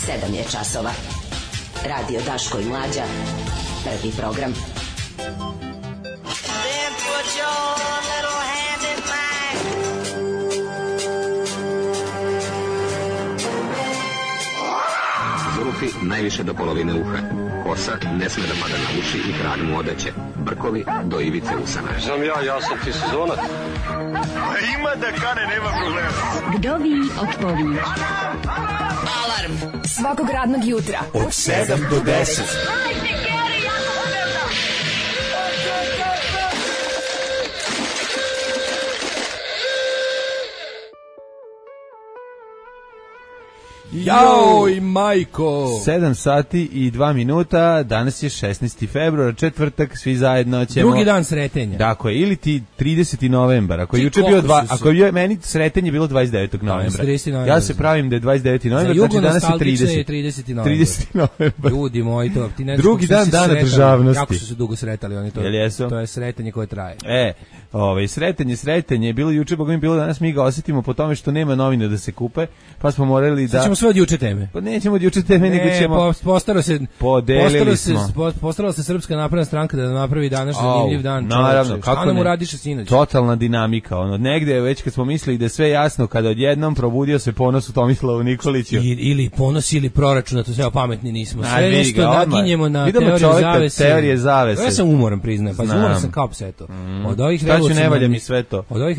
7 je časova. Radio Daško i Mlađa. Prvi program. Zulufi najviše do polovine uha. Kosa ne sme da pada na uši i krag mu odeće. Brkovi do ivice usana. Znam ja sam ti sezonac. Ima da kane, nema problema. Vdovi otpovi. Alarm svakog radnog jutra Od 7 do 10. Joj, majko! 7 sati i 2 minuta, danas je 16. februar, četvrtak, svi zajedno ćemo... Drugi dan sretenja. Tako je, ili ti 30. novembar, ako je juče bio ako je meni sretenje bilo 29. novembra. Ja se pravim da je 29. novembar, znači danas je 30. 30. novembar. Ljudi moji, to ti ne drugi dan dana državnosti. Jako su se dugo sretali oni to. To je sretenje koje traje. Sretenje je bilo juče, bogom je bilo danas, mi ga osjetimo po tome što nema novine da se kupe, pa smo morali da... Sve od juče teme. Pa nećemo od juče teme, nego ćemo... Postarala se Srpska napredna stranka da napravi današnji zanimljiv dan. Naravno, kako nam uradiše sinoć? Totalna dinamika. Negde već kad smo mislili da je sve jasno, kada odjednom probudio se ponos u Tomislavu Nikoliću. Ili ponos ili proračun, da to sve pametni nismo. Sve nešto naginjemo na teorije zavese. Ja sam umoran, priznajem. Pa umoran sam kao pseto. Od ovih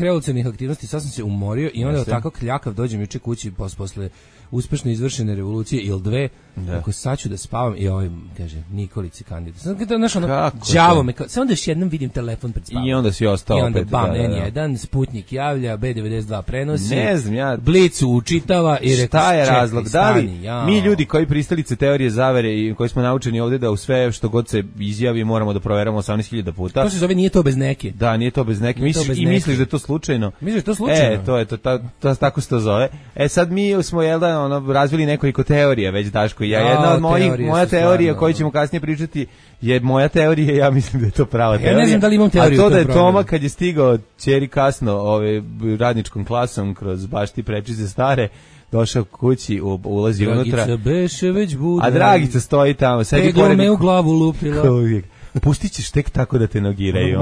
revolucionarnih aktivnosti sad sam se umorio i onda tako kljakav dođem juče kući posle uspešno izvršene revolucije ili dve, ako sad ću da spavam i kaže, Nikolić je kandidat. Sad kada znaš đavo me, sad onda još jednom vidim telefon pred spavom. I onda si ostao opet. I onda bam, N1, Sputnik javlja, B92 prenosi, ne znam, ja... Blicu učitava i rekao, šta je razlog? Da li mi ljudi koji pristalice teorije zavere i koji smo naučeni ovdje da u sve što god se izjavi moramo da proveramo 18.000 puta. To se zove nije to bez neke. Da, nije to bez neke. Misliš da je to slučajno? Misliš da je to slučajno? To je to, tako se to zove. Sad mi smo razvili nekoliko teorija već, Daško i ja. Jedna od moja teorija koju ćemo kasnije pričati je moja teorija, ja mislim da je to prava teorija. Ja ne znam da li imam teoriju. A to da je Toma kad je stigao ćeri kasno radničkom klasom kroz baš ti prečice stare, došao kući, ulazi unutra. Dragica beše već buda. A Dragica stoji tamo. Teglo me u glavu lupila. Pustit ćeš tek tako da te nogiraju.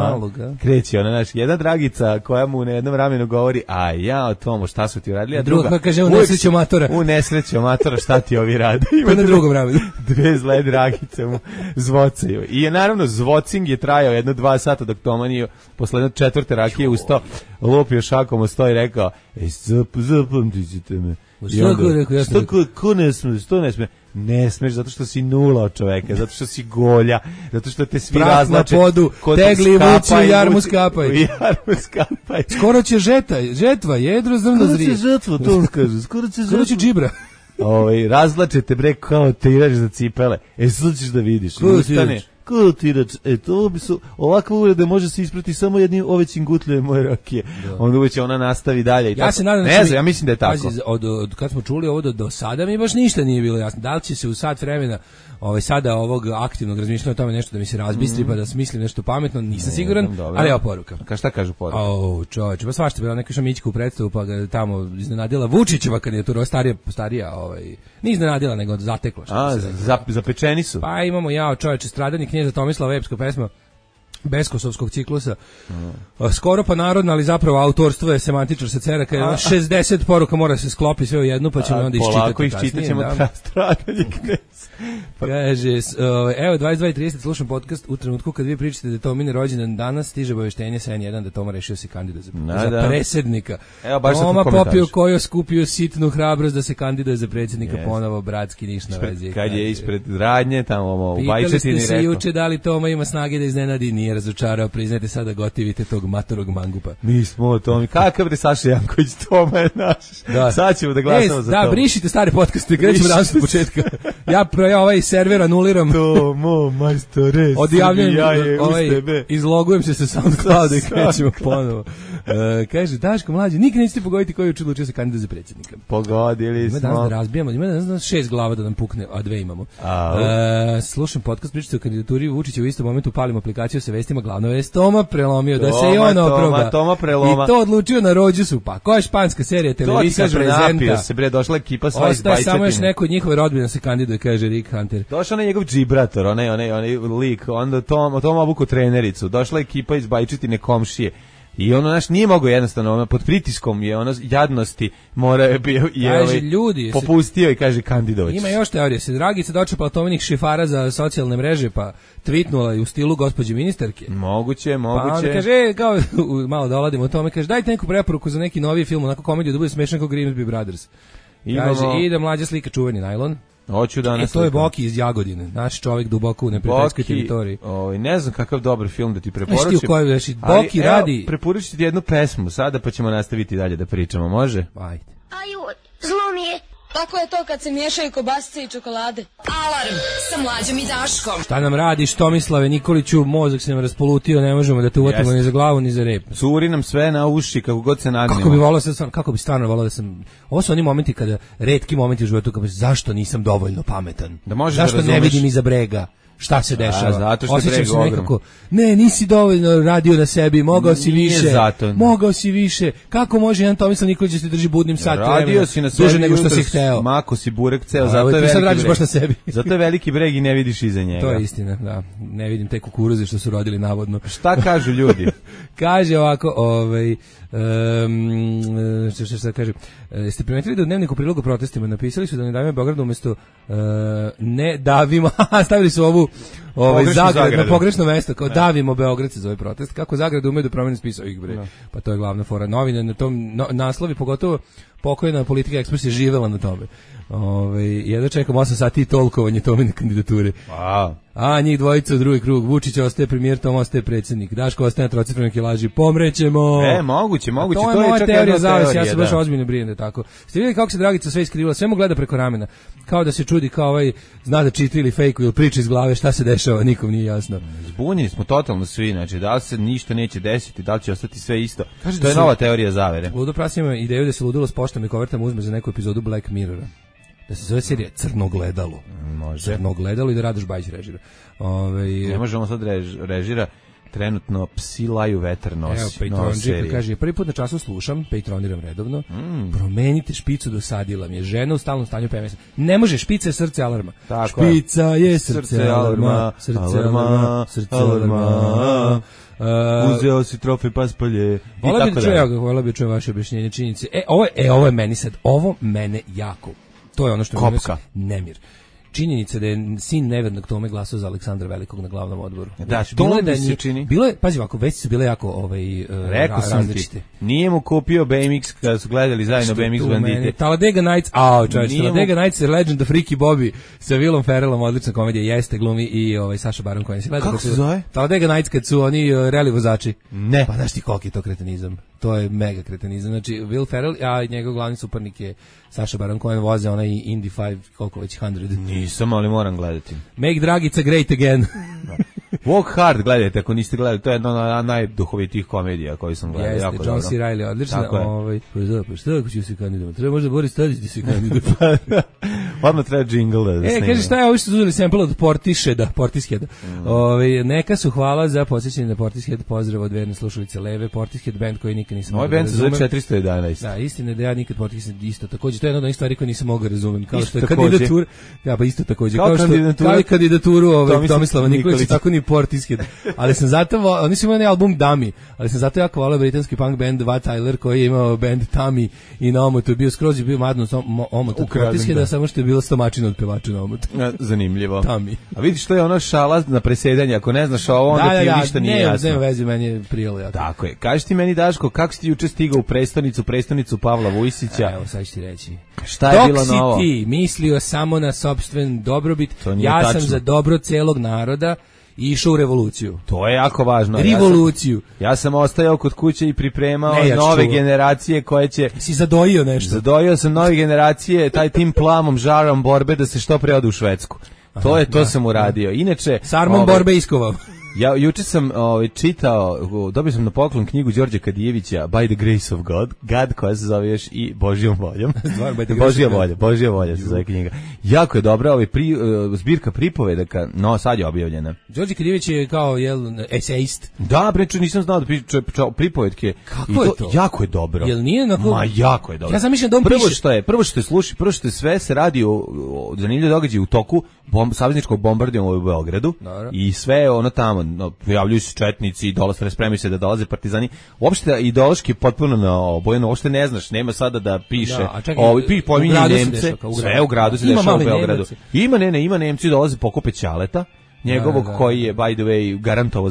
Kreći ona, jedna Dragica koja mu na jednom ramenu govori, a ja Tomo, šta su ti uradili? A druga kaže, u nesreću matora. U nesreću matora, šta ti ovi rade? Pa na drugom ramenu. Dve zle Dragice mu zvocaju. I naravno, zvocing je trajao 1-2 sata dok Toma nije posle jedne četvrte rakije ustao, lupio šakom u sto i rekao, zapamtit ćete me. Ko ne sme, što ne sme? Ne smeš, zato što si nula od čoveka, zato što si golja, zato što te svi razlače. Prah na podu, tegli vuci, u jarmu skapaj. Skoro će žetva, jedro zrno zrije. Skoro će žetva, to on kaže, skoro će džibra. Razlačete bre kao tirač za cipele. Sad ćeš da vidiš. Ko tirač? To bi su ovakva uvreda može se isprati samo jednim ove cingutljeve moje rakije. Onda uveć ona nastavi dalje i ja se nadam, ne znam, ja mislim da je tako. Od kad smo čuli ovo do sada mi baš ništa nije bilo jasno. Da li će se u sat vremena sada ovog aktivnog razmišljanja o tome nešto da mi se razbistri pa da smislim nešto pametno, nisam siguran, ali evo poruka. Šta kažu poruka? Čoveče, pa svašta bila neka Šamićka u predstavu pa ga tamo iznenadila Vučićeva kandidatura, starija nije iznenadila nego zatekla. Zapečeni su. Pa imamo čoveče stradanje knjeza Tomislava epska pesma Beskosovskog ciklusa. Skoro pa narodna, ali zapravo autorstvo je semantičar sa ceraka. 60 poruka mora se sklopi sve u jednu, pa ćemo onda iščitati. Polako iščitat ćemo stradanje knjeza. Kaže, evo 22:30 slušam podcast u trenutku kad vi pričate da je Tomine rođendan danas, stiže obaveštenje sa N1 da Toma rešio se kandidat za predsjednika. Toma popio koju skupio sitnu hrabrost da se kandiduje za predsjednika ponovo, bratski niš na vezi. Kad je ispred radnje tamo u Bajčetini rekao. Pitali ste se juče da li Toma ima snage da iznenadi, nije razočarao, priznajte sada gotivite tog matorog mangupa. Mi smo o Tomi. Kakav bre Saša Janković, Toma je naš. Sad ćemo da glasamo za to. Da, brišite stare podcaste, krećemo danas od početka. ja ovaj server anuliram. Tomo, majstore, odjavljujem, izlogujem se sa SoundClouda i krećemo ponovo. Kaže, Daško mlađi, nikad nećete pogoditi koji je odlučio se kandidat za predsjednika. Pogodili smo. Ima danas da razbijamo, ima danas 6 glava da nam pukne, a 2 imamo. Slušam podcast, pričate o kandidaturi Vučića, u istom momentu palimo aplikaciju sa vestima, glavna vest Toma prelomio, da se i on oproba. Toma preloma. I to odlučio na Rođusu, pa koja je španska serija, televizija, prezenta. Napio se, bre, došla ekipa sva iz Bajčetine. Samo još neko od njihove rodbine se kandiduje, kaže Rick Hunter. Došao na njegov džibrator, onaj lik, onda Tom obuko trenericu, došla ekipa iz Bajčetine komšije. I ono naš nije mogao jednostavno, pod pritiskom je ono jadnosti mora je bio i popustio i kaže kandidovać. Ima još teorije, se Dragica dočepala Tominih šifara za socijalne mreže pa tweetnula i u stilu gospođe ministarke. Moguće. Pa onda kaže, kao malo da oladimo o tome, kaže dajte neku preporuku za neki novi film, onako komediju da bude smešan kao Grimsby Brothers. Kaže, ide mlađa slika čuveni najlon. Hoću danas. To je Boki iz Jagodine, naš čovjek duboko u neprijateljskoj teritoriji. Ne znam kakav dobar film da ti preporučim. Boki radi. Preporučiti ti jednu pesmu sada pa ćemo nastaviti dalje da pričamo, može? Ajde. Aju, zlo mi je. Tako je to kad se miješaju kobasice i čokolade. Alarm sa Mlađom i Daškom. Šta nam radiš, Tomislave Nikoliću, mozak se nam raspolutio, ne možemo da te uvatimo ni za glavu ni za rep. Curi nam sve na uši kako god se nagnemo. Kako bi stvarno volao da sam. Ovo su oni momenti kada, retki momenti u životu kada zašto nisam dovoljno pametan. Zašto ne vidim iza brega šta se dešava. Zato što je nekako, ne, nisi dovoljno radio na sebi, mogao si više. Mogao si više. Kako može jedan Tomislav Nikolić da se drži budnim sat vremena? Radio si na sebi, duže nego što si hteo. Mako si burek ceo, zato je veliki breg. Baš na sebi. Zato je veliki breg i ne vidiš iza njega. To je istina, da. Ne vidim te kukuruze što su rodili navodno. Šta kažu ljudi? Kaže ovako, šta kaže? Ste primetili da u dnevniku prilogu protestima napisali su da ne davimo Beogradu umjesto ne davimo, stavili su ovu Zagrad na pogrešno mesto, kao davimo Beograd se zove protest. Kako Zagrad ume da promeni spisao ih bre. Pa to je glavna fora novine na tom naslovi, pogotovo pokojna Politika Ekspres je živela na tome. Jedno čekam 8 sati i tolkovanje Tomine kandidature. A njih dvojica u drugi krug. Vučić ostaje premijer, Tom ostaje predsjednik. Daško ostaje na trocifrenoj kilaži. Pomrećemo. Moguće. To je moja teorija zavisi. Ja se baš ozbiljno brinem da tako. Ste vidjeli kako se Dragica sve iskrivila? Sve mu gleda preko ramena. Kao da se čudi, kao zna da čita ili fejku ili priča iz glave šta se dešava. Nikom nije jasno. Zbunjeni smo totalno svi. Znači, da li se ništa neće desiti, da li će ostati sve isto. To je nova teorija zavere. Ludo Pras ima ideju da se ludilo s poštom i kovertama uzme za neku epizodu Black Mirrora. Da se zove serija Crno gledalo. Može. Crno gledalo i da Radoš Bajić režira. Ne možemo sad režira. Trenutno Psi laju vetar nosi. Evo, Patron Džika kaže, prvi put na času slušam, Patroniram redovno, promenite špicu, dosadila mi je žena u stalnom stanju PMS. Ne može, špica je srce alarma. Špica je srce alarma, srce alarma. Uzeo si trofej paspalje. Vola bi čujem vaše objašnjenje činjenice. Ovo je meni sad, ovo mene jako. To je ono što mi nemir. Činjenica da je sin nevernog Tome glasao za Aleksandra Velikog na glavnom odboru. Da, to mi se čini. Bilo je, pazi ovako, već su bile jako različite. Nije mu kupio BMX kada su gledali zajedno BMX bandite. Talladega Nights, Talladega Nights je Legend of Ricky Bobby sa Willom Ferrellom, odlična komedija, jeste glumi i Saša Baron Cohen. Kako se zove? Talladega Nights kad su oni reli vozači. Ne. Pa znaš ti koliki je to kretenizam. To je mega kretenizam. Znači, Will Ferrell, a njegov glavni suparnik je Saša Baron Cohen, voze onaj Indy 5, koliko već 100. Nisam, ali moram gledati. Make Dragica great again. Walk Hard gledajte, ako niste gledali, to je jedna od najduhovitijih komedija koju sam gledao. Jeste, John C. Reilly, odlično. Pa šta ako ću se kandidat? Treba možda Boris Tadić da se kandidat. Odmah treba džingl da snima. Kaže, šta je ovo što su uzeli sample od Portisheda? Neka su hvala za posjećanje na Portishead, pozdrav od verne slušalice Leve, Portishead band koji nikad nisam mogao da razumem. Ovaj band se zove 411. Da, istina je da ja nikad Portishead isto također. To je jedna od onih stvari koje nisam mogao razumem. Kao što je kandidatura. Ja, pa isto također. Kao i kandidaturu Tomislava Nikolića, tako ni Portishead. Ali sam zato, oni su imali album Dummy, ali sam zato jako volao britanski punk band Wat Tyler koji je imao band Tammy i na omotu je bio skroz je bio madno omot od Portisheada, samo što je bilo stomačina od pevača na omotu. Zanimljivo. Tammy. A vidiš, to je ono šala na presedanje, ako ne znaš ovo, onda ti ništa nije jasno. Nema veze, meni je prijelo jako. Tako je. Kaži ti meni, Daško, kako si ti juče stigao u prestonicu Pavla Vujsića? Evo, sad ću ti reći. Šta je bilo novo? Dok si ti mislio samo na sopstven dobrobit, ja sam za dobro celog naroda i išao u revoluciju. To je jako važno. Revoluciju. Ja sam ostajao kod kuće i pripremao nove generacije koje će... Si zadojio nešto? Zadojio sam nove generacije, taj tim plamom, žarom borbe da se što pre ode u Švedsku. To sam uradio. Inače... S armom borbe iskovao. Ja juče sam čitao, dobio sam na poklon knjigu Đorđe Kadijevića By the Grace of God koja se zove još i Božjom voljom. Božja volja se zove knjiga. Jako je dobra, zbirka pripovedaka, no sad je objavljena. Đorđe Kadijević je kao esejist. Da, breče, nisam znao da piše pripovetke. Kako je to? Jako je dobro. Jel nije onako? Ma jako je dobro. Ja zamišljam da on piše. Prvo što sve se radi o zanimljivim događajima u toku savezničkog bombardovanja u Beogradu. I sve ono tamo pojavljuju se četnici, spremaju se da dolaze partizani. Uopšte ideološki potpuno naobojeno, uopšte ne znaš, nema sada da piše. Pominje Nemce, sve u gradu se dešava u Beogradu. Ima Nemci dolaze pokupe Ćaleta, njegovog koji je by the way garantovao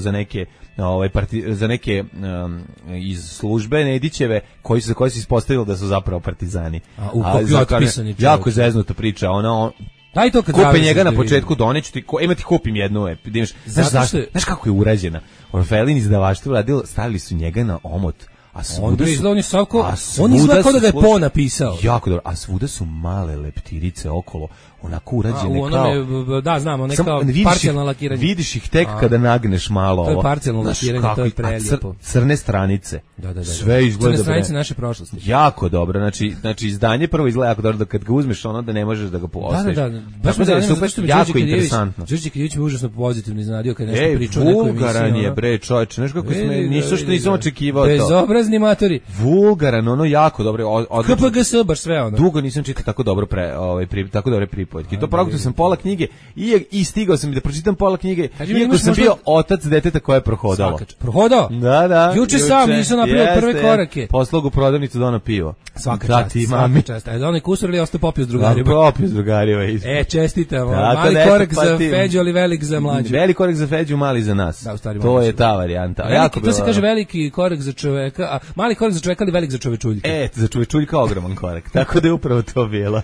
za neke iz službe Nedićeve koji se ispostavilo da su zapravo partizani. Jako je zeznuta priča, daj to kad kupe njega na početku, doneću ti, ti kupim jednu, znaš kako je urađena. Orfelin izdavaštvo radilo, stavili su njega na omot, a svuda on izgleda kao da ga je Po napisao. Jako dobro, a svuda su male leptirice okolo, onako urađene kao... Da, znam, ono je kao parcijalno lakiranje. Vidiš ih tek kada nagneš malo ovo. To je parcijalno lakiranje, to je prelijepo. Crne stranice. Da. Sve izgleda crne stranice naše prošlosti. Jako dobro, znači izdanje prvo izgleda jako dobro, da kad ga uzmeš ono da ne možeš da ga postaviš. Da. Baš me zanima zašto mi jako interesantno. Đorđe Kadijević me užasno pozitivno iznenadio kad nešto pričao nekoj emisiji. Vulgaran je, bre, čoveče, znaš kako nisam očekivao to. Bezobrazni matori. Vulgaran, ono jako dobro. KPGS, baš sve ono. Dugo nisam čitao tako dobro tako dobre pripovetke. To progutao sam pola knjige i stigao sam da pročitam pola knjige, iako sam bio otac deteta koje je prohodalo. Prohodao? Da. Juče sam nisam napravio prve korake. Poslao u prodavnicu da ono pivo. Svaka čast. Da onaj kusur ili ostao popio s drugarima? Popio s drugarima. Čestitam. Mali korak za Feđu, ali velik za mlađu. Veliki korak za Feđu, mali za nas. To je ta varijanta. To se kaže veliki korak za čoveka, a mali korak za čoveka, ali velik za čovečuljka. Za čovečuljka ogroman korak. Tako da je upravo to bilo.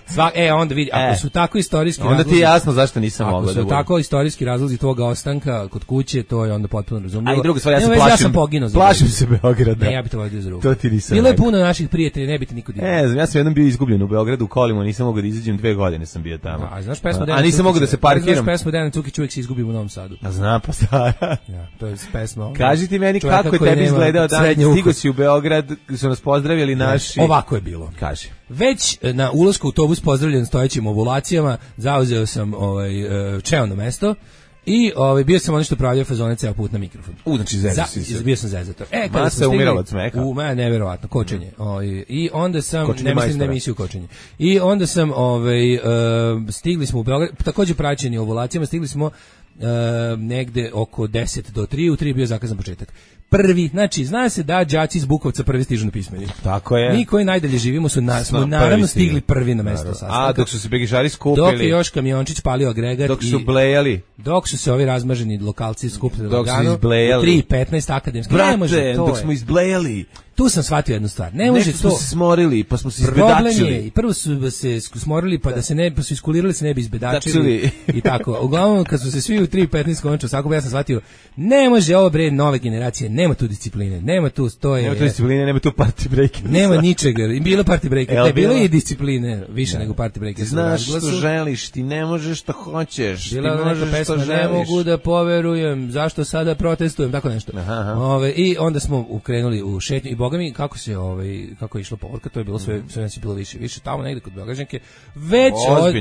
Onda vidi, ako su tako istorijski onda ti je jasno zašto nisam mogao da budem. Ako su tako istorijski razlozi tvoga ostanka kod kuće, to je onda potpuno razumljivo. A i druga stvar, ja sam poginuo. Plašim se Beograda. Ne, ja bih to vodio za ruku. To ti nisam. Bilo je puno naših prijatelja, ne bi ti niko vidio. Ja sam jednom bio izgubljen u Beogradu u kolima, nisam mogao da izađem 2 godine sam bio tamo. A znaš pesmu a nisam mogao da se parkiram. Znaš pesmu Dejan Cukić uvijek se izgubim u Novom Sadu. A znam, pa stara. To je pesma. Kaži ti meni kako je tebi izgledao dan, stigo si u Beograd, su nas pozdravili naši. Ovako je bilo. Kaži. Već na ulasku u autobus pozdravljen stojećim ovulacijama, zauzeo sam čelno mesto i bio sam ono što pravljao fazone ceo put na mikrofon. Znači zezator. Bio sam zezator. Kada sam umirao od smeha. Neverovatno, kočenje. I onda sam, ne mislim na emisiju kočenje. I onda sam, stigli smo u Beograd, također praćeni ovulacijama, stigli smo negde oko 10 do 3, u 3 bio zakazan početak. Prvi, znači, zna se da đaci iz Bukovca prvi stižu na pismeni. Tako je. Mi koji najdalje živimo smo naravno stigli prvi na mesto sastanka. A, dok su se begišari skupili. Dok je još kamiončić palio agregat. Dok su blejali. Dok su se ovi razmaženi lokalci skupili dok su izblejali. 3:15 akademski. Brate, dok smo izblejali. Tu sam shvatio jednu stvar. Ne može to. Smo se smorili, pa smo se izbedačili. I prvo su se smorili, pa da se ne, pa su iskulirali se ne bi izbedačili. I tako. Uglavnom, kad su se svi u 3:15 končali, svako ja sam shvatio, ne može ovo bre nove generacije, nema tu discipline, nema tu stoje. Nema tu discipline, nema tu party breaker. Nema ničega. Bilo party breaker, bilo je discipline, više nego party breaker. Znaš što želiš, ti ne možeš što hoćeš, ti možeš što želiš. Ne mogu da poverujem, zašto sada protestujem, tako nešto. I onda smo ukrenuli u šetnju i boga mi kako je išla povorka, to je bilo sve nas je bilo više tamo negde kod Beograđanke. Već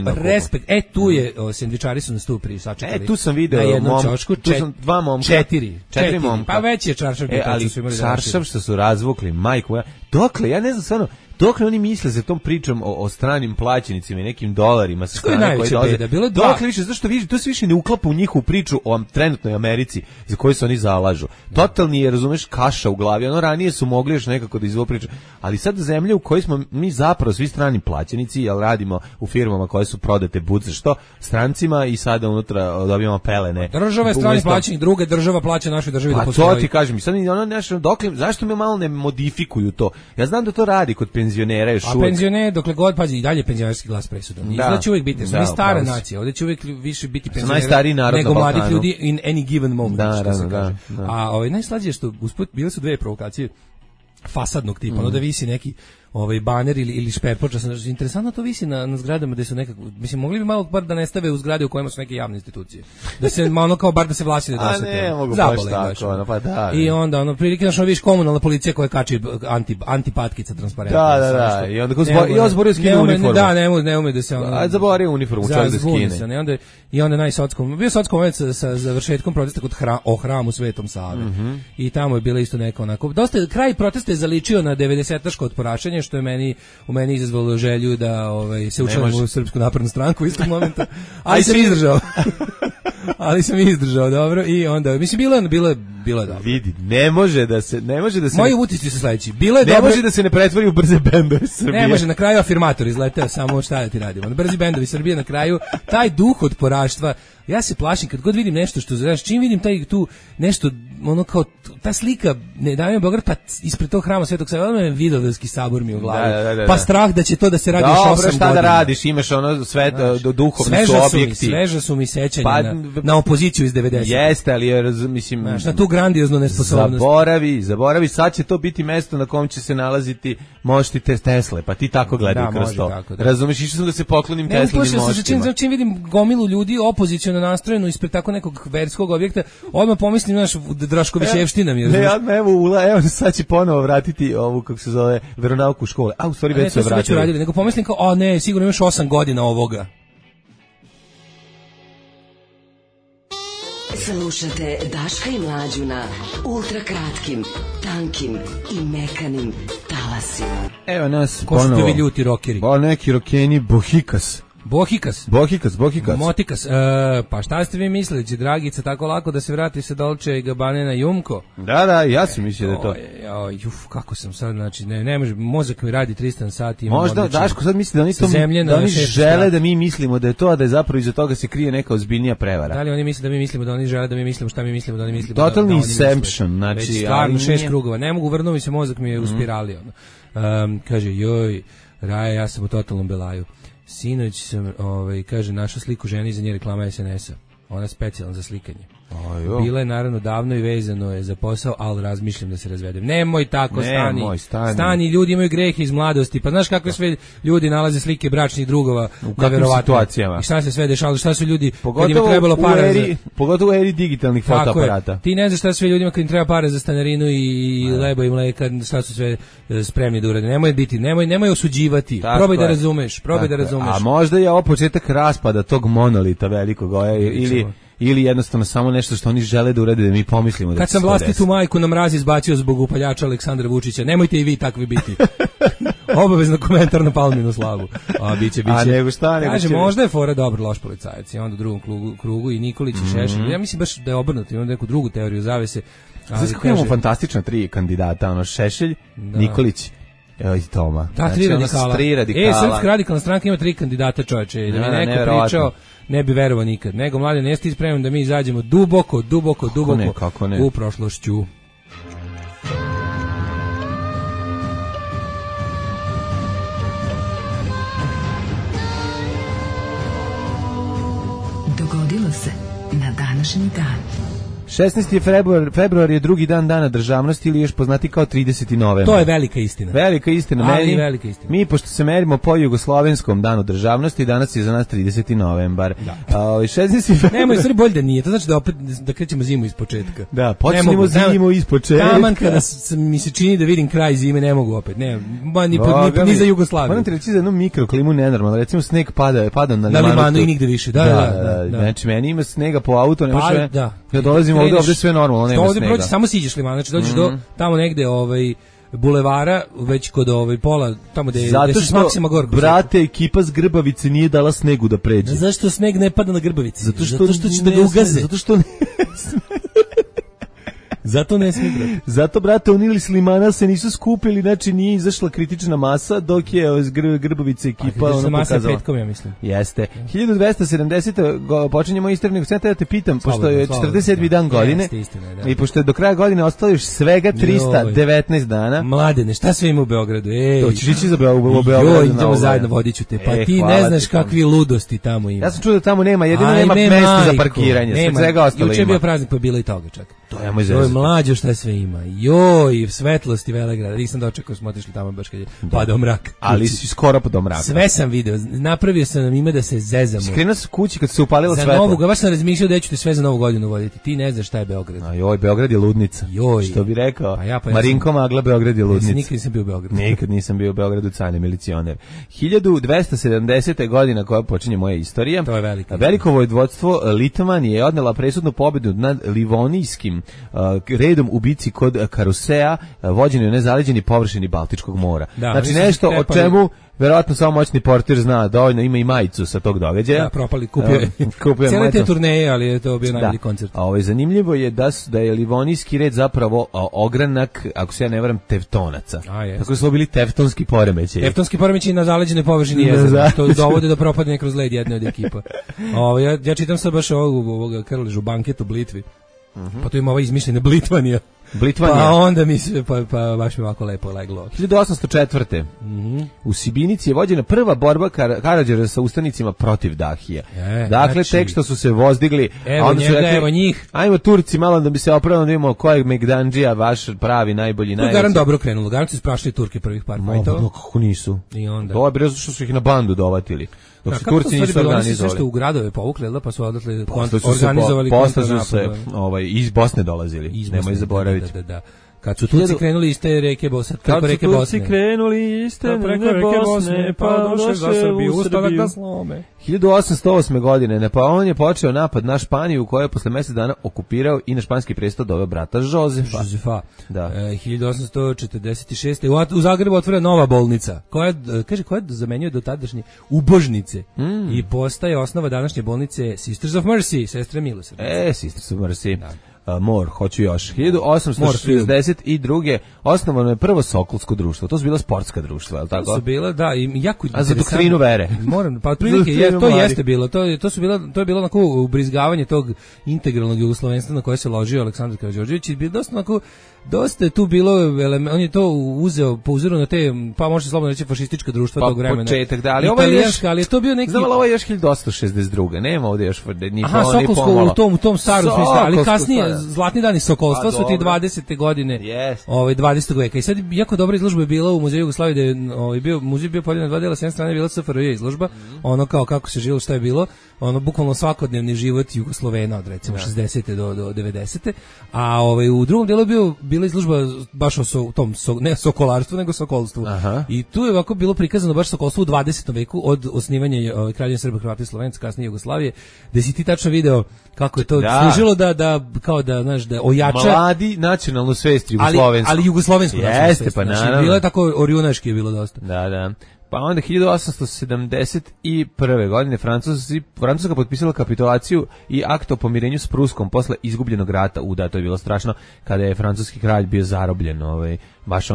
respekt. Tu je sendvičari su nas tu sačekali. Tu sam video na jednom ćošku, tu sam 2 momka. 4 momka. Pa već je čaršav. Ali čaršav što su razvukli, majko moja. Dokle, ja ne znam stvarno, dokle oni misle za tom pričom o stranim plaćenicima i nekim dolarima sa strane koji dolaze. Dokle više, zašto to se više ne uklapa u njihovu priču o trenutnoj Americi za koju se oni zalažu. Totalni je, razumeš, kaša u glavi. Ono ranije su mogli još nekako da izvolu priču. Ali sad zemlja u kojoj smo mi zapravo svi strani plaćenici, jer radimo u firmama koje su prodate budze što strancima i sada unutra dobijamo pelene. Država je strani plaćenik, druga država plaća našoj državi da postoji. Pa to ti kažem. I sad ono nešto, dokle, zašto me malo ne modifikuju to? Ja znam da to radi kod penzionera još uvek. A penzioner, dokle god, pazi, i dalje penzionerski glas presudan. Izgleda će uvek biti, smo mi stara nacija, ovdje će uvek više biti penzionera nego mladih ljudi in any given moment, što se kaže. A najslađe je što, usput, bile su dve provokacije fasadnog tipa, ono da visi neki baner ili šperpoča, interesantno to visi na zgradama gde su nekako, mislim, mogli bi malo bar da ne stave u zgrade u kojima su neke javne institucije. Da se ono kao bar da se vlasi ne dosete. A ne, mogu baš tako, pa da. I onda, prilike našo viš komunalna policija koja kači antipatkica transparentno. Da. I onda zborio skine uniformu. Da, ne ume da se ono... A zaborio uniformu, čovjek da skine. I onda bio sockom moment sa završetkom protesta o hramu Svetom Save. I tamo je bila isto neka onako... Dosta, kraj protesta je zaličio na 90-taško otporašenje, što je u meni izazvalo želju da se učlanim u Srpsku naprednu stranku u istog momenta, ali sam izdržao. Ali sam izdržao, dobro, i onda, mislim, bilo je dobro. Vidi, ne može da se... Moji utisci su sledeći. Bilo je dobro. Ne može da se ne pretvori u brze bendove Srbije. Ne može, na kraju afirmator izleteo, samo šta da ti radimo. Brzi bendovi Srbije na kraju, taj duh odporaštva, ja se plašim kad god vidim nešto što, znaš, čim vidim tu nešto, ono kao, ta slika, ne davim Beograd, pa ispred tog hrama Svetog Save, ono je Vidovdanski sabor mi u glavi. Da. Pa strah da će to da se radi još 8 godina. Dobro, šta da radiš, imaš ono sve, duhovni su objekti. Sveža su mi sećanja na opoziciju iz 90. Jeste, ali je, mislim... Na tu grandioznu nesposobnost. Zaboravi, sad će to biti mesto na kom će se nalaziti mošti Tesle, pa ti tako gledaj kroz to. Razumeš, išao sam da se poklonim Teslinim moštima. Čim vidim gomilu ljudi opoziciono nastrojenu ispred tako nekog verskog objekta, odmah pomislim, znaš, Draškovićevština mi je. Evo sad će ponovo vratiti ovu, kako se zove, veronauku škole. A u stvari već se vratili. Nego pomislim kao, ne, sigurno imaš 8 godina ovoga. Slušate Daška i Mlađu na ultrakratkim, tankim i mekanim talasima. Evo nas ponovo. Ko su tevi ljuti rokeri? Neki rokeni Bohikas. Bohikas. Motikas. Pa šta ste vi mislili, će Dragica tako lako da se vrati sa Dolce i Gabbane na Jumko? Da, ja sam mislio da je to. Kako sam sad, znači, ne može, mozak mi radi 300 sati. Možda, Daško, sad misli da oni žele da mi mislimo da je to, a da je zapravo iza toga se krije neka ozbiljnija prevara. Da li oni misle da mi mislimo da oni žele da mi mislimo šta mi mislimo da oni mislimo? Totalni inception, znači. Već stvarno 6 krugova, ne mogu, vrnuo mi se mozak, mi je u spirali. Kaže, Raja, ja sam u totalnom belaju. Sinoć sam, kaže, našla sliku žene iza nje reklama SNS-a. Ona je specijalna za slikanje. Bila je naravno davno i vezano je za posao, ali razmišljam da se razvedem. Nemoj tako, stani, ljudi imaju grehe iz mladosti. Pa znaš kakve sve ljudi nalaze slike bračnih drugova u kakvim situacijama. I šta se sve dešavalo, šta su ljudi kad im trebalo para pogotovo u eri digitalnih fotoaparata. Ti ne znaš šta sve ljudima kad im treba pare za stanarinu i leba i mleka, šta su sve spremni da urade. Nemoj osuđivati. Probaj da razumeš. A možda je ovo početak raspada tog monolita velikog ili jednostavno samo nešto što oni žele da urade da mi pomislimo da kad sam vlastitu majku na mraz izbacio zbog upaljača Aleksandra Vučića, nemojte i vi takvi biti. Obavezno komentar na Palminu slavu. Biće. A nego šta, kaže, možda je fora dobar loš policajac. I onda u drugom krugu i Nikolić i Šešelj. Ja mislim baš da je obrnuto, imam neku drugu teoriju zavese. Znači kako imamo fantastična 3 kandidata, Šešelj, Nikolić i Toma. Da, 3 radikala. Srpska radikalna stranka ima 3 kandidata, čoveče. Da mi neko pričao, ne bi verovao nikad. Nego, Mladen, jesi ti spreman da mi izađemo duboko u prošlošću. Dogodilo se na današnji dan. 16. februar je drugi dana državnosti ili još poznati kao 30. novembar. To je velika istina. Velika istina. Mi, pošto se merimo po jugoslovenskom danu državnosti, danas je za nas 30. novembar. Da. 16. Nemoj, stvari bolje da nije. To znači da opet da krećemo zimu iz početka. Da, počnemo zimu iz početka. Taman kada mi se čini da vidim kraj zime, ne mogu opet. Ne, ni za Jugoslaviju. Moram ti reći za jednu mikroklimu nenormalno. Recimo sneg pada na Limanu i nigde više. Da. Znači, meni ima snega po auto, ne može. Ja dolazim ovdje sve normalno, nema snega. Ovdje proći, samo siđeš Liman, znači dođeš do tamo negde bulevara, već kod pola, tamo gde je Maksima Gorko. Brate, ekipa s Grbavice nije dala snegu da pređe. Zašto sneg ne pada na Grbavici? Zato što će da ga ugaze. Zato ne smije, brate. Zato, brate, oni ili Slimana se nisu skupili, znači nije izašla kritična masa, dok je Grbovica ekipa ono pokazala. Petkom, ja mislim. Jeste. 1270. počinjemo istoriju, sad da te pitam, pošto je 47. dan godine, i pošto je do kraja godine ostalo još svega 319 dana. Mladene, šta sve ima u Beogradu? Hoćeš ići za Beogradu? Idemo zajedno, vodit ću te. Pa ti ne znaš kakvi ludosti tamo ima. Ja sam čuo da tamo nema, jedino nema mesta za parkiranje. Svega ostalo ima. Juče je bio praznik, pa je bilo i toga čak. To je moj zezat. Mlađo šta sve ima. Joj, svetlosti Velegrada. Nisam dočekao, smo otišli tamo baš kad je padao mrak. Ali si skoro padao mrak. Sve sam video. Napravio sam nam ime da se zezamo. Skrenuo sam kući kad se upalilo za svetlo. Baš sam razmišljao da ću te sve za Novu godinu voditi. Ti ne znaš šta je Beograd. Joj, Beograd je ludnica. Joj. Što bi rekao? Pa Marinko Magla, Beograd je ludnica. Nikad nisam bio u Beogradu. Nikad nisam bio u Beogradu, cajni milicioner. 1270. godina koja počinje moja istorija. To je velika. Veliko vojvodstvo Litvanije je odnela presudnu pobedu nad Livonijskim redom u bici kod Karusea, vođeni u nezaleđeni površini Baltičkog mora. Da, znači nešto o čemu verovatno samo moćni portir zna, dovoljno ima i majicu sa tog događaja. Da, propali, kupio cijele te turneje, ali je to bio najbolji koncert. Zanimljivo je da je Livonijski red zapravo ogranak, ako se ja ne varam, Tevtonaca. Tako su bili tevtonski poremećaji. Tevtonski poremećaji na zaleđenoj površini jezera, što dovode do propadanja kroz led jedne od ekipa. Ja čitam sad baš ovog Krležu, banket u Blitvi. Pa tu ima ova izmišljena Blitvanija. Pa onda mi se, pa baš mi ovako lepo leglo. 1804. U Sibinici je vođena prva borba Karađorđa sa ustanicima protiv Dahija. Dakle, znači, tek što su se vozdigli, evo njega, rekli, evo njih. Ajmo Turci malo da bi se opravili, da vidimo ko je Megdandžija, vaš pravi, najbolji, najveći. Garan dobro krenulo, garan su sprašili Turke prvih par fajtova. No, kako nisu. I onda. To je bilo što su ih na bandu dovatili. Dok se Turci nisu organizovali. Oni su sve što u gradove povukli, pa su odatle organizovali kontra su se iz Bosne dolazili, nemoj zaboraviti. Da. Kad su Turci krenuli iz te reke Bosne, preko reke Bosne. Kad su Turci krenuli iz te reke Bosne, pa došli za Srbiju, u Srbiju. 1808. godine Napoleon je počeo napad na Španiju, koja je posle mjesec dana okupirao i na španski presto doveo brata Jozefa. Da. 1846. U Zagrebu otvore nova bolnica, koja zamenjuje do tadašnje ubožnice i postaje osnova današnje bolnice Sisters of Mercy, sestre milosrdnice. Sisters of Mercy. Da. Hoću još. 1862. osnovano je prvo Sokolsko društvo. To su bila sportska društva, je li tako? To su bila, da, i jako a za doktrinu vere. Moram, pa otprilike to jeste bilo. To je bilo onako ubrizgavanje tog integralnog jugoslovenstva na koje se ložio Aleksandar Karađorđević i bilo dosta je tu bilo, on je to uzeo po uzoru na te, pa može se slobodno reći fašistička društva tog vremena. Početak, da, ali ali je to bio neki... Znamo, ovo je još 1862. Nema ovdje još ni Sokolsko u tom starom smislu, ali kasnije zlatni dani Sokolstva su ti 20. godine 20. veka. I sad jako dobra izložba je bila u Muzeju Jugoslavije, gde je muzej bio podijeljen na dva dela, s jedne strane je bila SFRJ izložba, ono kao kako se živjelo, šta je bilo, ono bukvalno svakodnevni život Jugoslovena od recimo 60. do 90. A u drugom delu bila izložba baš o tom, ne sokolarstvu, nego sokolstvu. Aha. I tu je ovako bilo prikazano baš sokolstvo u 20. veku od osnivanja Kraljevine Srba, Hrvata i Slovenaca, kasnije Jugoslavije, gde si ti tačno video kako je to služilo da kao da, znaš, da ojača mladi nacionalnu svest jugoslovensku. Ali jugoslovensku nacionalnu svest. Pa naravno. Bilo je tako orjunaški je bilo dosta. Da. Pa onda 1871. godine Francuska potpisala kapitulaciju i akt o pomirenju s Pruskom posle izgubljenog rata. To je bilo strašno kada je francuski kralj bio zarobljen. Baš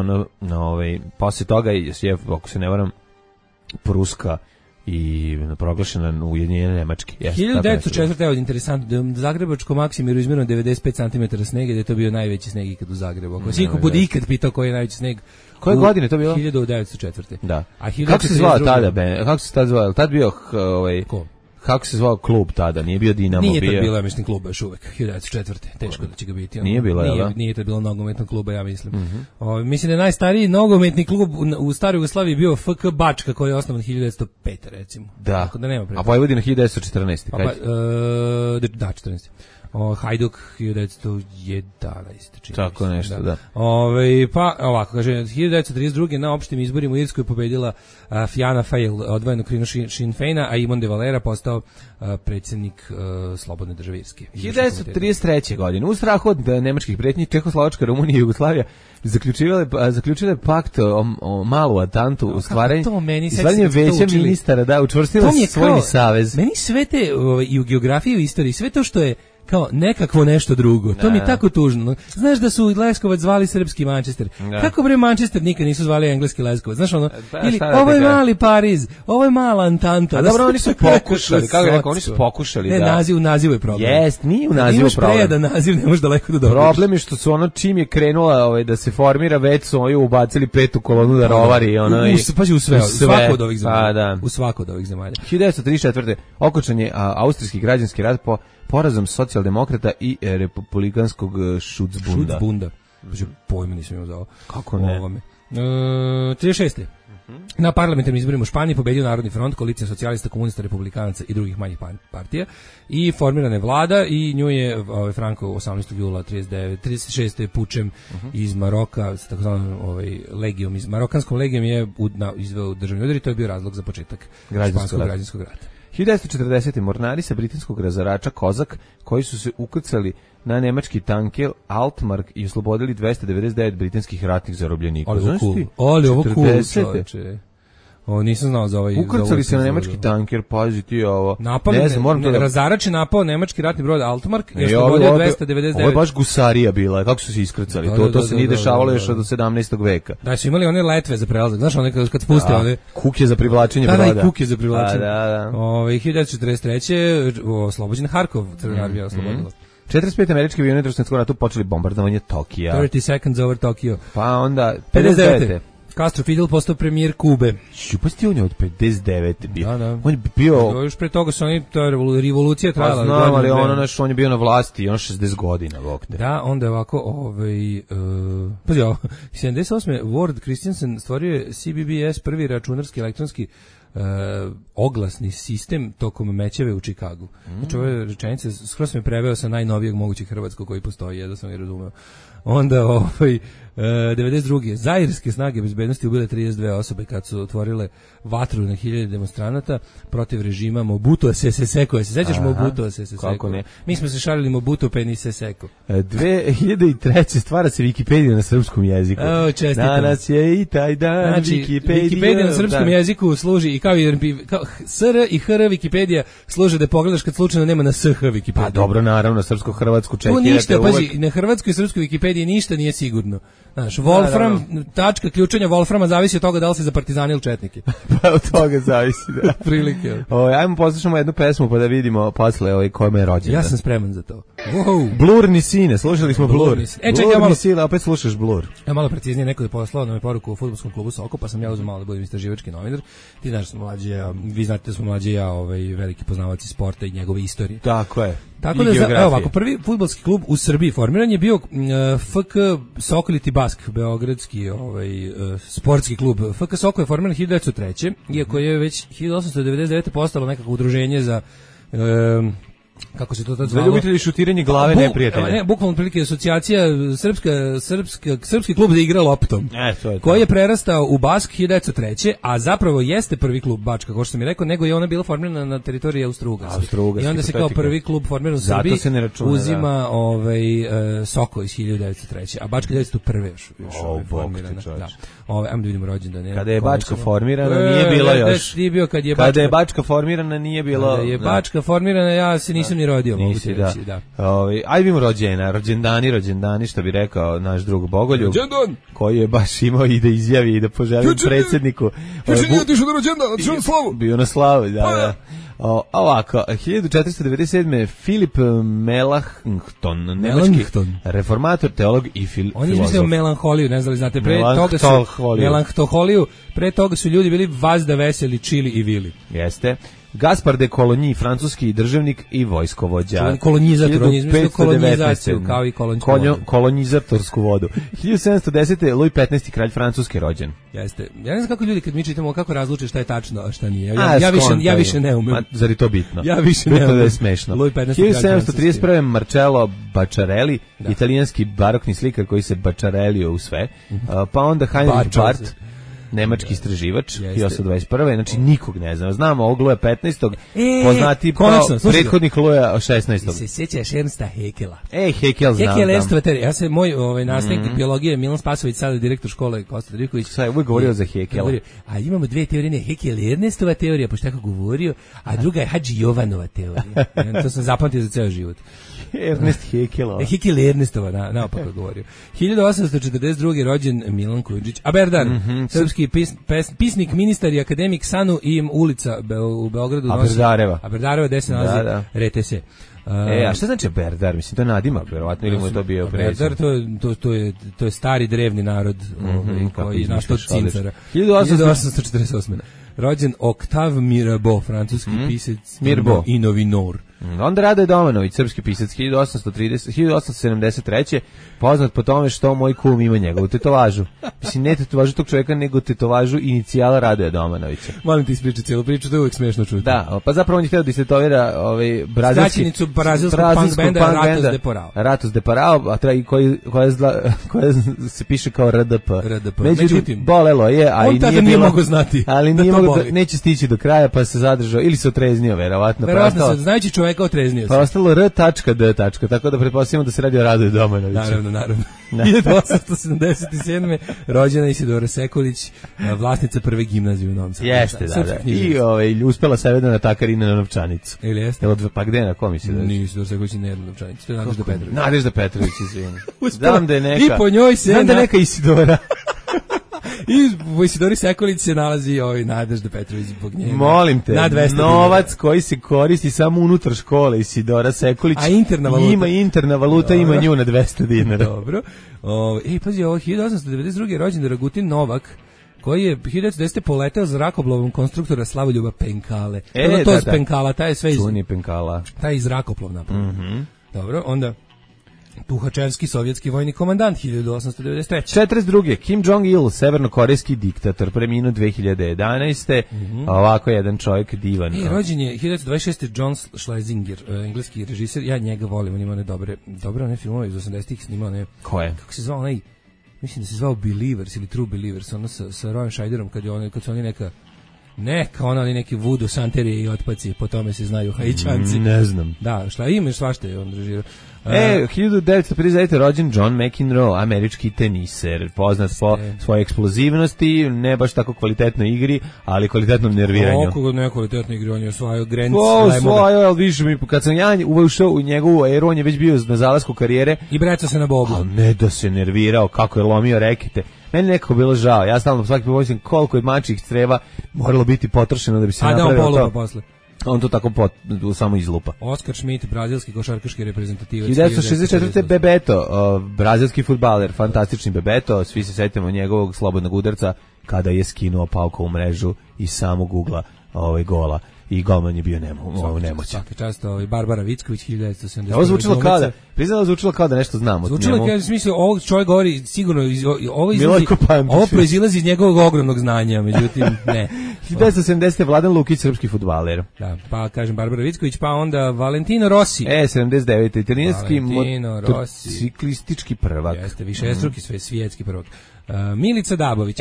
posle toga je, ako se ne varam, Pruska i proglašena Ujedinjene Nemačke. 1904. Evo, interesantno, da Zagrebačko Maksimiru izmjereno 95 cm snega, da je to bio najveći sneg ikad u Zagrebu. Ako si bude ikad pitao koji je najveći sneg. Koje godine to bilo? 1904. Da. Kako se zvao tada? Kako se tada zvao? Tad bio Ko? Kako se zvao klub tada? Nije bio Dinamo, nije bio. Nije to bilo, ja mislim, kluba još uvek. 1904. Teško da će ga biti. Nije bilo, nije to bilo nogometnog kluba, ja mislim. Mislim da je najstariji nogometni klub u staroj Jugoslaviji bio FK Bačka, koji je osnovan 1905. recimo. Da. Tako da nema a Vojvodina 1914. Da, 14. Hajduk 1911. Tako nešto, da. Pa ovako, kaže, 1932. na opštim izborima u Irskoj pobedila Fianna Fáil, odvojeno krilo Sinn Féina, a Imon de Valera postao predsjednik Slobodne države Irske. 1933. godine, u strahu od nemačkih pretnji, Čehoslovačka, Rumunija i Jugoslavija zaključile pakt o malu atantu u stvaranju veća ministara, učvrstila svojni savez. Meni sve te i u geografiji i u istoriji, sve to što je kao nekakvo nešto drugo. To mi je tako tužno. Znaš da su Leskovac zvali srpski Manchester. Kako bre Manchester nikad nisu zvali engleski Leskovac? Znaš ono, ili ovo je mali Pariz, ovo je mala Antanta. A dobro, oni su pokušali, kako rekao, oni su pokušali da. Ne, naziv je problem. Jest, nije u nazivu problem. Imaš prejedan naziv, ne možeš daleko da dođeš. Problem je što su ono čim je krenula da se formira, već su ovi ubacili petu kolonu da rovari. U svako od ovih zemalja. U svako od ovih zemalja. 1934. okončan je austrijski građanski rat po porazom socijaldemokrata i republikanskog Schutzbunda. Schutzbunda. Pojma nisam imao za ovo. Kako ne? 36. Na parlamentarnim izborima u Španiji pobedio Narodni front, koalicija socijalista, komunista, republikanaca i drugih manjih partija i formirana je vlada i nju je Franco 18. jula 36. pučem iz Maroka, sa takozvanom legijom, iz marokanskom legijom je izveo državni udar i to je bio razlog za početak španskog građanskog rata. 1940. mornari sa britanskog razarača Kozak, koji su se ukrcali na nemački tanker Altmark i oslobodili 299 britanskih ratnih zarobljenika. Ali ovo cool, čoveče. Ovo nisam znao za ovaj... Ukrcali se na nemački tanker, pazi ti ovo. Razarač je napao nemački ratni brod Altmark i oslobodio 299. Ovo je baš gusarija bila, kako su se iskrcali. To se nije dešavalo još od 17. veka. Da, su imali one letve za prelazak. Znaš, one kad spuste one... Kuke za privlačenje broda. Da, kuke za privlačenje. 1943. oslobođen Harkov, Crvena armija oslobodila. 45 američki avioni u Drugom svjetskom ratu počeli bombardovanje Tokija. 30 seconds over Tokio. Pa onda 59. Castro Fidel postao premijer Kube. Šupasti on je od 59. bio. Da. On je bio... Još pre toga su oni, ta revolucija trajala. Pa znam, ali on je bio na vlasti, on 60 godina. Vokte. Da, onda je ovako, pazi ovo, 78. Ward Christensen stvorio je CBBS, prvi računarski elektronski oglasni sistem tokom mećeve u Čikagu. Znači ove rečenice, skoro sam je preveo sa najnovijeg mogućeg hrvatskog koji postoji, da sam je razumeo. Onda 92. Zairske snage bezbednosti ubile 32 osobe kad su otvorile vatru na 1000 demonstranata protiv režima Mobutua Sese Seko. Se sećaš Mobutua Sese Seko? Kako ne? Mi smo se šalili Mobutu Penny Sese Seko. 2003. stvara se Wikipedia na srpskom jeziku. Danas je i taj dan, znači, Wikipedia na srpskom jeziku služi i kao SR i HR Wikipedia služe da pogledaš kad slučajno nema na SH Wikipedia. Pa dobro, naravno, srpsko-hrvatsku čekirate. Tu ništa, pazi, na hrvatskoj i srpskoj Wikipediji ništa nije sigurno. Znaš, Wolfram, tačka ključanja Wolframa zavisi od toga da li se za partizani ili četnike. Pa od toga zavisi, da. Prilike. Ajmo poslušamo jednu pesmu pa da vidimo posle kome je rođendan. Ja sam spreman za to. Wow. Blurni sine, slušali smo Blur. Blurni sine, opet slušaš Blur. Malo preciznije, neko je poslao nam poruku u fudbalskom klubu Soko, pa sam ja uzeo malo da budem istraživački novinar. Ti znaš, vi znate da smo mlađi ja, veliki poznavaci sporta i njegove istorije. Tako je. Tako da, evo ovako, prvi fudbalski klub u Srbiji formiran je bio FK Sokoliti Bask, beogradski sportski klub. FK Soko je formiran 1903. Iako je već 1899. postalo nekako udruženje za... kako se to tad zvalo? Za ljubitelji šutiranje glave neprijatelja. Ne, bukvalno prilike asocijacija srpski klub da igra loptom. Koji je prerastao u Bask 1903. A zapravo jeste prvi klub Bačka, kao što sam mi rekao, nego je ona bila formirana na teritoriji Austro-Ugarske. I onda se kao prvi klub formiran u Srbiji uzima Soko iz 1903. A Bačka 1901. još formirana. Ajmo da vidimo rođendan. Kada je Bačka formirana nije bilo još. Kada je Bačka formirana nije bilo. Kada je Bačka formirana ja se nisam ni rodio, mogu ti reći, da. Ajde vidimo rođendani, što bi rekao naš drug Bogoljub, koji je baš imao i da izjavi i da poželi predsjedniku. Juče nije otišao na rođendan, otišao na slavu. Bio na slavu, da. Ovako, 1497. Filip Melanchthon, nemački reformator, teolog i filozof. On je izmislio melanholiju, ne znam li znate, Melanchthonholiju, pre toga su ljudi bili vazda, veseli, čili i vili. Jeste. Gaspar de Coligny, francuski državnik i vojskovođa. Kolonizator, on je izmislio kolonizaciju, kao i kolonizatorsku vodu. 1710. Louis XV. kralj Francuske rođen. Jeste. Ja ne znam kako ljudi kad mi čitamo kako razluče šta je tačno, a šta nije. Ja više ne umem. Zar je to bitno? Ja više ne umem. To je smešno. 1731. Marcello Bacciarelli, italijanski barokni slikar koji se bačarelio u sve. Pa onda Heinrich Barth. nemački istraživač, 1821. Znači nikog ne znam. Znamo ovog Luja 15. Poznati prethodnik Luja 16. Se sjećaš Ernsta Haeckela? Haeckel znam. Haeckel Ernstova teorija. Ja se moj nastavnik biologije Milan Spasović, sada direktor škole Kosta Driković. Sad uvijek govorio za Haeckela. A imamo dve teorije, Haeckel Ernstova teorija, pošto tako govorio, a druga je Hadži Jovanova teorija. To sam zapamtio za ceo život. Ernest Haeckelova. Haeckel Ernestova, naopako govorio. 1842. rođen Milan Kujundžić, Aberdar, srpski pisnik, ministar i akademik, Sanu i ulica u Beogradu. Aberdareva, gde se nalazi RTS. A šta znači Aberdar? Mislim, to je nadimak, verovatno, ili mu je to bio prezim? Aberdar, to je stari drevni narod koji je nastao od Cincara. 1848. Rođen Octave Mirabeau, francuski pisac i novinor. Onda Radoje Domanović, srpski pisac, 1873. Poznat po tome što moj kum ima njegovu tetovažu. Mislim, ne tetovažu tog čovjeka, nego tetovažu inicijala Radoja Domanovića. Molim ti ispričati cijelu priču, to je uvijek smiješno čuti. Da, pa zapravo on je htio da istetovira skraćenicu brazilskog punk benda Ratos de Porao. Ratos de Porao, koja se piše kao RDP. Međutim, bolelo je, a i nije mogao znati. Ali neće stići do kraja, pa se zadržao, ili se otreznio, verovatno. Verovatno se, znajući čovjeka otreznio se. Pa ostalo R.D. Tako da pretpostavljamo da se radi o Radoju Domanoviću. Naravno. 1877. rođena Isidora Sekulić, vlasnica prve gimnazije u Novom Sadu. Jeste, da. I uspela sebe da natakari na novčanicu. Ili jeste? Pa gde, na kom Isidora? Nije Isidora Sekulić, ne jedna novčanica. To je Nadežda Petrović. Nadežda Petrović, izvini. Znam da je neka. I po njoj se... Znam da je neka Isidora. I u Isidori Sekulić se nalazi Nadežda Petrović zbog njega. Molim te, novac koji se koristi samo unutar škole Isidora Sekulić. A interna valuta? Ima interna valuta, ima nju na 200 dinara. Dobro. Pazi, 1892. rođen Dragutin Novak, koji je 1910. poleteo zrakoplovom konstruktora Slavoljuba Penkale. To s Penkala, taj je sve iz... Čuni Penkala. Taj je zrakoplov napravo. Dobro, onda... Tuhačevski sovjetski vojni komandant 1893. 42. Kim Jong-il, severnokorejski diktator, preminuo 2011. Ovako jedan čovjek divan. Rođen je 1926. John Schlesinger, engleski režiser. Ja njega volim, on ima one dobre one filmove iz 80-ih snimao. Koje? Kako se zvao onaj, mislim da se zvao Believers ili True Believers, ono sa Rowan Scheiderom, kad su oni ali neki voodoo santerije i otpaci, po tome se znaju Haičanci. Ne znam. Da, imaš svašta je on režirao. 1959. rođen John McEnroe, američki teniser, poznat po svojoj eksplozivnosti, ne baš tako kvalitetnoj igri, ali kvalitetnom nerviranju. Oko nekvalitetno igri, on je osvajao Grand Slam. Ali više mi, kad sam ja ušao u njegovu eru, on je već bio na zalasku karijere. I brecao se na bobu. Ali ne da se nervirao, kako je lomio rekete. Meni nekako bilo žao, ja stalno svaki put mislim koliko je mačjih creva moralo biti potrošeno da bi se napravilo to. A da on polupa posle. On to tako samo izlupa. Oskar Schmidt, brazilski košarkaški reprezentativac. 1964. Bebeto, brazilski fudbaler, fantastični Bebeto, svi se sjetimo njegovog slobodnog udarca kada je skinuo paukovu mrežu iz samog ugla gola. I golman je bio nemoćan. Svaki čast, Barbara Vicković, 1970. Ovo zvučilo kao da nešto znamo. Zvučilo kao da smislu, ovog čovjek govori sigurno, ovo proizilazi iz njegovog ogromnog znanja, međutim, ne. 1970. Vladan Lukić, srpski fudbaler. Da, pa kažem Barbara Vicković, pa onda Valentino Rossi. 79. italijanski motociklistički prvak. Jeste, višestruki svjetski prvak. Milica Dabović.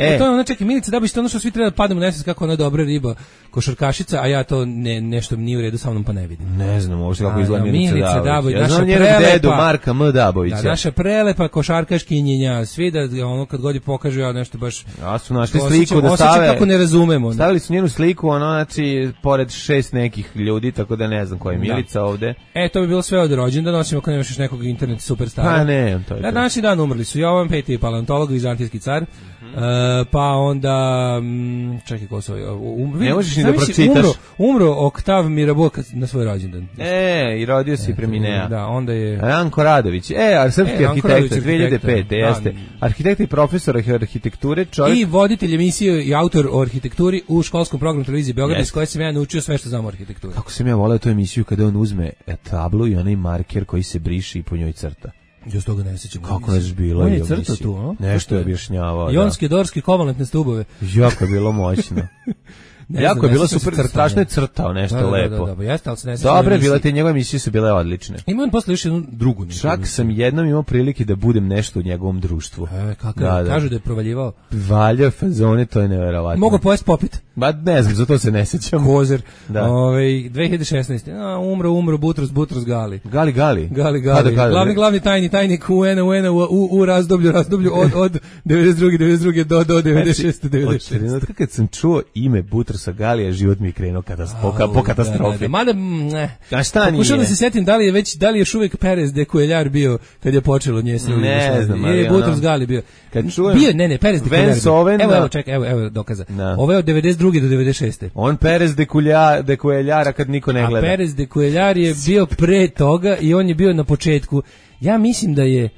Čekaj, Milica Dabović, to ono što svi treba da pademo u nesvest kako ona je dobra riba, košarkašica, a ja to nešto nije u redu sa mnom pa ne vidim. Ne znam, uopšte kako izgleda Milica Dabović. Ja znam njenog dedu, Marka M. Dabovića. Da, naša prelepa košarkaškinjenja, svi da ono kad god je pokažu ja nešto baš... Ja su našli sliku da stave... kako ne razumemo. Stavili su njenu sliku, znači, pored 6 nekih ljudi, tako da ne znam koja je Milica ovde. To bi bilo sve od rođendana, osim ako nemaš još nekog internet superstara. Pa ne, to je to. Današnji dan umrli su Jovan Peti, paleontolog, vizantijski car, pa onda čekaj ko su ne možeš ni da pročitaš. Umro Octave Mirabeau na svoj rođendan. I rodio se i preminea. Da, onda je Ranko Radović. Srpski arhitekta 2005. Jeste. Arhitekta i profesor arhitekture, čovjek. I voditelj emisije i autor o arhitekturi u školskom programu televizije Beograd, iz koje sam ja naučio sve što znam o arhitekturi. Kako sam ja voleo tu emisiju kada on uzme tablu i onaj marker koji se briše i po njoj crta. Ja s toga ne sjećam. Kako ne je bilo? On je crtao tu, a? Nešto je objašnjavao. Jonske, dorske, kovalentne stubove. Jako je bilo moćno. Jako je bilo super, strašno je crtao nešto lepo. Da, jeste, ali se ne sjećam. Dobre, bile te njegove emisije su bile odlične. Ima on posle još jednu drugu. Čak sam jednom imao prilike da budem nešto u njegovom društvu. Kažu da je provaljivao. Valja fazone, to je neverovatno. Mogu pojesti popit. Ba ne znam, zato se ne sjećam. Kozer. 2016. Umro Butros Gali. Gali. Glavni tajnik UN u razdoblju od 92. do 96. Kad sam čuo ime Butrosa Galija, život mi je krenuo po katastrofi. Mada, ne. Pokušao da se setim da li je još uvijek Perez de Cuellar bio kad je počelo nje se. Ne znam, ali je Butros Gali bio. Kad čujem Perez de Cuellar. Evo dokaza. Ovo je od 92. do 96. On Perez de Cuellara kad niko ne gleda. A Perez de Cuellar je bio pre toga i on je bio na početku. Ja mislim da je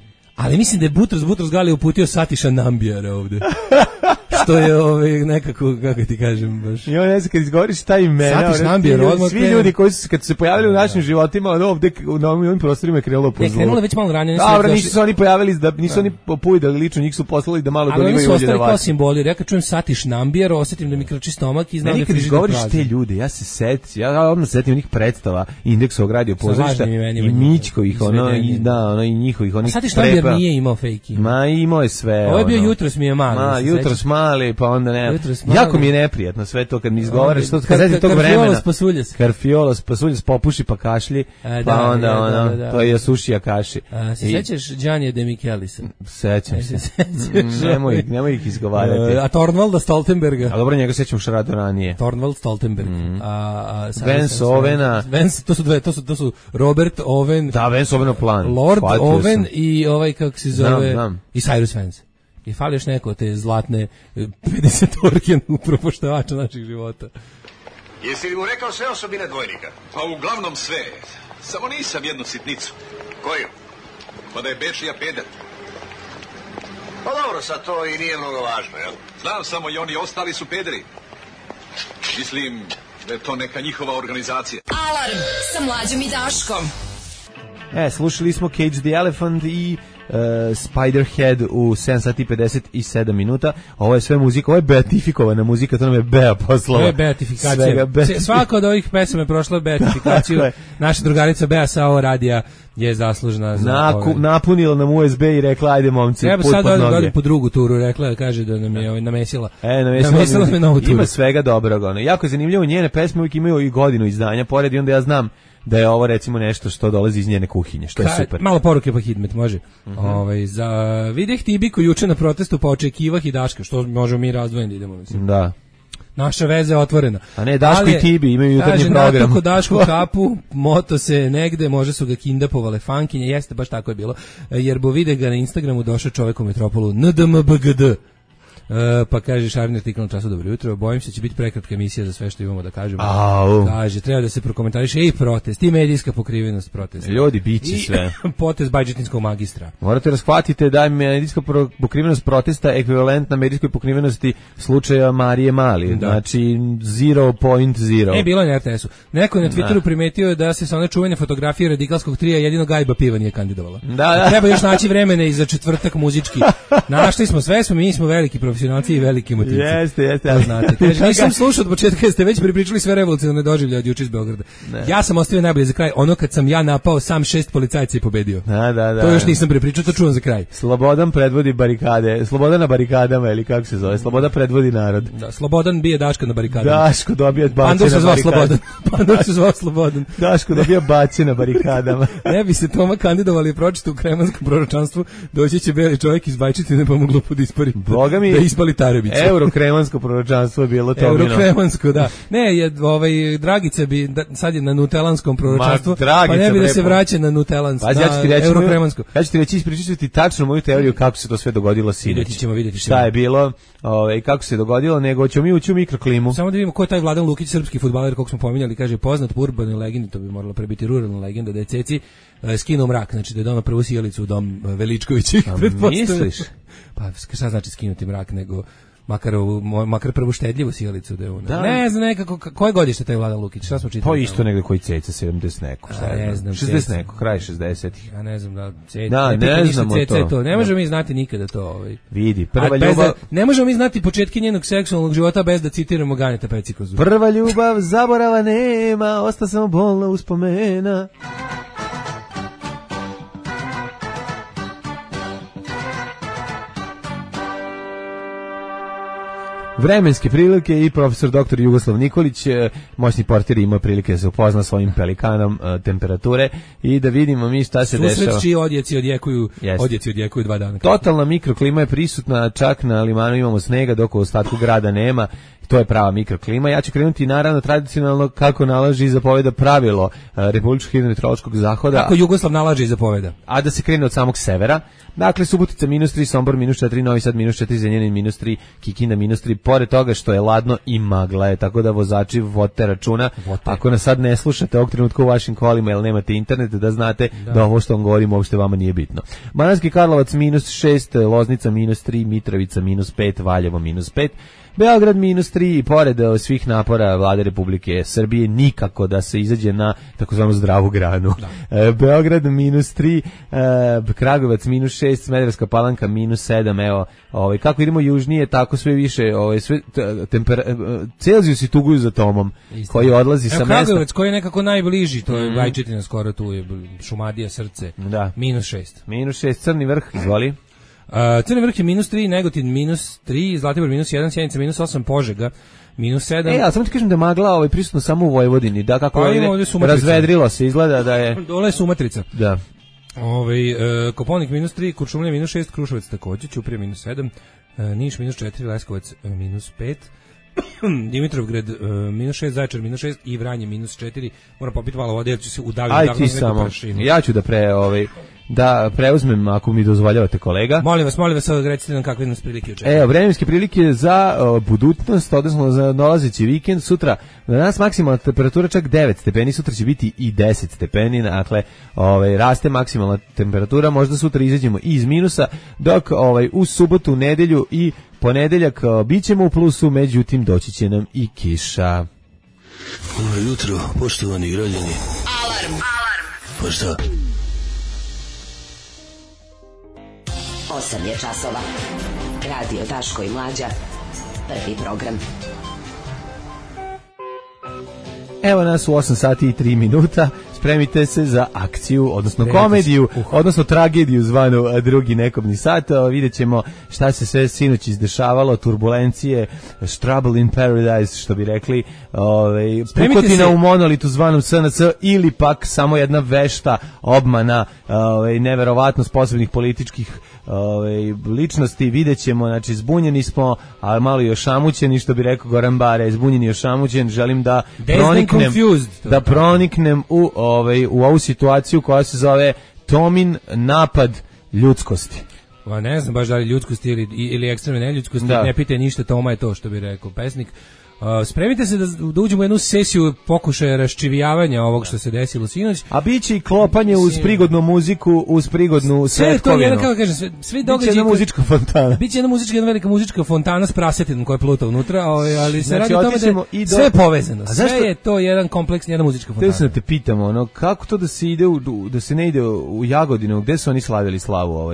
Butros Gali uputio Satiša Nambijara ovde. Što je nekako, kako ti kažem, baš. I on ne znam, kad izgovoriš taj imena, svi ljudi koji su kad su se pojavili u našim životima, ovde na ovim prostorima je krenulo po zlu. Krenulo već malo ranije. Dobro, nisu se oni pojavili, nisu oni popujdali lično, njih su poslali da malo dolivaju ulje da vače. Ali oni su ostali kao simboli. Ja kad čujem Satiš Nambijar, osjetim da mi krči stomak i znam da je frižider prazni. Kad izgovoriš te ljude, ja odmah setim onih predstava Indeksovog radio pozorišta i Mićkovih, i njihovih, onih Satiš Nambijar nije imao fejki. Ma imao je sve. Ovo je bio Jutros mi je mali. Jutros mali, pa onda ne. Jako mi je neprijatno sve to kad mi izgovaraš, što kad setim tog vremena. Karfiolos pasuljas popuši pa kašlji, pa onda to je sušija kaši. Se sećaš Gianni de Michelisa? Sećam se. Nemoj ih izgovarati. A Torvalda Stoltenberga? A dobro, njega sećam što radio ranije. Torvald Stoltenberg. Vance Ovena. To su Robert Owen. Da, Vance Owen plan. Lord Owen i kako se zove, i Cyrus Vance. I fali još neko te zlatne 50-orke upropoštavača naših života. Jesi li mu rekao sve osobine dvojnika? Pa uglavnom sve. Samo nisam jednu sitnicu. Koju? Pa da je Bečija peder. Pa dobro, sad to i nije mnogo važno, jel? Znam, samo i oni ostali su pederi. Mislim da je to neka njihova organizacija. Alarm sa Mlađom i Daškom. Slušali smo Cage the Elephant i Spiderhead u 7 sati 57 minuta. Ovo je sve muzika, ovo je beatifikovana muzika, to nam je Bea poslala. Ovo je beatifikacija. Svaka od ovih pesama je prošla beatifikaciju. Naša drugarica Bea sa ovo radija je zaslužna za napunila nam USB i rekla ajde momci, treba put sad pod noge. Po drugu turu rekla, kaže da nam je namesila. Namesila me novu turu. Ima svega dobrog. Jako je zanimljivo, njene pesme uvijek imaju i godinu izdanja, pored i onda ja znam da je ovo recimo nešto što dolazi iz njene kuhinje, što je super. Malo poruke pa Hidmet, može. Za videh Tibiku juče na protestu pa očekivah i Daška, što možemo mi razdvojeni da idemo, mislim. Da. Naša veza je otvorena. A ne, Daško i Tibi imaju jutarnji program. Kaže, natako Daško kapu, moto se negde, može su ga kindapovale fankinje, jeste, baš tako je bilo, jer bo vide ga na Instagramu došao čovjek u metropolu NDMBGD. Pa kaže Šarni artikl na Času, dobro jutro, bojim se će biti prekratka emisija za sve što imamo da kažemo. Kaže, treba da se prokomentariše i protest, i medijska pokrivenost protesta. Ljudi, biće sve. Potez Bajđetinskog magistra. Morate razhvatite da je medijska pokrivenost protesta ekvivalentna medijskoj pokrivenosti slučaja Marije Mali. Da. Znači 0.0. Bilo je na RTS-u. Neko je na Twitteru primetio da se sa one čuvene fotografije radikalskog trija jedino Gajba Piva nije kandidovala. Da. Treba još naći vremena i za četvrtak muzički. Našli smo sve, mi smo veliki profesionalci i veliki motivci. Jeste. Znate, kaže, nisam slušao od početka, jer ste već pripričali sve revolucionarne doživlje od juče iz Beograda. Ne. Ja sam ostavio najbolje za kraj, ono kad sam ja napao sam 6 policajca i pobedio. Da. To još nisam pripričao, to čuvam za kraj. Slobodan predvodi barikade, Slobodan na barikadama, ili kako se zove, Sloboda predvodi narod. Da, Slobodan bije Daška na barikadama. Daško dobija bače na barikadama. Pandur se zvao Slobodan. Daško dobija bače na barikadama. Ne bi se Toma kandidovali i pročitao u kremanskom proročanstvu, doći će beli čovjek iz Bajčetine pa mu glupo da ispali Tarebića. Eurokremansko proročanstvo je bilo to. Eurokremansko, da. Ne, Dragica bi sad je na nutelanskom proročanstvu, pa ne bi da se vraća na nutelansko, na eurokremansko. Ja ću ti reći, ispričati tačno moju teoriju kako se to sve dogodilo sinoć. Vidjeti ćemo. Šta je bilo i kako se dogodilo, nego ćemo mi ući u mikroklimu. Samo da vidimo ko je taj Vladan Lukić, srpski fudbaler, kog smo pominjali, kaže poznat po urbanoj legendi, to bi moralo prebiti ruralna legenda, da je Ceci skinuo mrak, znači da je donao prvu sjelicu u dom Veličkovićih. Misliš? Pa šta znači skinuti mrak, nego makar prvu štedljivu sjelicu da je ona. Ne znam nekako, koje godište taj Vladan Lukić, šta smo čitali? Pa isto negde koji Ceca, 70 neko, šta ne znam, 60 neko, kraj 60-ih. Ja ne znam da Ceca, ne znamo to. Ne možemo mi znati nikada to. Vidi, prva ljubav... Ne možemo mi znati početke njenog seksualnog života bez da citiramo Ganeta Pecikozu. Prva ljubav, zaborava nema, osta samo bolna uspomena. Vremenske prilike i profesor dr. Jugoslav Nikolić, moćni portir, ima prilike da se upozna s ovim pelikanom temperature i da vidimo mi šta se dešava. Susret čiji odjeci odjekuju 2 dana. Totalna mikroklima je prisutna, čak na limanu imamo snega dok u ostatku grada nema. To je prava mikroklima. Ja ću krenuti naravno tradicionalno kako nalaže i zapoveda pravilo Republičkog hidrometeorološkog zahoda. Kako Jugoslav nalaže i zapoveda. A da se krene od samog severa. Dakle, Subotica -3, Sombor -4, Novi Sad -4, Zrenjanin -3, Kikinda -3. Pored toga što je ladno i magla je, tako da vozači vodite računa. Ako nas sad ne slušate ovog trenutka u vašim kolima jer nemate internet, da znate da ovo što vam govorim uopšte vama nije bitno. Banatski Karlovac -6, Loznica -3, Mitrovica -5, Valjevo -5. Beograd -3 i pored svih napora Vlade Republike Srbije nikako da se izađe na takozvanu zdravu granu. Beograd -3, Kragujevac -6, Smederevska Palanka -7. Evo, kako idemo južnije, tako sve više, sve Celzijus i tuguju za Tomom, koji odlazi sa mesta. Kragujevac koji je nekako najbliži, to je Bajčetina skoro, tu je Šumadija, Srce. Da. -6. -6, Crni Vrh, izvoli. Crni Vrh je -3, Negotin -3, Zlatibor -1, Sjenica -8, Požega -7. Ali samo ti kažem da magla prisutno samo u Vojvodini, da kako razvedrilo se, izgleda da je... Dole je Sumatrica. Da. Koponik -3, Kuršumlija -6, Kruševac takođe, Ćuprija -7, Niš -4, Leskovac -5, Dimitrovgrad -6, Zaječar -6 i Vranje -4. Moram popiti malo vode jer ću se udaviti neku prašinu. Ja ću da preuzmem ako mi dozvoljavate, kolega. Molim vas, recite nam kakve nas prilike očekuju. Vremenske prilike za budućnost, odnosno za dolazeći vikend. Sutra na nas maksimalna temperatura čak 9 stepeni, sutra će biti i 10 stepeni, dakle raste maksimalna temperatura, možda sutra izađemo iz minusa, dok u subotu, nedelju i ponedeljak bićemo u plusu, međutim doći će nam i kiša. Dobro jutro, poštovani građani. Alarm. Pa šta? 8 je časova. Radio Daško i Mlađa. Prvi program. Evo nas u 8 sati i 3 minuta. Spremite se za akciju, odnosno komediju, odnosno tragediju zvanu drugi nekobni sat. Vidjet ćemo šta se sve sinoć izdešavalo, turbulencije, trouble in paradise, što bi rekli, pukotina u monolitu zvanom SNS, ili pak samo jedna vešta obmana neverovatno sposobnih političkih ličnosti. Vidjet ćemo, znači zbunjeni smo, a malo i ošamućeni, što bi rekao Goran Bare, zbunjeni i ošamućen. Želim da proniknem u ovu situaciju koja se zove Tomin napad ljudskosti. Ne znam baš da li ljudskosti ili ekstremne neljudskosti, ne pitaj ništa, Toma je to, što bi rekao pesnik. Spremite se da uđemo u jednu sesiju pokušaja raščivijavanja ovog što se desilo sinoć. A biće i klopanje uz prigodnu muziku, uz prigodnu svetkovinu. Sve to je, kako kažem, sve događaje. Biće jedna muzička fontana. Biće jedna velika muzička fontana s prasetinom koja pluta unutra, ali se radi o tome da sve je povezano. Sve je to jedan kompleks, jedna muzička fontana. Te se te pitamo, kako to da se ide da se ne ide u Jagodinu, gde su oni slavili slavu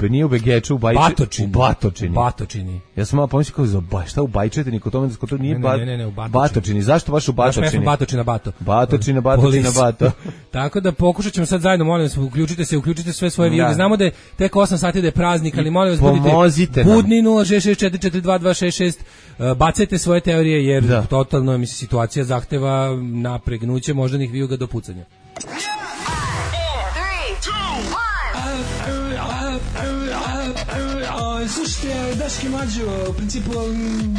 nije u Begeču, u Batočini. Ja sam malo pomislio šta u Bajčetini, kod tome da nije u Batočini. Zašto baš u Batočini? Batočina Bato. Batočina Bato. Tako da pokušat ćemo sad zajedno, molim vas, uključite sve svoje vijede. Znamo da je tek 8 sati da je praznik, ali molim vas budite budni 066442266. Bacajte svoje teorije jer totalno situacija zahteva napregnuće moždanih vijuga do pucanja. Slušajte, Daški Mlađo, u principu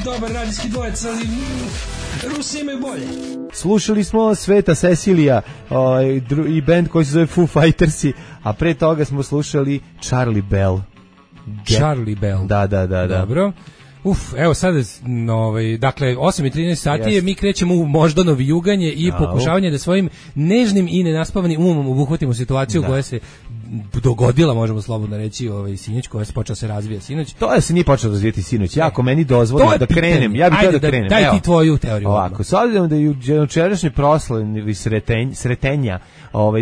dobar radijski dvojec, ali Rusi imaju bolje. Slušali smo Sveta Cecilija i band koji se zove Foo Fightersi, a pre toga smo slušali Charlie Bell. Charlie Bell. Da. Dobro. Evo sad, dakle, 8:13 sati je, mi krećemo u moždano vijuganje i pokušavanje da svojim nežnim i nenaspavanim umom obuhvatimo situaciju koja se dogodila, možemo slobodno reći, sinoć, koja se počela se razvija sinoć. To se nije počelo razvijeti sinoć. Ako meni dozvoli da krenem, ja bih da krenem. Daj ti tvoju teoriju. Ovako, s obzirom da je jučerašnji proslav Sretenja,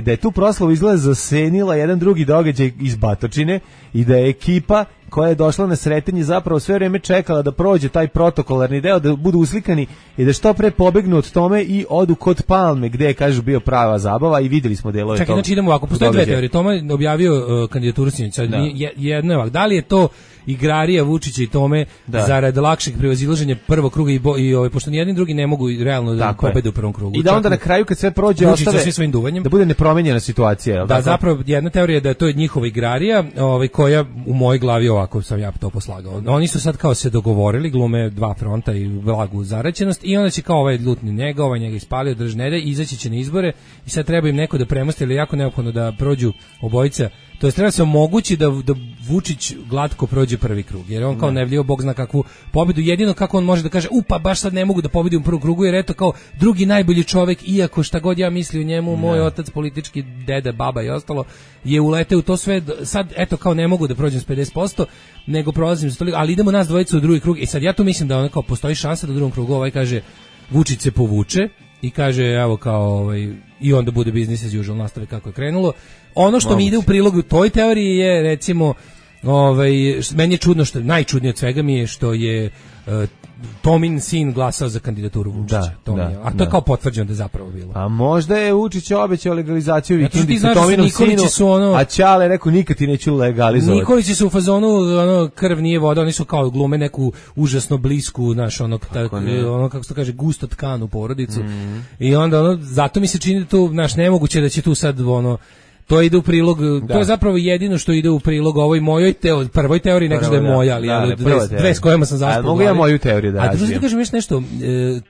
da je tu proslavu izgleda zasenila jedan drugi događaj iz Batočine i da je ekipa koja je došla na Sretenje zapravo sve vreme čekala da prođe taj protokolarni deo, da budu uslikani i da što pre pobegnu od tome i odu kod Palme, gde je, kažu, bio prava zabava i videli smo delove toga. Čekaj, znači idemo ovako, postoje dve teorije. Toma je objavio kandidaturu sinoć. Jedna je ovako, da li je to igrarija Vučića i Tome zarad lakšeg prevazilaženja prvog kruga i pošto ni jedni drugi ne mogu realno da pobede u prvom krugu. I da onda na kraju kad sve prođe ostave svojim duvanjem, da bude nepromenjena situacija. Da, zapravo jedna teorija je da je to njihova igrarija, koja u mojoj glavi ovako sam ja to poslagao. Oni su sad kao se dogovorili, glume dva fronta i blagu zaraćenost i onda će kao ovaj lutni njega ispalio, držnede, izaći će na izbore i sad treba im neko da premosti, ali jako neophodno da prođu obojica. To je treba se omogući da Vučić glatko prođe prvi krug, jer on kao nevljivo, Bog zna kakvu pobedu, jedino kako on može da kaže, pa baš sad ne mogu da pobedim u prvom krugu, jer eto kao drugi najbolji čovek, iako šta god ja misli o njemu, moj otac, politički deda, baba i ostalo, je uleteo u to sve, sad eto kao ne mogu da prođem s 50%, nego prolazim s toliko, ali idemo nas dvojica u drugi krug, i sad ja tu mislim da ono kao postoji šansa da u drugom krugu kaže Vučić se povuče, i kaže, evo kao, i onda bude business as usual, nastave kako je krenulo. Ono što mi ide u prilogu toj teoriji je, recimo, meni je čudno, najčudnije od svega mi je što je Tomin sin glasao za kandidaturu Vučića. A to je kao potvrđeno da je zapravo bilo. A možda je Vučić obećao legalizaciju vikendice Tominom sinu, a Ćale rekao nikad ti neću legalizovati. Nikolići su u fazonu, krv nije voda, oni su kao glume neku užasno blisku, kako se to kaže, gusto tkanu porodicu. I onda zato mi se čini da tu, nemoguće da će tu sad to ide u prilog, to je zapravo jedino što ide u prilog ovoj mojoj prvoj teoriji, ne kažem da je moja, ali dve s kojima sam zaspao. Mogu ja moju teoriju da razvijem. A drugo da kažem još nešto,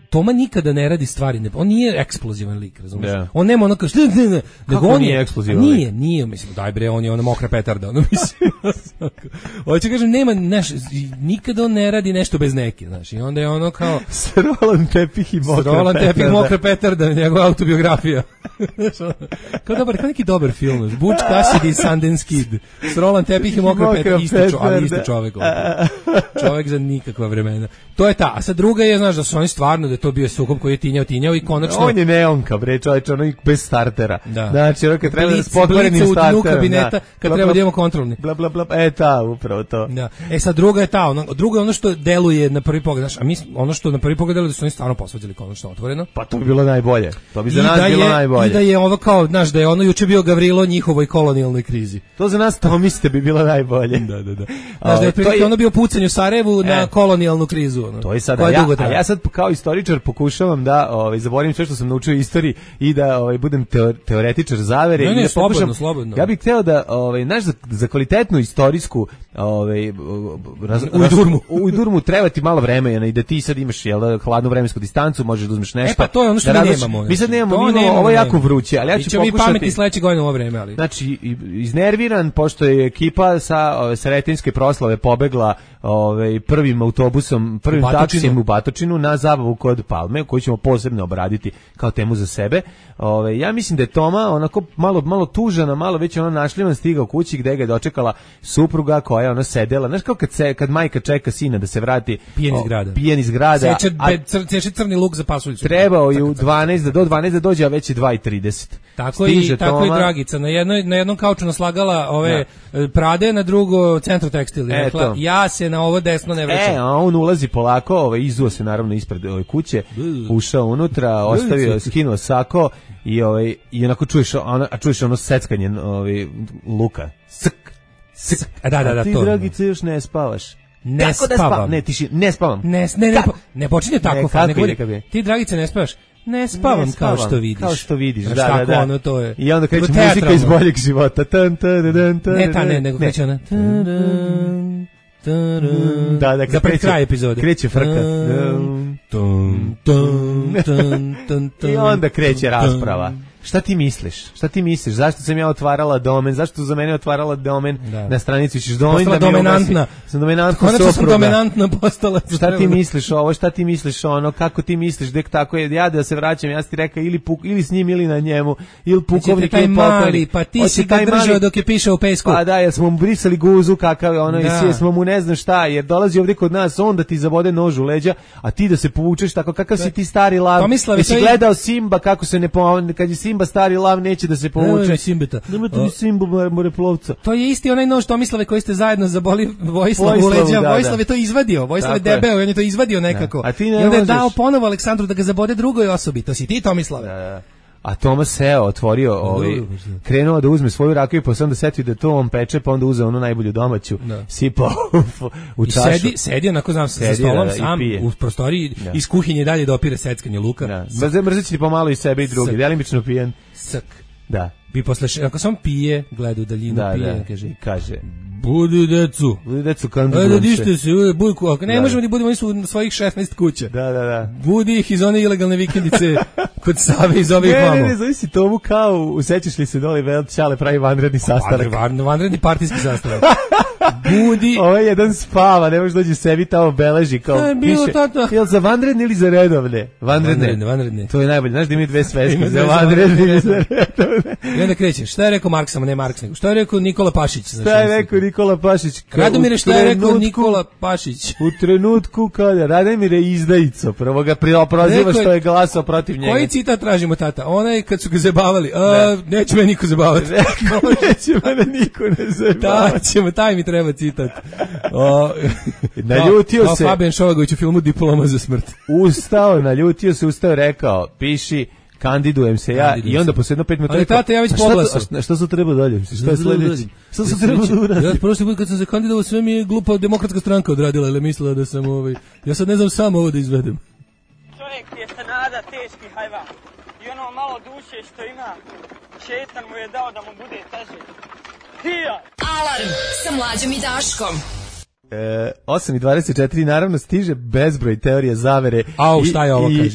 Toma nikada ne radi stvari, on nije eksplozivan lik, razumiješ? On nema kao kako on nije eksplozivan lik? Nije, mislim, daj bre, on je mokra petarda, mislim. Hoće kažem, nema, nikada on ne radi nešto bez neke, znaš, i onda je kao... Srolan tepih i mokra petarda, njegova autobiografija. Kao neki dobar film. Butch Cassidy, Sundance Kid, s Roland Tepih i mokra petarda, ali isti čovjek. Čovjek za nikakva vremena. To je ta. A sad druga je, znaš, da su oni stvarno, da je to bio sukob koji je tinjao i konačno... On je neonka, bre, čovječ, ono bez startera. Znači, kad treba da s pokvarenim starterom. U dnu kabineta, kad treba da imamo kontrolni. Bla, bla, bla, upravo to. Da. Sad druga je ta, druga je ono što deluje na prvi pogled, znaš, a mi, ono što na prvi pogled deluje da su oni stvarno posvađali konačno otvoreno. Pa to bi bilo najbolje. To bi za nas bilo najbolje. I da je ovo kao, znaš, da je ono juče bio Gavrilo njihovoj kolonijalnoj krizi. To za nas tomiste bi bilo najbolje. Da. Znaš, da je prilike ono bio pucanj u Sarajevu na kolonijalnu krizu. To je sad, a ja sad kao istoričar pokušavam da zaboravim sve što sam naučio u istoriji i da budem teoretičar zavere. Ne, slobodno. Ja bih hteo da, znaš, za kvalitetnu istorijsku ujdurmu treba ti malo vremena i da ti sad imaš hladnu vremensku distancu, možeš da uzmeš nešto. Pa to je ono što mi nemamo. Mi sad nemamo, ovo je jako vruće, ali ja ću pokušati. Mi pametni sledeće godine u ovo vreme, ali. Znači, iznerviran, pošto je ekipa sa Sretenjske proslave pobegla prvim autobusom, prvim taksijem u Batočinu na zabavu kod Palme, koju ćemo posebno obraditi kao temu za sebe. Ja mislim da je Toma onako malo tužana, malo već našljivan stigao kući gde ga je dočekala supruga koja je sedela. Znaš kao kad majka čeka sina da se vrati pijen iz grada. Seče crni luk za pasuljicu. Trebao je do 12 da dođe, a već je 2:30. Tako i Dragica. Na jednom kauču naslagala ove Prade, na drugo Centro Tekstil. Rekla, ja se na ovo desno ne vraćam. A on ulazi polako, izuo se naravno ispred ove kuće, ušao unutra, ostavio, skinuo sako i onako čuješ ono seckanje luka. Sk. Da, ti, to. Dragice, još ne spavaš. Ne spavam. Ne spavam. Ne počinje tako. Ti, Dragice, ne spavaš. Ne spavam kao što vidiš. Kao što vidiš, da. Ono to je. I onda kreće muzika iz boljeg života. Ne, nego kreće ona. Da, za pred kraj epizode. Kreće frka. I onda kreće rasprava. Šta ti misliš? Zašto sam ja otvarala domen? Zašto za mene otvarala domen na stranici? Ćeš postala dominantna. Sam dominantna supruga. Konačno sam dominantna postala. Šta ti misliš ovo? Šta ti misliš ono? Kako ti misliš? Dek tako je. Ja da se vraćam, ja ti rekao ili s njim ili na njemu. Ili pukovnik ili pokojnik. Pa ti si ga držao dok je pišao u pesku. Pa da, jer smo mu brisali guzu kakav je ono i smo mu ne znam šta. Jer dolazi ovdje kod nas, on da ti zabode nož u leđa, a ti da se povučeš tako kakav si ti stari lav. Jesi gledao Simba kako se ne kad je Simba stari lav neće da se povuče. Nemojte mi Simba moreplovca. To je isti onaj nož Tomislave koji ste zajedno zaboli Vojislav u leđa. Vojislav je to izvadio. Vojislav je debeo i on je to izvadio nekako. I onda je dao ponovo Aleksandru da ga zabode drugoj osobi. To si ti, Tomislave. A Tomas seo, otvorio, krenuo da uzme svoju rakiju, pa se onda setio da to on peče, pa onda uzeo onu najbolju domaću, sipao u čašu. I sedi onako, znam, sa stolom sam u prostoriji, iz kuhinje dalje dopire seckanje luka. Mrzeći ti pomalo i sebe i drugi, delimično pijen. Srk. Da. Bi posle, ako sam pije, gleda u daljinu, pije, kaže, Budi decu, kandidujem se. Ajde, dište se, bujku, ako ne možemo da budemo, oni su u svojih 16 kuća. Da. Budi ih iz one ilegalne vikendice kod Save iz ovih mamo. Ne, zavisi tomu kao, usećaš li se dole, Čale pravi vanredni sastanak. Vanredni partijski sastanak. Budi. Ovo je jedan spava, ne može dođe sebi tamo beleži, kao piše, jel za vanredne ili za redovne? Vanredne. To je najbolje, znaš da ima dve sveske, za vanredne ili za redovne. I onda krećeš, šta je rekao Marks, samo ne Marks, nego šta je rekao Nikola Pašić? Šta je rekao Nikola Pašić? Radomire, šta je rekao Nikola Pašić? U trenutku kada Radomire izdajico, prvo ga proziva što je glasao protiv njega. Koji citat tražimo, tata? Onaj kad su ga zabavali, neće me niko zabavati. Neće me niko ne zabavati. Taj mi treba citat. Naljutio se. Fabijan Šovagović u filmu Diploma za smrt. Naljutio se, rekao, piši, kandidujem se ja i onda posle jedno 5 minuta. Ali tata, ja već poglasao. Šta su treba dalje? Šta je sledeće? Šta su treba da uradi? Ja prošli put kad sam se kandidovao, sve mi je glupa Demokratska stranka odradila, ili mislila da sam ja sad ne znam sam ovo da izvedem. Čovjek je se nada teški hajvan. I ono malo duše što ima, šetan mu je dao da mu bude teže. Alarm sa Mlađom i Daškom. 8:24, naravno stiže bezbroj teorija zavere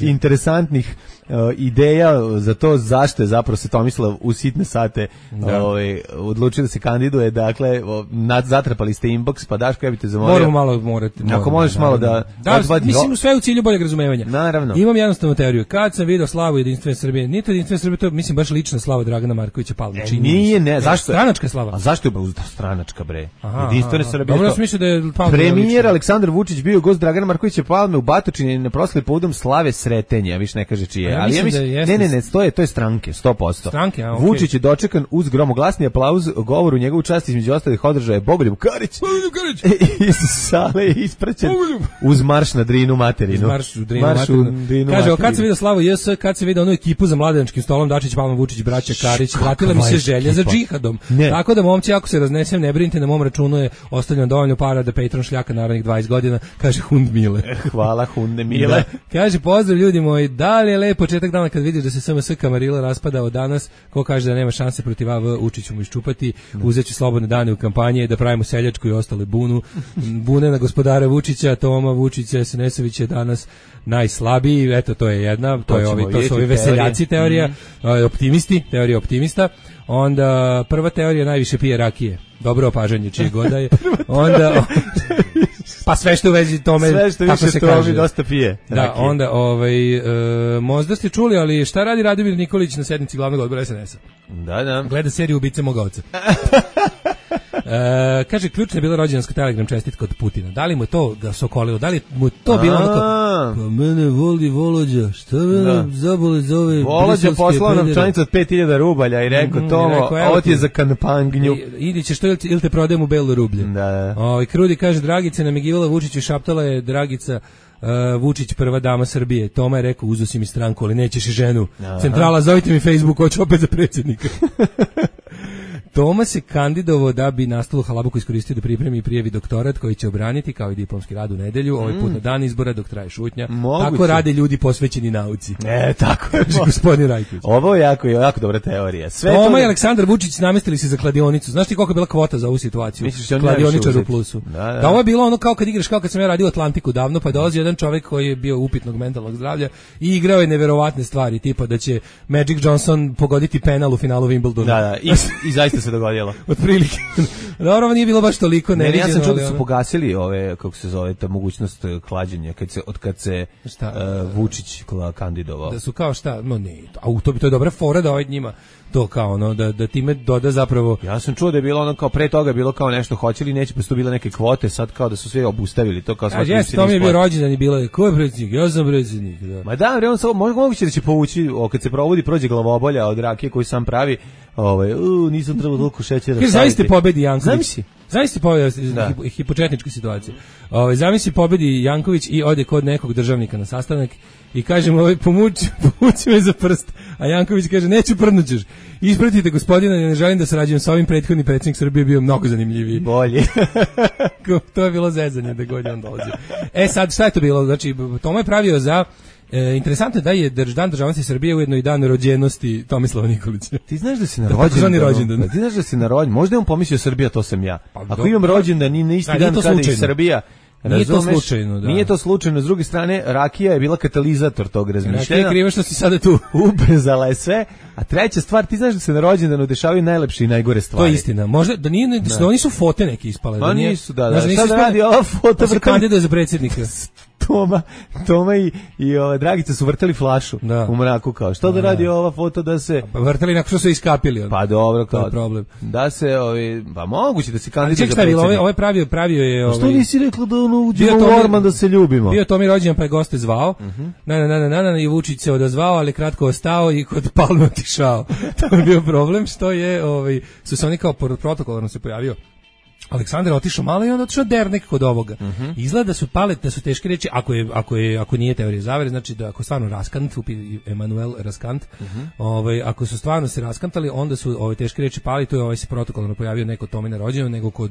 i interesantnih ideja za to zašto je zapravo se Tomislav u sitne sate odlučio da se kandiduje. Dakle, zatrapali ste inbox, pa Daško, ja bih te zamolio. Morate. Ako možeš malo da mislim, sve u cilju boljeg razumevanja. Naravno. Imam jednostavnu teoriju. Kad sam video slavu Jedinstvene Srbije, nije to Jedinstvene Srbije, to je, mislim, baš lična slava Dragana Markovića Palme. Nije, zašto? Stranačka slava. A zašto je stranačka, bre? Jedinstvene Srbije. Dobro, smišljam da je Palme. Premijer Aleksandar Vučić bio gost Dragana Markovića Palme u Batočini na proslavi povodom slave Sretenja, više ne kaže čije. Ali ja mislim, ne, to je stranke, 100%. Stranke, okay. Vučić je dočekan uz gromoglasni aplauz, govor u njegovu čast, između ostalih održao je Bogoljub Karić. Iz sale ispraćen uz marš na Drinu materinu. Marš u Drinu materinu. Kaže, kad se vidio Slavu JS, kad se vidio onu ekipu za mladenačkim stolom, Dačić, Palma, Vučić, braća Karić, vratila mi se želja za džihadom. Tako da, momci, ako se raznesem, ne brinite, na mom računu je ostavljeno dovoljno para da Patreon šljaka narednih 20 godina, kaže Hund Mile. Hvala Hunde Mile. Da. Kaže, pozdrav ljudi moji, da li je lep početak dana kad vidiš da se SMS Kamarila raspada od danas, ko kaže da nema šanse protiv AV, Vučić ću mu iščupati, uzeću slobodne dane u kampanji, da pravimo seljačku i ostale bune na gospodara Vučića, Toma Vučića, SNS-ović je danas najslabiji, eto to je jedna, to su ovi veseljaci teorija, teorija optimista. Onda prva teorija, najviše pije rakije. Dobro opažanje čije goda je. Onda pa sve što u vezi tome, sve što više to dosta pije. Da, onda možda ste čuli, ali šta radi Radomir Nikolić na sednici glavnog odbora SNS-a? Da. Gleda seriju Ubice moga oca. Kaže, ključna je bila rođendanska telegram čestitka od Putina. Da li mu to ga sokolilo? Da li mu to bilo onako? Pa mene voli Volođa, šta me zabole za ove Volođa poslao nam čanicu od 5000 rubalja i rekao, Tomo, ovo ti je za kampanju. Idi ćeš to ili te prodajem u belo rublje. Da. Krudi kaže, Dragica namigivala Vučiću, šaptala je Dragica Vučić, prva dama Srbije. Toma je rekao, uzo si mi stranku, ali nećeš i ženu. Centrala, zovite mi Facebook, hoću opet za predsjednika. Toma se kandidovao da bi nastalu halabuku iskoristio da pripremi i prijavi doktorat koji će obraniti kao i diplomski rad u nedelju, ovaj put na dan izbora dok traje šutnja. Tako rade ljudi posvećeni nauci. Tako je. Gospodin Rajković. Ovo je jako dobra teorija. Toma i Aleksandar Vučić namestili se za kladionicu. Znaš ti koliko je bila kvota za ovu situaciju? Kladioničar u plusu. Da, ovo je bilo ono kao kad igraš, kao kad sam ja radio Atlantiku davno, pa dolazi jedan čovjek koji je bio upitnog mentalnog zdravlja i igrao je neverovatne stvari, tipa da će Magic Johnson pogoditi penal u finalu Wimbledona. Da, i zaista se dogodilo. Otprilike. Dobro, nije bilo baš toliko neviđeno. Ja sam čuo da su pogasili ove, kako se zove, ta mogućnost klađenja kad se Vučić kandidovao. Da su kao šta, no ne, to je dobra fora da ovaj njima to kao ono, da time doda zapravo. Ja sam čuo da je bilo ono kao pre toga bilo kao nešto hoće li neće, pa su bile neke kvote, sad kao da su sve obustavili to kao sva. To mi je bio rođendan i bilo je ko je predsjednik, ja sam predsjednik. Da. Ma da, on samo moguće da će povući kad se provodi prođe glavobolja od rakije koju sam pravi, nisam trebao toliko šećera. Jer zaista pobedi Janković. Zamisli pobedi hipotetničku situaciju. Zamisli pobedi Janković i ode kod nekog državnika na sastanak i kaže mu pomuči me za prst, a Janković kaže neću, prdnućeš. Ispratite gospodina, ne želim da sarađujem sa ovim, prethodni predsjednik Srbije bio mnogo zanimljiviji. Bolji. To je bilo zezanje da god je on dolazio. Sad šta je to bilo? Znači Toma je pravio za interesantno je da je Dan državnosti Srbije ujedno i dan rođenosti Tomislava Nikolića. Ti znaš da si na rođendan? Ti znaš da si na rođendan? Možda je on pomislio Srbija, to sam ja. Ako imam rođendan i na isti dan kada je Srbija, nije to slučajno, da. Nije to slučajno, s druge strane rakija je bila katalizator tog razmišljanja. Rakija je kriva što si sada tu. Ubrzala je sve. A treća stvar, ti znaš da se na rođendanu dešavaju najlepše i najgore stvari. To je istina. Možda da nije, da oni su fote neke ispale. Pa nisu, da. Šta da radi ova foto? Se kandiduje za predsjednika. Toma i Dragica su vrteli flašu u mraku kao. Što da radi ova foto da se vrteli nakon što su iskapili. Pa dobro, kao. To je problem. Da se pa moguće da se kandiduje za predsjednika. Ovaj pravio je Što nisi rekla da ono uđemo u Orman da se ljubimo? Bio Tomi rođendan pa je goste zvao. I Vučić se odazvao, ali kratko ostao i kod Palme otišao. To je bio problem što je su se oni kao protokolarno se pojavio. Aleksandar otišao malo i onda otišao dernek kod ovoga. Izgleda da su da su teške reči, ako nije teorija zavere, znači da ako stvarno raskant, Emanuel Raskant, ako su stvarno se raskantali, onda su ove teške reči pali, to je se protokolno pojavio neko Tomi na rođendanu, nego kod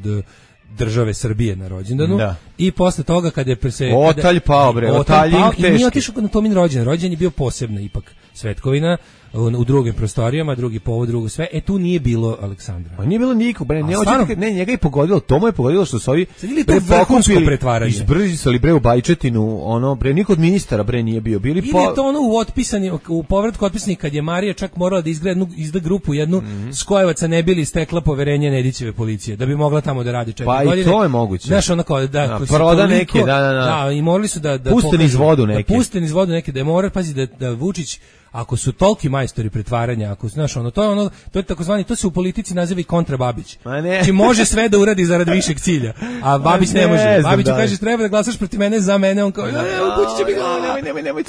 države Srbije na rođendanu. I posle toga kad je Otalj pao bre, Otaljink teški. Nije otišao na Tomin rođendan, rođendan je bio posebna ipak svetkovina u drugim prostorijama, drugi povod, drugo sve. Tu nije bilo Aleksandra. Pa nije bilo nikog, bre, njega je pogodilo, Tomo je pogodilo što su ovi izbrzisali bre u Bajčetinu, ono bre, niko od ministara bre nije bio. Ili je to ono u povratku otpisanih kad je Marija čak morala da izda grupu jednu Skojevaca ne bili stekla poverenje Nedićeve policije, da bi mogla tamo da radi 4 godine. Pa i to je moguće. Znaš, ono kao da proda neke, da, i morali su da puste niz vodu neke. Da je mora pazi da Vučić, ako su toliki majstori pretvaranja, ako znaš to je takozvani, to se u politici naziva i kontrababić. Znači može sve da uradi zarad višeg cilja, a Babić ne može. Babić kaže treba da glasaš protiv mene, za mene, on kao Vučić će mi glava, nemoj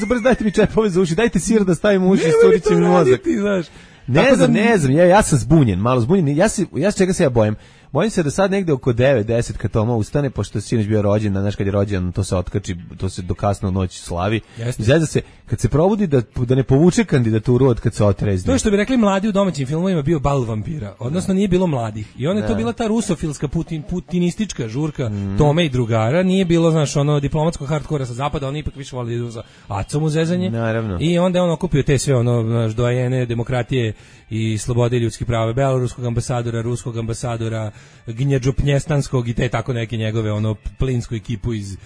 brzo dajte mi čepove za uši, dajte sir da stavim u uši, iscurit će mi mozak. Ne znam, ja sam zbunjen, malo zbunjen. Ja čega se ja bojim. Bojim se da sad negde oko 9-10 kad Toma ustane, pošto je sinoć bio rođendan, znaš kad je rođendan, to se otkači, to se do kasno noći slavi. Izgleda se, kad se probudi da ne povuče kandidaturu od kad se otrezni. To je što bi rekli mladi u domaćim filmovima bio bal vampira, odnosno nije bilo mladih. I onda je to bila ta rusofilska putinistička žurka Tome i drugara, nije bilo, znaš, diplomatsko hardkora sa zapada, oni ipak više voli da idu za acom u zezanje. Naravno. I onda je on okupio te sve dojene demokratije i slobode i ljudskih prava, beloruskog ambasadora, ruskog ambasadora, Gnjeđu Pnjestanskog i te tako neke njegove plinsku ekipu iz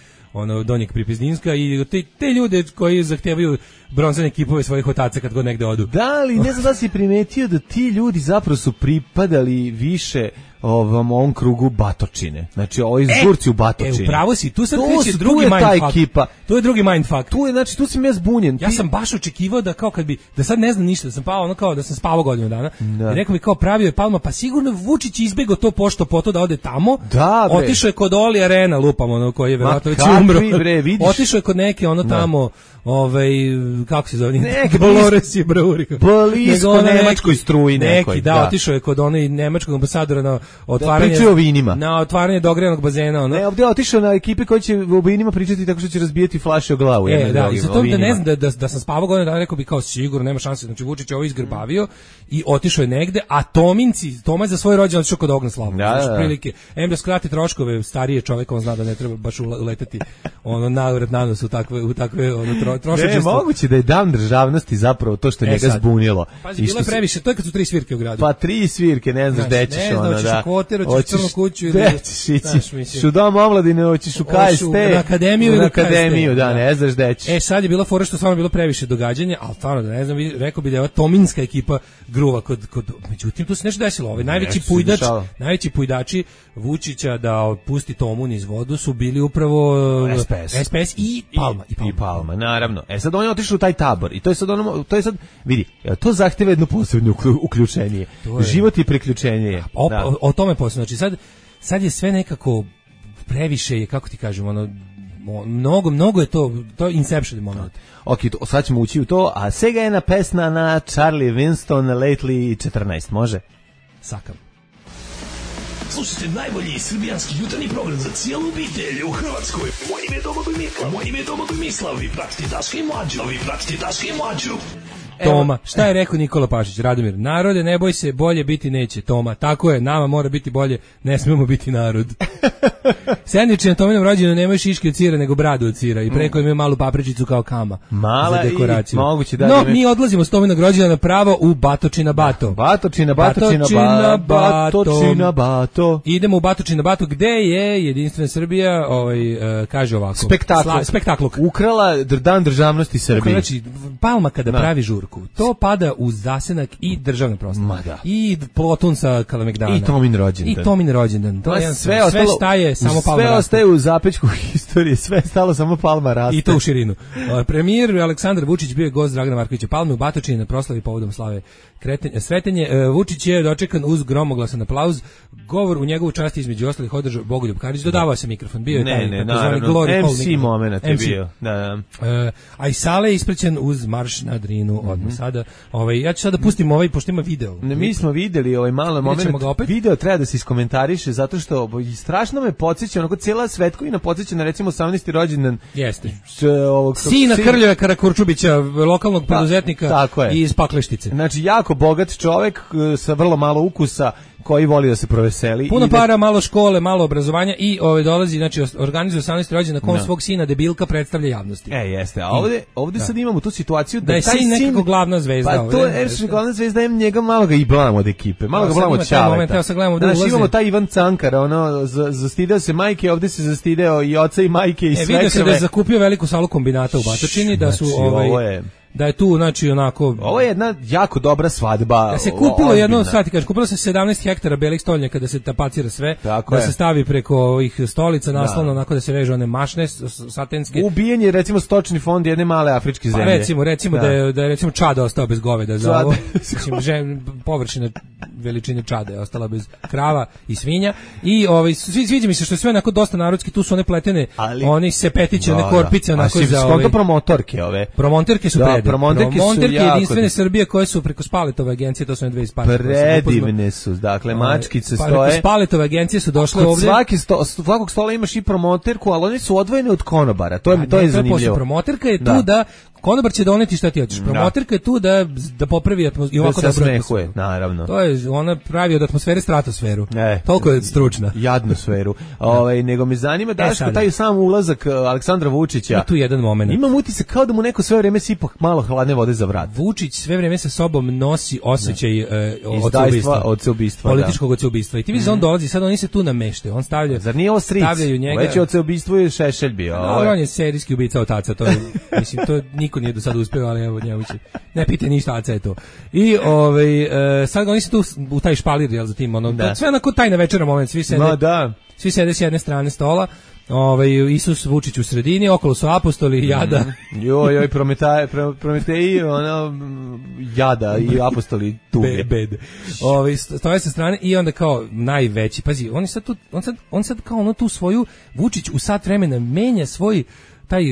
Donjeg Pripezdinska i te ljude koji zahtevaju bronzane ekipove svojih otaca kad god negde odu. Da, ali ne znam da si primetio da ti ljudi zapravo su pripadali više ovom krugu Batočine. Znači, ovi žurci u Batočini. Upravo si, tu sad kreće drugi mindfuck. To je drugi mindfuck. Tu sam ja zbunjen. Ja sam baš očekivao da kao kad bi, da sad ne znam ništa, da sam pao kao da sam spavao godinu dana. I rekao mi kao pravio je Palma, pa sigurno Vučić izbegao to pošto poto da ode tamo. Da, otišao je kod Oli Arena, lupam koji je verovatno već umro. Otišao je kod neke ono tamo, kako se zove, Dolores je Breurika. Blisko nemačkoj struji nekoj. Neki, otišao je kod onog nemačkog ambasadora na otvaranje vinima. Na otvaranje dogrejanog bazena, Ne, ovdje je otišao na ekipe koji će o vinima pričati tako što će razbijati flaše o glavu. I za to da ne znam da sam spavao godinu dana, rekao bi kao sigurno nema šanse, znači Vučić je ovo izgrbavio i otišao je negde, a Toma za svoj rođendan otišao kod Ognjeslava. Znači prilike, da skrati troškove, starije čovjek, on zna da ne treba baš uleteti navrat na nos u takve trošačestvo. Ne, moguće da je dan državnosti zapravo to što njega zbunilo. Pazi, bilo je previše, to je kad su 3 svirke u gradu. Pa 3 svirke, ne znaš gde ćeš ono, da. Ne znaš, hoćeš u Koter, hoćeš u Crnu kuću ili... Hoćeš u Dom omladine, hoćeš u KST. Na akademiju, da, ne znaš gde ćeš. Sad je bilo fora što stvarno bilo previše događanja, ali stvarno da ne znam, rekao bi da je ova tominska ekipa gruva kod međutim tu se nešto desilo. Najveći pujdači Vučića da pusti Tomu niz vodu su bili upravo SPS i Palma, naravno. Sad on je otišao u taj tabor i to je sad vidi, to zahteva jedno posebno uključenje. Život i priključenje. O tome posebno. Znači sad je sve nekako previše je, kako ti kažem, mnogo je to Inception moment. Ok, sad ćemo ući u to, a Sega je pesma na Charlie Winston Lately 14, može? Sakam. Slušajte najbolji srbijanski jutarnji program za cijelu obitelj u Hrvatskoj. Moje ime je Domagoj Mislav, vi pratite Daška i Mlađu. Toma, šta je rekao Nikola Pašić? Radomir, narode, ne boj se, bolje biti neće. Toma, tako je, nama mora biti bolje, ne smemo biti narod. Sendviči na Tominom rođenju nemaju šiške od sira, nego bradu od sira i preko imaju malu papričicu kao kama. Mala za dekoraciju. Moguće da. No, mi odlazimo s Tominog rođendana pravo u Batočina Bato. Batočina Bato. Idemo u Batočina Bato, gde je Jedinstvena Srbija, kaže ovako. Spektakl. Ukrala dan državnosti Srbije. Znači, Palma kada pravi žurku, to pada u zasenak i državne prostore. I Plotun sa Kalemegdana. I Tomin rođendan. To je sve staje, samo Palma sve ostaje u zapećku historije, sve stalo, samo Palma raste. I to u širinu. Premijer Aleksandar Vučić bio je gost Dragana Markovića Palme u Batočini na proslavi povodom slave Sretenje. Vučić je dočekan uz gromoglasan aplauz. Govor u njegovu čast između ostalih održao Bogoljub Karić. Dodavao se mikrofon. Bio je taj MC moment je bio. A i Sale je isprećen uz marš na Drinu odmah sada. Ja ću sada pustim pošto ima video. Mi smo videli malo moment. Video treba da se iskomentariše zato što strašno me podsjeća, onako cijela svetkovina podsjeća na recimo 18. rođendan. Jeste. Sina Krljeva Karakurčubića, lokalnog preduzetnika iz Pakleštice. Znači jako bogat čovjek sa vrlo malo ukusa koji voli da se proveseli. Puno para, malo škole, malo obrazovanja i dolazi, znači organizuje 18. rođendan na kom svog sina debilka predstavlja javnosti. Jeste, a ovdje sad imamo tu situaciju da je sin nekako glavna zvezda. Pa to je glavna zvezda, njega malo ga i blam od ekipe, malo ga blam od Čaleta. Znači imamo taj Ivan Cankar, zastideo se majke, ovdje se zastideo i oca i majke i svekrve. Vidio se da je zakupio veliku salu kombinata u Batočini, da su da je tu, znači, onako... Ovo je jedna jako dobra svadba. Da se kupilo kupilo se 17 hektara belih stolnjaka da se tapacira sve, da se stavi preko ovih stolica naslovno, onako da se vežu one mašne satenske. Ubijen je, recimo, stočni fond jedne male afričke zemlje. Recimo da je recimo Čad ostao bez goveda za ovo. Površina veličine Čada je ostala bez krava i svinja. I sviđa mi se što je sve onako dosta narodski, tu su one pletene, oni sepetiće, one korpice, onako za promotorke ove. Promotorke su Promonterke Jedinstvene Srbije koje su preko Spaletove agencije, to su dve iz Spaleta. Predivne su, dakle, mačkice stoje. Preko Spaletove agencije su došle ovdje. Svakog stola imaš i promoterku, ali oni su odvojeni od konobara, to je zanimljivo. Promoterka je tu da konobar će doneti šta ti hoćeš. Promoterka je tu da popravi atmosferu. Da se smehuje, naravno. To je, ona pravi od atmosfere stratosferu. Toliko je stručna. Jadnu sferu. Nego me zanima, Daško, taj sam ulazak Aleksandra Vučića. Ima tu jedan moment. Imam utisak kao da mu neko sve vreme sipa malo hladne vode za vrat. Vučić sve vreme sa sobom nosi osjećaj odseubistva. Političkog odseubistva. I ti vidiš on dolazi, sad oni se tu namešte. On stavlja. Zar nije ovo stric? Stavljaju njega. Već je odseubistvo i Šešelj bio. On je serijski ubica otaca, to je, mislim, to niko nije do sada uspeo, ali evo njemu će. Ne pite ništa, aca je to. I sad oni se tu u taj špalir, jel, za tim, sve onako tajna večera moment, svi sede s jedne strane stola, Isus Vučić u sredini, okolo su apostoli, jada. Joj, Prometeji, jada i apostoli tuge. Bede. Stoje sa strane i onda kao najveći, pazi, on sad kao ono tu svoju, Vučić u sat vremena menja svoj taj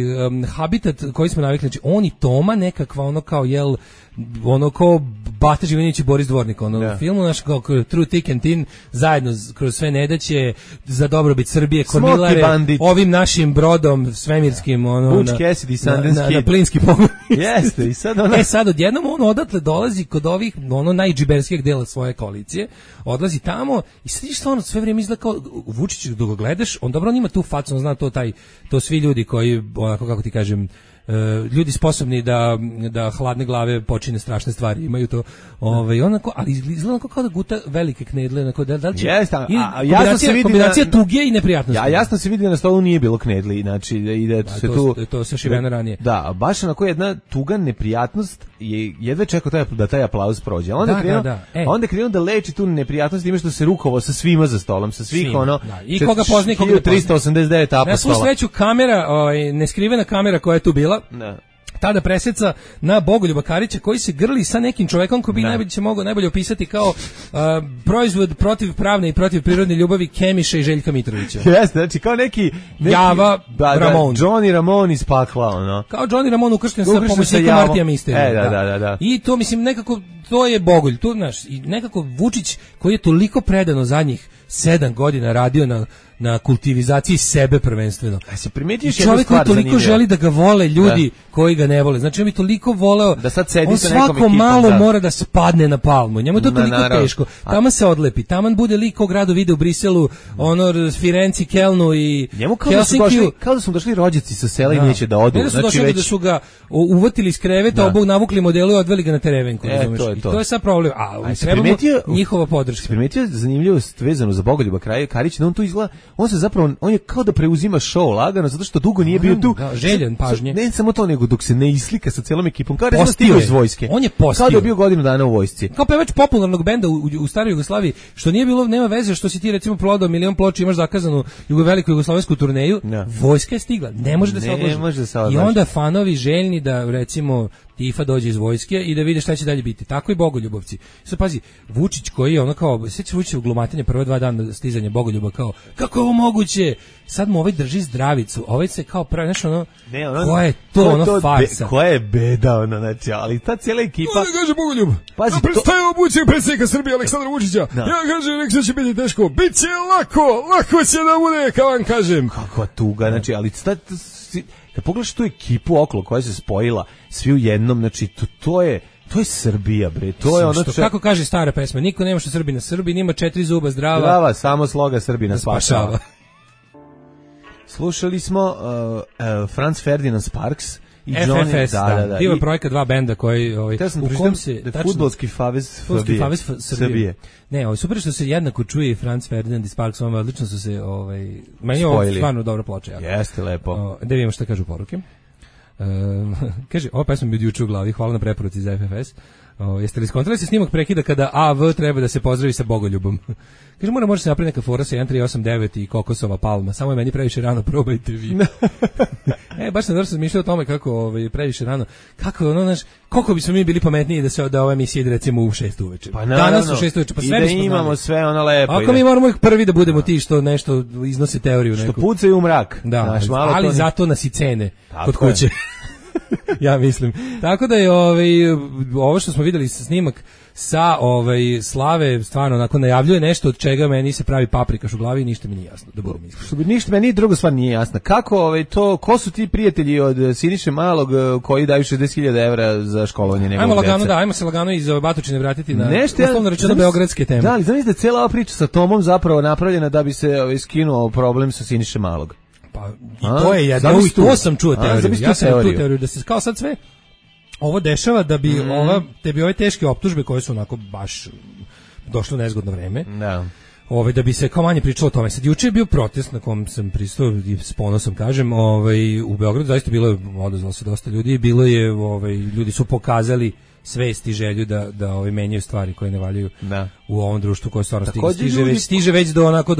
habitat koji smo navikli, znači on i Toma nekakva ono kao kao Bata Živinić i Boris Dvornik u filmu, naš kao True Thick and Thin, zajedno kroz sve nedaće za dobrobit Srbije, kormilare ovim našim brodom svemirskim Butch Cassidy, Sundance Kid na plinski pogon. Jeste, i sad sad odjednom on odatle dolazi kod ovih najdžiberskijeg dela svoje koalicije, odlazi tamo i sviš stvarno sve vrijeme izgleda kao Vučić, dok ga gledaš, on dobro on ima tu facu, on zna to svi ljudi koji, onako kako ti kažem, ljudi sposobni da hladne glave počine strašne stvari, imaju to onako, ali izgleda kao da guta velike knedle, onako, da li će kombinacija tuge i neprijatnosti. Ja jasno se vidi da na stolu nije bilo knedli, znači i da se to se šiveno ranije. Da, baš onako jedna tuga neprijatnost je jedva čekao da taj aplauz prođe. Onda krenuo da leči tu neprijatnost time što se rukovao sa svima za stolom, sa svih i koga poznaje, koga 389 apostola. Na svu sreću kamera, neskrivena kamera koja je tu bila, tada preseca na Bogoljuba Karića koji se grli sa nekim čovekom koji bi najbolje opisati kao proizvod protiv pravne i protiv prirodne ljubavi Kemiša i Željka Mitrovića. Jeste, znači kao neki Java Ramon. Johnny Ramon iz pakla, Kao Johnny Ramon ukršten sa pomoćnikom Martija Misterija. Da. I to, mislim, nekako, to je Bogolj. Tu, znaš, i nekako Vučić koji je toliko predano zadnjih 7 godina radio na kultivizaciji sebe prvenstveno. Se primetiš čovjek koji toliko želi da ga vole ljudi koji ga ne vole. Znači on bi toliko voleo da sad sedi on sa nekom svako malo mora da spadne na palmu. Njemu je to toliko teško. Taman se odlepi. Taman bude lik kog rado vide u Briselu, Firenci, Kelnu i Helsinkiju. Kao da su došli rođaci sa sela i neće da odu. Znači da su ga uvatili iz kreveta, obog navukli modelu i odveli ga na terevenku. I to je sad problem. A trebamo njihova podrška. Primetio zanimljivost vezanu za Bogoljuba Karića, da on tu izgleda, on je kao da preuzima show lagano, zato što dugo nije bio tu. Željen pažnje. Ne samo to, nego dok se ne islika sa celom ekipom, kao da stigao iz vojske. On je postio. Kao da je bio godinu dana u vojsci. Kao pevač popularnog benda u staroj Jugoslaviji, što nije bilo, nema veze što si ti recimo prodao 1.000.000 ploča, imaš zakazanu veliku jugoslovensku turneju, vojska je stigla, ne može da se odloži. I onda fanovi željni da recimo Tifa dođe iz vojske i da vide šta će dalje biti. Tako i Bogoljubovci. Sad pazi, Vučić koji je ono kao, sjeća Vučić u glumatanje prve 2 dana stizanja Bogoljuba kao, kako je ovo moguće? Sad mu drži zdravicu, se kao pravi, nešto koja je to farsa? Koja je beda, znači, ali ta cijela ekipa... Ono kaže Bogoljub, predstavimo budućeg predsjednika Srbije Aleksandra Vučića, ja kažem, nek se će biti teško, bit će lako će da bude, kao vam kažem. Kakva tuga, znači, ali kad pogledaš tu ekipu okolo koja se spojila, svi u jednom, znači, to je Srbija, bre. To je ono kako kaže stara pesma, niko nema što Srbina. Srbin ima 4 zuba zdrava, samo sloga Srbina spašava. Slušali smo Franz Ferdinand Sparks i FFS, da. Divan projekat 2 benda koji u kom se Fudbalski savez Srbije. Ne, super što se jednako čuje i Franz Ferdinand i Sparks, odlično su se meni je ovo stvarno dobra ploča. Jeste lepo. Da vidimo šta kažu poruke. Kaže, ova pesma mi je juče u glavi, hvala na preporuci za FFS. Jeste li skontrali se snimak prekida kada AV treba da se pozdravi sa Bogoljubom? Kaže, može se napraviti neka fora sa 1389 i kokosova palma, samo je meni previše rano, probajte vi. Baš sam dobro razmišljao o tome kako previše rano, koliko bismo mi bili pametniji da ova emisija ide recimo u 6 uveče. Pa danas u 6 uveče, pa sve bismo imamo sve ono lepo. Ako mi moramo ih prvi da budemo ti što nešto iznose teoriju neku. Što pucaju u mrak. Da, ali zato nas i cene kod kuće. Ja mislim. Tako da je ovo što smo vidjeli snimak sa Slave stvarno onako najavljuje nešto od čega meni se pravi paprikaš u glavi i ništa mi nije jasno, da budem iskren. Ništa meni druga stvar nije jasna. Kako ko su ti prijatelji od Siniše Malog koji daju 60.000 evra za školovanje njegovog dece? Ajmo se lagano iz Batočine vratiti na uslovno rečeno beogradske teme. Da, ali znam da je cijela ova priča sa Tomom zapravo napravljena da bi se skinuo problem sa Siniše Malog. Pa i to je jedno, to sam čuo teoriju. Ja sam tu teoriju da se kao sad sve ovo dešava da bi ove teške optužbe koje su onako baš došlo na nezgodno vreme. Da. Da bi se kao manje pričalo o tome. Sad juče je bio protest na kom sam pristao i s ponosom kažem, u Beogradu zaista bilo je, odazvalo se dosta ljudi, bilo je ljudi su pokazali svest i želju da menjaju stvari koje ne valjaju u ovom društvu koje stvarno stiže već do onako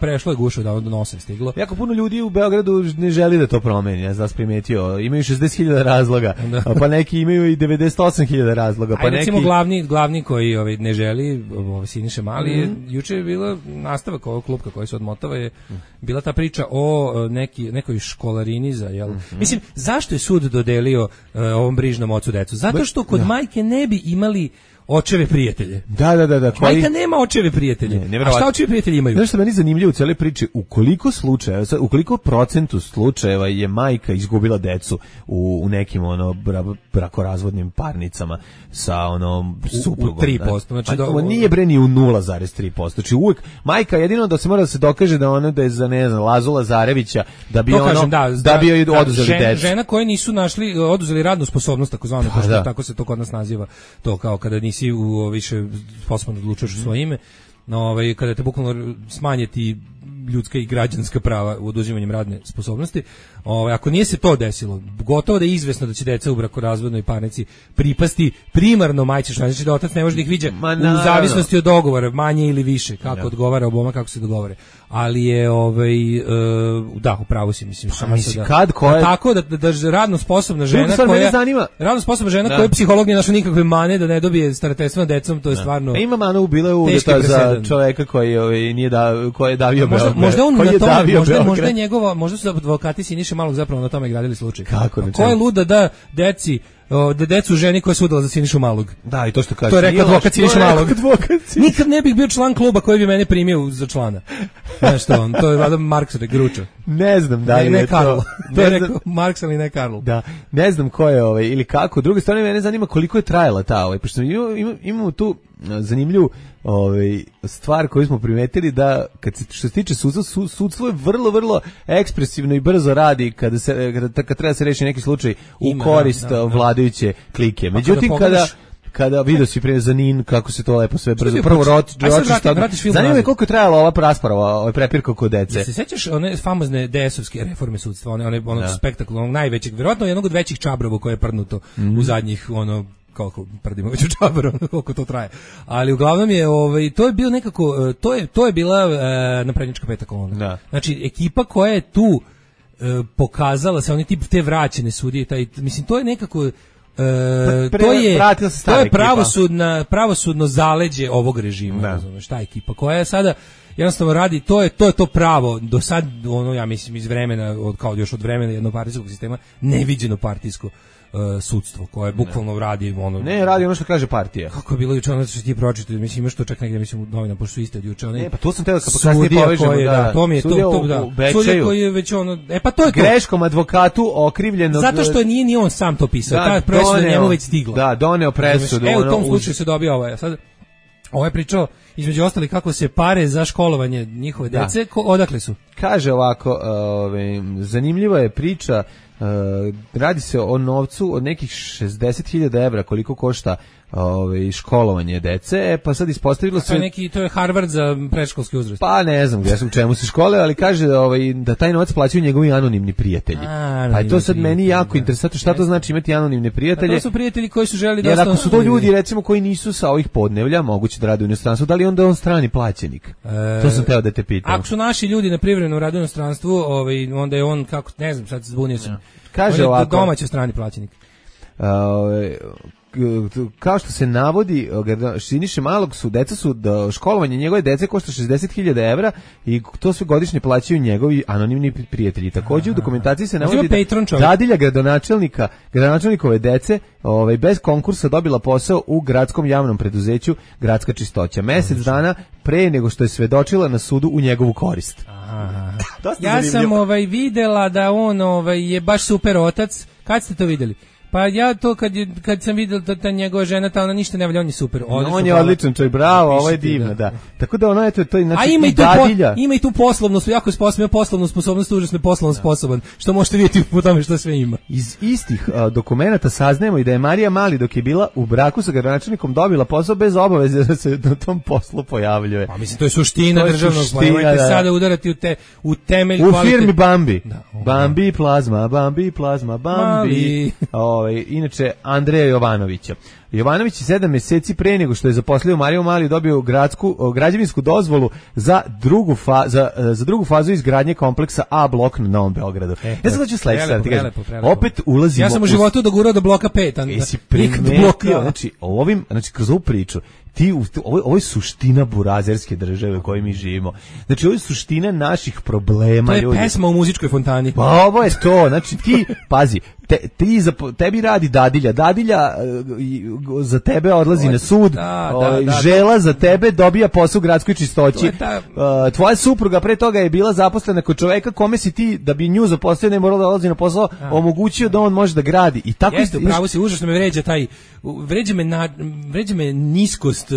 prešlo je gušu do nosa stiglo. Jako puno ljudi u Beogradu ne želi da to promeni, ja sam primetio, imaju 60.000 razloga, pa neki imaju i 98.000 razloga, pa neki recimo glavni koji ne želi, Siniša Mali, juče je bila nastavak ovog klupka koji se odmotava, je bila ta priča o nekoj školarini za, jel? Mislim, zašto je sud dodelio ovom brižnom ocu decu? Zato što kod majke ne bi imali očeve prijatelje. Da. Majka nema očeve prijatelje. A šta očevi prijatelji imaju? Znaš što meni zanimljivo u cijeloj priči, u koliko procentu slučajeva je majka izgubila decu u nekim brakorazvodnim parnicama sa suprugom. U 3%. Znači nije bre ni u 0,3%. Znači uvijek majka jedino da se mora da se dokaže da je za Lazu Lazarevića da bi da bi joj oduzeli decu. Žena koje nisu našli, oduzeli radnu sposobnost takozvano, tako se to kod nas naziva, to kao kada nisi više sposoban da odlučuješ u svoje ime, kada te bukvalno smanjeti ljudska i građanska prava u oduzimanjem radne sposobnosti. Ako nije se to desilo, gotovo da je izvesno da će deca u brakorazvodnoj parnici pripasti primarno majčišno, znači da otac ne može da ih viđa u zavisnosti od dogovora, manje ili više, kako odgovara oboma, kako se dogovore. Ali je upravo si, mislim, tako da radno sposobna žena koja je psiholog nije našla nikakve mane da ne dobije starateljstvo nad decom, to je stvarno ima manu bila uvjeta za čoveka koji nije koji je davio možda su advokati Siniše Malog zapravo na tome gradili slučaj. Ko je luda da decu ženi koja je sudala za Sinišu Malog? Da, i to što kaže. To je rekao advokat Siniša Malog. Nikad ne bih bio član kluba koji bi mene primio za člana. Znaš što to je valjda Marks Gruča. Ne znam da li je to. To je rekao Marks, ali ne Karl. Da, ne znam ko je ili kako. Druga strana, mene zanima koliko je trajala ta pošto imamo tu zanimljivu stvar koju smo primetili da što se tiče sudstvo je vrlo, vrlo ekspresivno i brzo radi kad treba da se reši neki slučaj u korist vladajuće klike. Međutim, kada vidio si prije za NIN kako se to lepo sve brzo prvo zanima me koliko je trajala ova rasprava, prepirka oko dece. Se sećaš one famozne DS-ovske reforme sudstva, onog spektakla, onog najvećeg, verovatno jednog od većih čabrova koje je prdnuto u zadnjih koliko prdimo već u čabaru, koliko to traje. Ali uglavnom je to je bio nekako to je bila naprednjačka peta kolona. Znači ekipa koja je tu pokazala se oni tip te vraćene sudije, mislim to je nekako to je pravosudno zaleđe ovog režima, razumeš, ta ekipa koja je sada jednostavno radi, to je to pravo do sad, ja mislim iz vremena, još od vremena jednopartijskog sistema, neviđeno partijsko sudstvo koje bukvalno radi radi ono što kaže partija. Kako je bilo juče ono što ti pročitali, mislim imaš to čak negdje mislim u novinama pošto su iste od juče pa to sam teo kad kasnije povežemo to mi je sudija koji je već pa to je to greškom advokatu okrivljenog zato što nije ni on sam to pisao, ta presuda njemu već stigla, doneo presudu, u tom slučaju se dobio sad ovo je pričao između ostali kako se pare za školovanje njihove dece odakle su. Kaže ovako, zanimljiva je priča, radi se o novcu od nekih 60.000 evra koliko košta školovanje dece, pa sad ispostavilo se to je Harvard za predškolski uzrast. Pa ne znam gdje su, čemu se škole, ali kaže da taj novac plaćaju njegovi anonimni prijatelji. Pa je to sad meni jako interesantno, šta to znači imati anonimne prijatelje? To su prijatelji koji su želi da jer ako su to ljudi recimo koji nisu sa ovih podnevlja, moguće da rade u inostranstvu, da li onda on strani plaćenik? To sam teo da te pitam. Ako su naši ljudi na privremenom radu u inostranstvu, onda je on kako ne znam, sad zbunio sam. Kaže ovako, domaći strani plaćenik. Kao što se navodi, Siniše Malog školovanje njegove dece košta 60.000 evra i to sve godišnje plaćaju njegovi anonimni prijatelji. Također u dokumentaciji se navodi da dadilja gradonačelnikove dece bez konkursa dobila posao u gradskom javnom preduzeću Gradska čistoća. Mjesec dana pre nego što je svedočila na sudu u njegovu korist. Ja sam videla da on je baš super otac. Kad ste to vidjeli? Pa ja to kad sam vidio da ta njegova žena, ona ništa ne valja, on je super. On je odličan čovjek, bravo, ovo je divno, da. Tako da ono, eto, to je znači dadilja. Ima i tu poslovnu, jako sposobno, poslovnu sposobnost, užasno je poslovno sposoban, što možete vidjeti po tome što sve ima. Iz istih dokumenata saznajemo i da je Marija Mali dok je bila u braku sa gradonačelnikom dobila posao bez obaveze da se na tom poslu pojavljuje. Pa mislim, to je suština državnog, nemojte sada udarati u temelj kvalitet. U firmi Bambi. Bambi plazma, Bambi plazma, Bambi. Inače Andreja Jovanovića. Jovanović 7 meseci pre nego što je zaposlio Mariju Mali dobio građevinsku dozvolu za drugu fazu izgradnje kompleksa A blok na Novom Beogradu. Ja sad ću sledeće, ti kažem. Opet ulazimo. Ja sam u životu dogurao do bloka 5. Jesi primetio, znači kroz ovu priču, ovo je suština burazerske države u kojoj mi živimo. Znači, ovo je suština naših problema. To je ljudi. Pesma u muzičkoj fontani. Pa ovo je to, znači ti, pazi, tebi radi dadilja za tebe odlazi na sud, žela za tebe dobija posao u gradskoj čistoći, tvoja supruga pre toga je bila zaposlena kod čoveka kome si ti, da bi nju zaposlio, ne morala da odlazi na posao, omogućio da on može da gradi. I tako jeste, upravo si, užasno me vređa vređa me niskost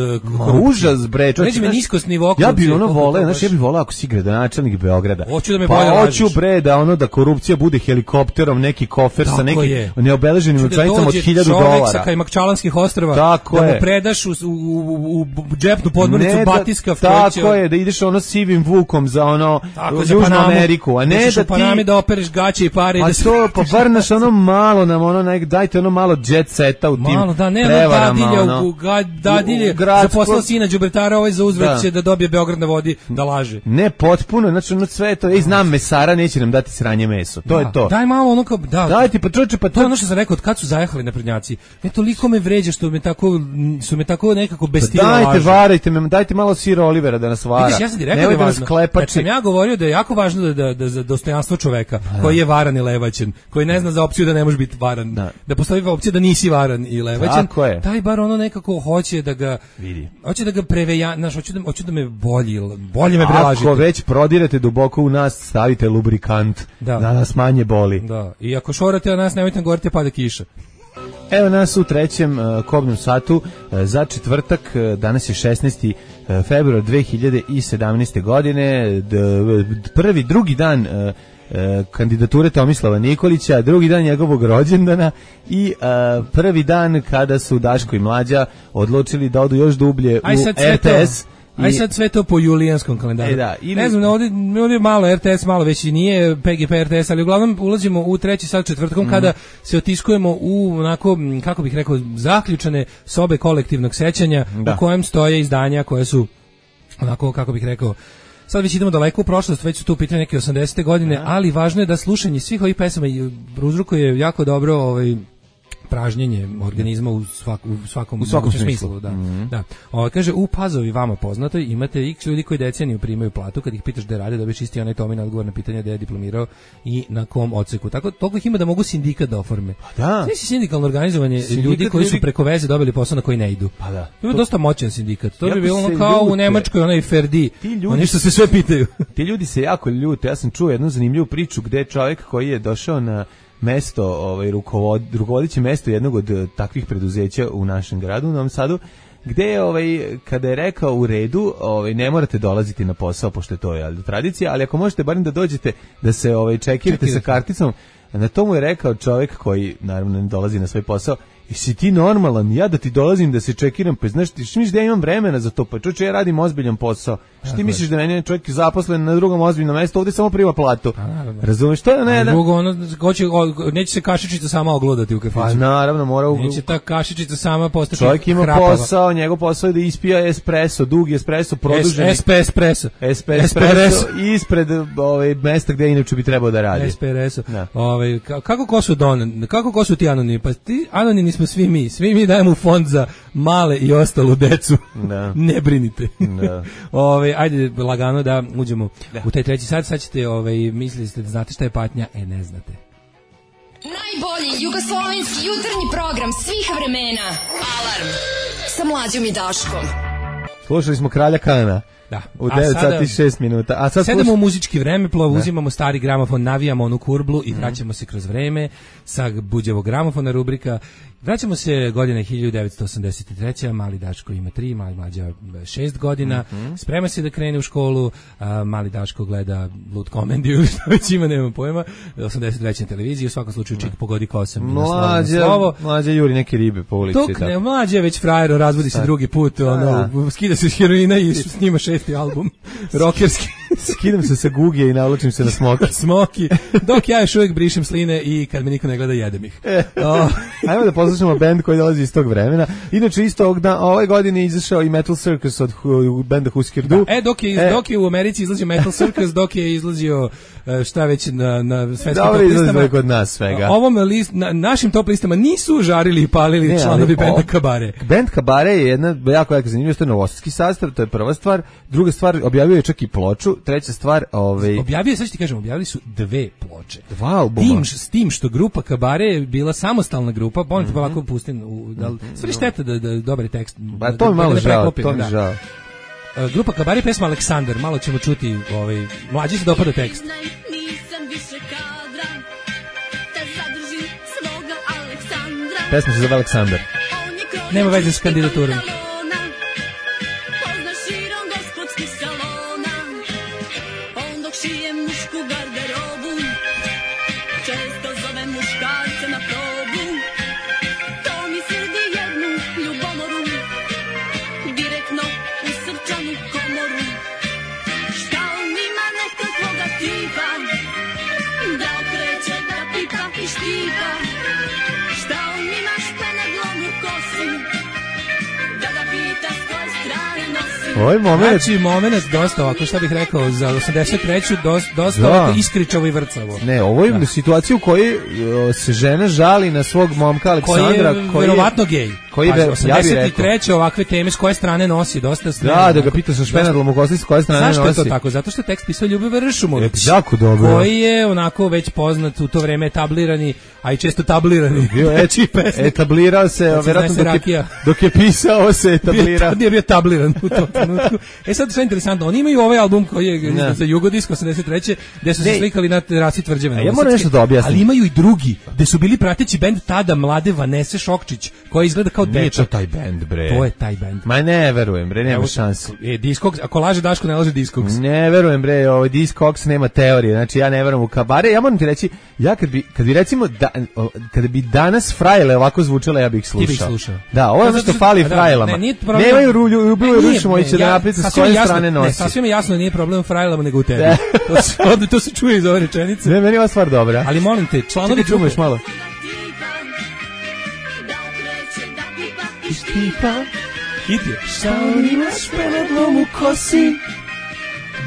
užas, bre, vređa me niskost nivoa korupcije. Ja bi voleo, znači ja bih voleo ako si gradonačelnik Beograda. Hoću da me bolje lažiš. Hoću, bre, da korupcija bude helikopterom, neki kofer sa nekim neobeleženim novčanicama od $1000. Čovek sa Kajmakčalanskih ostrva, tako da mu predaš u džepnu podmornicu batiska. Tako je, da ideš sivim vukom za Južnu Ameriku, a ne da ti Panami da opereš gaće i pare. A to, pa vrnaš malo nam, dajte malo jet seta u tim prevarama. Dadilje, zaposlao sina đubretara, ovaj za uzvrat će da dobije Beograd na vodi, da laže. Ne, potpuno, znači sve to, znam mesara, neće nam dati sranje meso, to je to. Daj malo kao, daj ti, pa čoče, pa to je ono što sam rekao, od kad su zajahali naprednjaci. Toliko me vređa što su me tako nekako bez stila laže. Dajte, varajte me, dajte malo sira Olivera da nas vara. Vidiš, ja sam ti rekao da je važno. Kad sam ja govorio da je jako važno da za dostojanstvo čoveka, koji je varan i levaćen, koji ne zna za opciju da ne može biti varan, da postoji opcija da nisi varan i levaćen, taj bar nekako hoće da ga vidi. Hoće da ga preveja, hoće da me bolje me prelažite. Ako već prodirate duboko u nas, stavite lubrikant, da nas manje boli. Da. I ako šorate o nas, nemojte govoriti pada kiša. Evo nas u trećem kobnom satu za četvrtak, danas je 16. februar 2017. godine, drugi dan kandidature Tomislava Nikolića, drugi dan njegovog rođendana i prvi dan kada su Daško i Mlađa odlučili da odu još dublje u RTS. Aj sad sve to po julijanskom kalendaru. Ne znam, ovdje malo RTS, malo već i nije PGP RTS, ali uglavnom ulazimo u treći sat četvrtkom kada se otiskujemo u onako, kako bih rekao, zaključane sobe kolektivnog sećanja u kojem stoje izdanja koje su onako, kako bih rekao, sad već idemo daleko u prošlost, već su tu pitanje neke 80. godine, ali važno je da slušanje svih ovih pesama uzrokuje jako dobro pražnjenje organizma u svakom smislu. Da. Kaže, u Pazovi vama poznatoj imate x ljudi koji deceniju primaju platu, kad ih pitaš da rade, dobiješ isti onaj Tomin odgovor na pitanje da je diplomirao i na kom odseku. Tako, toliko ih ima da mogu sindikat da oforme. Sve si sindikalno organizovanje ljudi koji su preko veze dobili posao na koji ne idu. To je dosta moćan sindikat. To bi bilo kao u Nemačkoj, onaj Ferdi. Oni što se sve pitaju. Ti ljudi se jako ljute. Ja sam čuo jednu zanimljivu priču gde je čovjek koji je došao na mesto, rukovodeće mesto jednog od takvih preduzeća u našem gradu, u Novom Sadu, gde je, kada je rekao u redu, ne morate dolaziti na posao, pošto je to tradicija, ali ako možete barem da dođete, da se čekirate sa karticom, na tomu je rekao čovjek koji, naravno, ne dolazi na svoj posao, jesi ti normalan, ja da ti dolazim da se čekiram, pa znaš, ti misliš da ja imam vremena za to, pa čovječe, ja radim ozbiljan posao, što ti misliš da meni je čovjek zaposlen na drugom ozbiljnom mjestu, ovdje samo prima platu, razumiješ, to je ne, drugo, neće se kašičica sama oglodati u kafiću, pa naravno, neće ta kašičica sama postati čovjek ima hrapava. Posao, njegov posao je da ispija espresso, dugi espresso, produženi espresso ispred mjesta gdje inače bi trebao da radi espresso, kako ko su ti anonimi, pa ti anonimi smo svi mi dajemo u fond za male i ostalu decu. Ne brinite. Ajde lagano da uđemo u taj treći sat. Sad ćete, mislili ste da znate šta je patnja, ne znate. Najbolji jugoslovenski jutarnji program svih vremena. Alarm sa Mlađom i Daškom. Slušali smo Kralja Kana. Da. U 9 sati 6 minuta. A sad sedemo u muzički vremeplov, uzimamo stari gramofon, navijamo onu kurblu i vraćamo se kroz vreme sa Buđevog gramofona rubrika. Vraćamo se godine 1983. Mali Daško ima 3, mali Mlađa 6 godina. Sprema se da krene u školu. Mali Daško gleda Lud komediju ili što već ima, nemam pojma. 83. na televiziji, u svakom slučaju čik pogodi kosem. Mlađa juri neke ribe po ulici. Mlađa je već frajero, razvodi se drugi put, skida se s heroina i snima 6. album rockerski. Skidam se sa guge i navlačim se na smoki. Smoki. Dok ja još uvijek brišem sline i kad me niko ne gleda jedem ih. Ajmo da poslušamo bend koji dolazi iz tog vremena. Inače isto ove godine izašao i Metal Circus od benda Husker Du. Dok je u Americi izlazio Metal Circus, dok je izlazio šta već na svetskim top listama. Dobro izlazio kod nas svega. Našim top listama nisu žarili i palili članovi benda Kabare. Bend Kabare je jedna jako zanimljiva, to je novosadski sastav, to je prva stvar. Druga stvar, objavio je čak i ploču. Treća stvar, objavio, sad ću ti kažem, objavili su 2 ploče. 2 albuma. S tim što grupa Kabare je bila samostalna grupa, ponete pa ovako pustim, sve šteta da dobar tekst. Ba, to mi malo žao, žao. Grupa Kabare, pesma Aleksandar, malo ćemo čuti, mlađi se dopada tekst. Pesma se zove Aleksandar. Nema veze s kandidaturom. Ovaj moment. Znači, moment dosta ovako, šta bih rekao, za 83. dosta ovako iskričavo i vrcavo. Ne, ovo je situacija u kojoj se žena žali na svog momka Aleksandra. Koji je verovatno gej. Koji je, 83. ovakve teme s koje strane nosi, dosta snema. Da ga pita sa špenadlom u kosti s koje strane nosi. Zašto je to tako? Zato što je tekst pisao Ljubivoje Ršumović. Jako dobro. Koji je onako već poznat u to vreme etablirani, a i često tablirani. Etablirao se, vjerojatno dok je pisao se etablirao. Nije bio tabliran u tom trenutku. Sad sve interesantno, oni imaju ovaj album koji je za Jugodisk 83. gde su se slikali na terasi Tvrđave. Ja moram nešto da objasnim. Ali imaju i drugi, gde su bili prateći bend tada mlade Vanese Šokčić, koja izgleda kao dečak. Nije to taj bend, bre. To je taj bend. Ma ne verujem, bre, nema šanse. Discogs, ako laže Daško, ne laže Discogs. Ne verujem, bre, Discogs nema teorije. Znači ja ne verujem u Kabare. Ja moram ti reći, ja kad bi recimo kada bi danas frajle ovako zvučale, ja bih slušao. Ti bih slušao. Da, ovo je što fali frajlama. Nemaju Ljubivoje Ršumovića da napišu s koje strane nosi. Ne, sasvim je jasno, nije problem frajlama nego u tebi. To se čuje iz ove rečenice. Ne, meni je ova stvar dobra. Ali molim te, članovi čumeš malo. Hit je. Šta on ima špenadlom u kosi,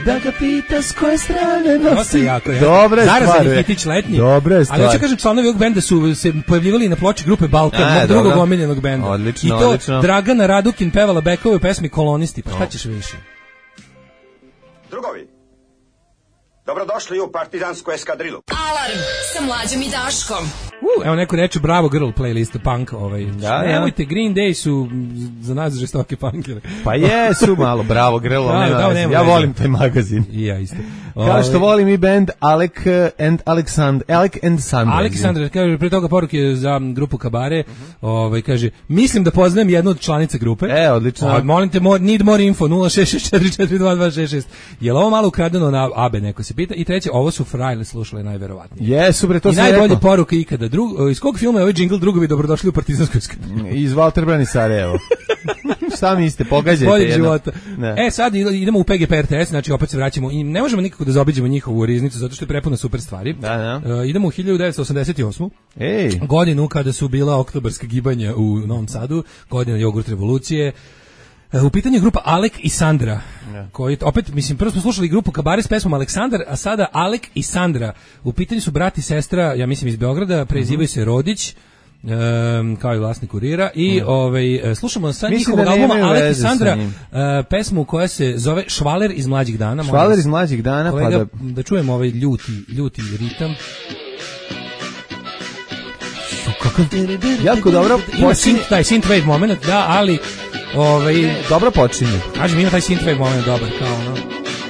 da ga pita s koje strane nosi. Dobre stvari. Zarazani hitić letnji. Dobre stvari. Ali hoću kažem, članovi ovog benda su se pojavljivali na ploči grupe Balkan, mog drugog omiljenog benda. Odlično, i to odlično. Dragana Radukin pevala bekove u pesmi Kolonisti. Pa šta ćeš više? Drugovi, dobrodošli u partizansku eskadrilu. Alarm sa Mlađom i Daškom. Evo neko reče bravo girl playlist punk. Nemojte, Green Day su za nas žestoke punkere. Pa jesu malo bravo girl. Ja volim taj magazin. I ja isto. Kao što volim i band Alec and Sandra. Alec i Sandra, kaže, pre toga poruke za grupu Kabare, kaže, mislim da poznajem jednu od članica grupe. Odlično. Molim te, need more info, 066442266. Je li ovo malo ukradeno na Abe, neko se pita? I treće, ovo su frajle slušale najverovatnije. Jesu, bre, to sam rekao. I najbolje poruke ikada. Iz kog filma je ovaj džingl Drugovi dobrodošli u partizansku eskadrilu? Iz Walter Brani Sarajevo. Šta mislite, pogađajte boljeg života. Sad idemo u PGP RTS, znači opet se vraćamo i ne možemo nikako da zaobiđemo njihovu riznicu zato što je prepuna super stvari. Idemo u 1988. Godinu kada su bila oktobarska gibanja u Novom Sadu, godina jogurt revolucije. U pitanju je grupa Alec i Sandra, koji opet, mislim, prvo smo slušali grupu Kabare s pesmom Aleksandar, a sada Alec i Sandra. U pitanju su brat i sestra, ja mislim iz Beograda, prezivaju se Rodić, kao i vlasnik Kurira, i slušamo sad njihovog albuma Alec i Sandra, pesmu koja se zove Švaler iz mlađih dana. Švaler iz mlađih dana, kolega, da čujemo ovaj ljuti ritam. Jako dobro ima taj synthwave moment, da, ali dobro počinje. Kažem, ima taj synthwave moment dobar,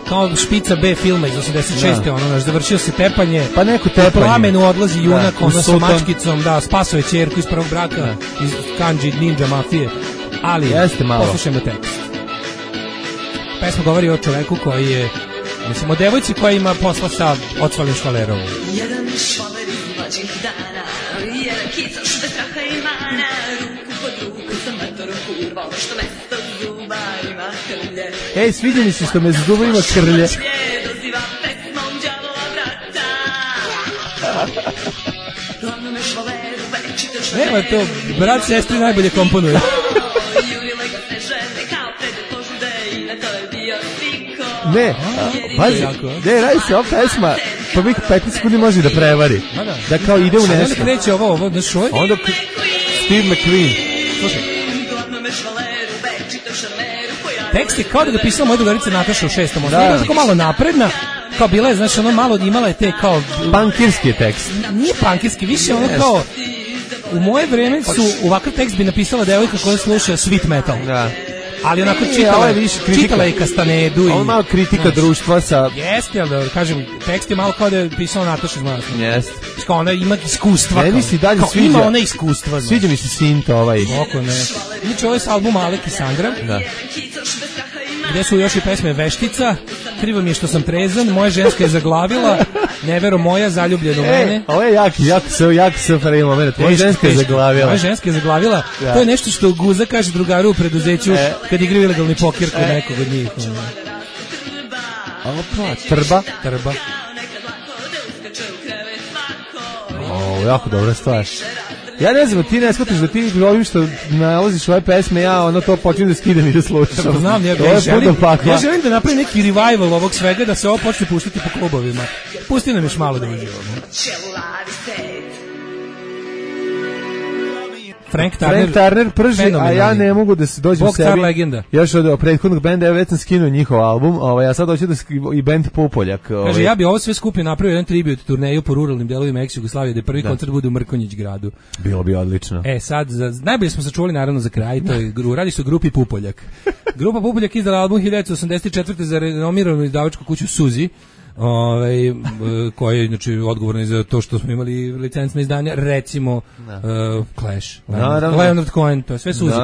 kao špica B filma iz 86. Završio se tepanje, pa neko tepanje. U plamenu odlazi junak, sa mačkicom, spaso je ćerku iz prvog braka, iz Kanji ninja mafije, ali poslušajmo tekst. Pesma govori o čoveku koji je, mislim, o devojci koja ima posla sa odsvalim švalerom. Jedan švaler iz mlađih dana, jedan kicoš bez straha i mana, ruku pod ruku sa matorom kurva, što mesto zuba ima hrlja. Ej, sviđa mi se što me za zubima krlje. Nema to, brat sestri najbolje komponuje. Ne, pazi, ne, radi se ova pesma, pa bih 15 sekundi može da prevari. Da kao ide u nešto. Onda kreće ovo, znaš ovo? Onda Steve McQueen. Slušaj. Tekst je kao da ga pisala moja drugarica Nataša u 6. Ona je tako malo napredna, kao bila je, znaš, ono malo imala je te kao... Punkirski je tekst. Nije punkirski, više ono kao... U moje vreme su ovakav tekst bi napisala devojka koja sluša sweet metal. Da. Ali onako čitala je Kastanedu. Ovo je malo kritika društva sa... Jeste, ali da kažem, tekst je malo kao da je pisala Nataša Zmanac. Jeste. Kao ona ima iskustva. Ne mi si dalje kao, sviđa. Ima ona iskustva. Sviđa mi se Sint ovaj. Oko ne. Inače, ovo je s albuma Alek i Sandra. Da. Gde su još i pesme Veštica, Krivo mi je što sam trezan, Moja ženska je zaglavila, Nevero moja, Zaljubljen u mene. Ovo je jak safari moment. Moja ženska je zaglavila. Moja ženska je zaglavila. Da. To je nešto što Guza kaže drugaru u preduzeću kad igraju ilegalni pokir kod nekog od njih. Opa, Trba. Jako dobra stvar. Ja ne znam, ti ne shvatiš da ti ovim što nalaziš ove pesme, ja ono to počinjem da skidam i da slušam. Znam, ja želim da napravim neki revival ovog svega, da se ovo počne puštati po klubovima. Pusti nam još malo da uživamo. Frank Turner prži, a ja ne mogu da se dođem sebi. Legenda. Još od prethodnog benda, ja već sam skinuo njihov album, ja sad hoću da i bend Pupoljak. Kaže, ja bi ovo sve skupio napravio jedan tribut turneju po ruralnim delovima ex-Jugoslavije, da prvi koncert bude u Mrkonjić gradu. Bilo bi odlično. Sad, najbolje smo sačuvali naravno za kraj, to je, radi se o grupi Pupoljak. Grupa Pupoljak izdala album 1984. za renomiranu izdavačku kuću Suzi, koji je znači odgovorni za to što smo imali licencna izdanja, recimo Clash, Leonard Cohen, to je sve Suzi.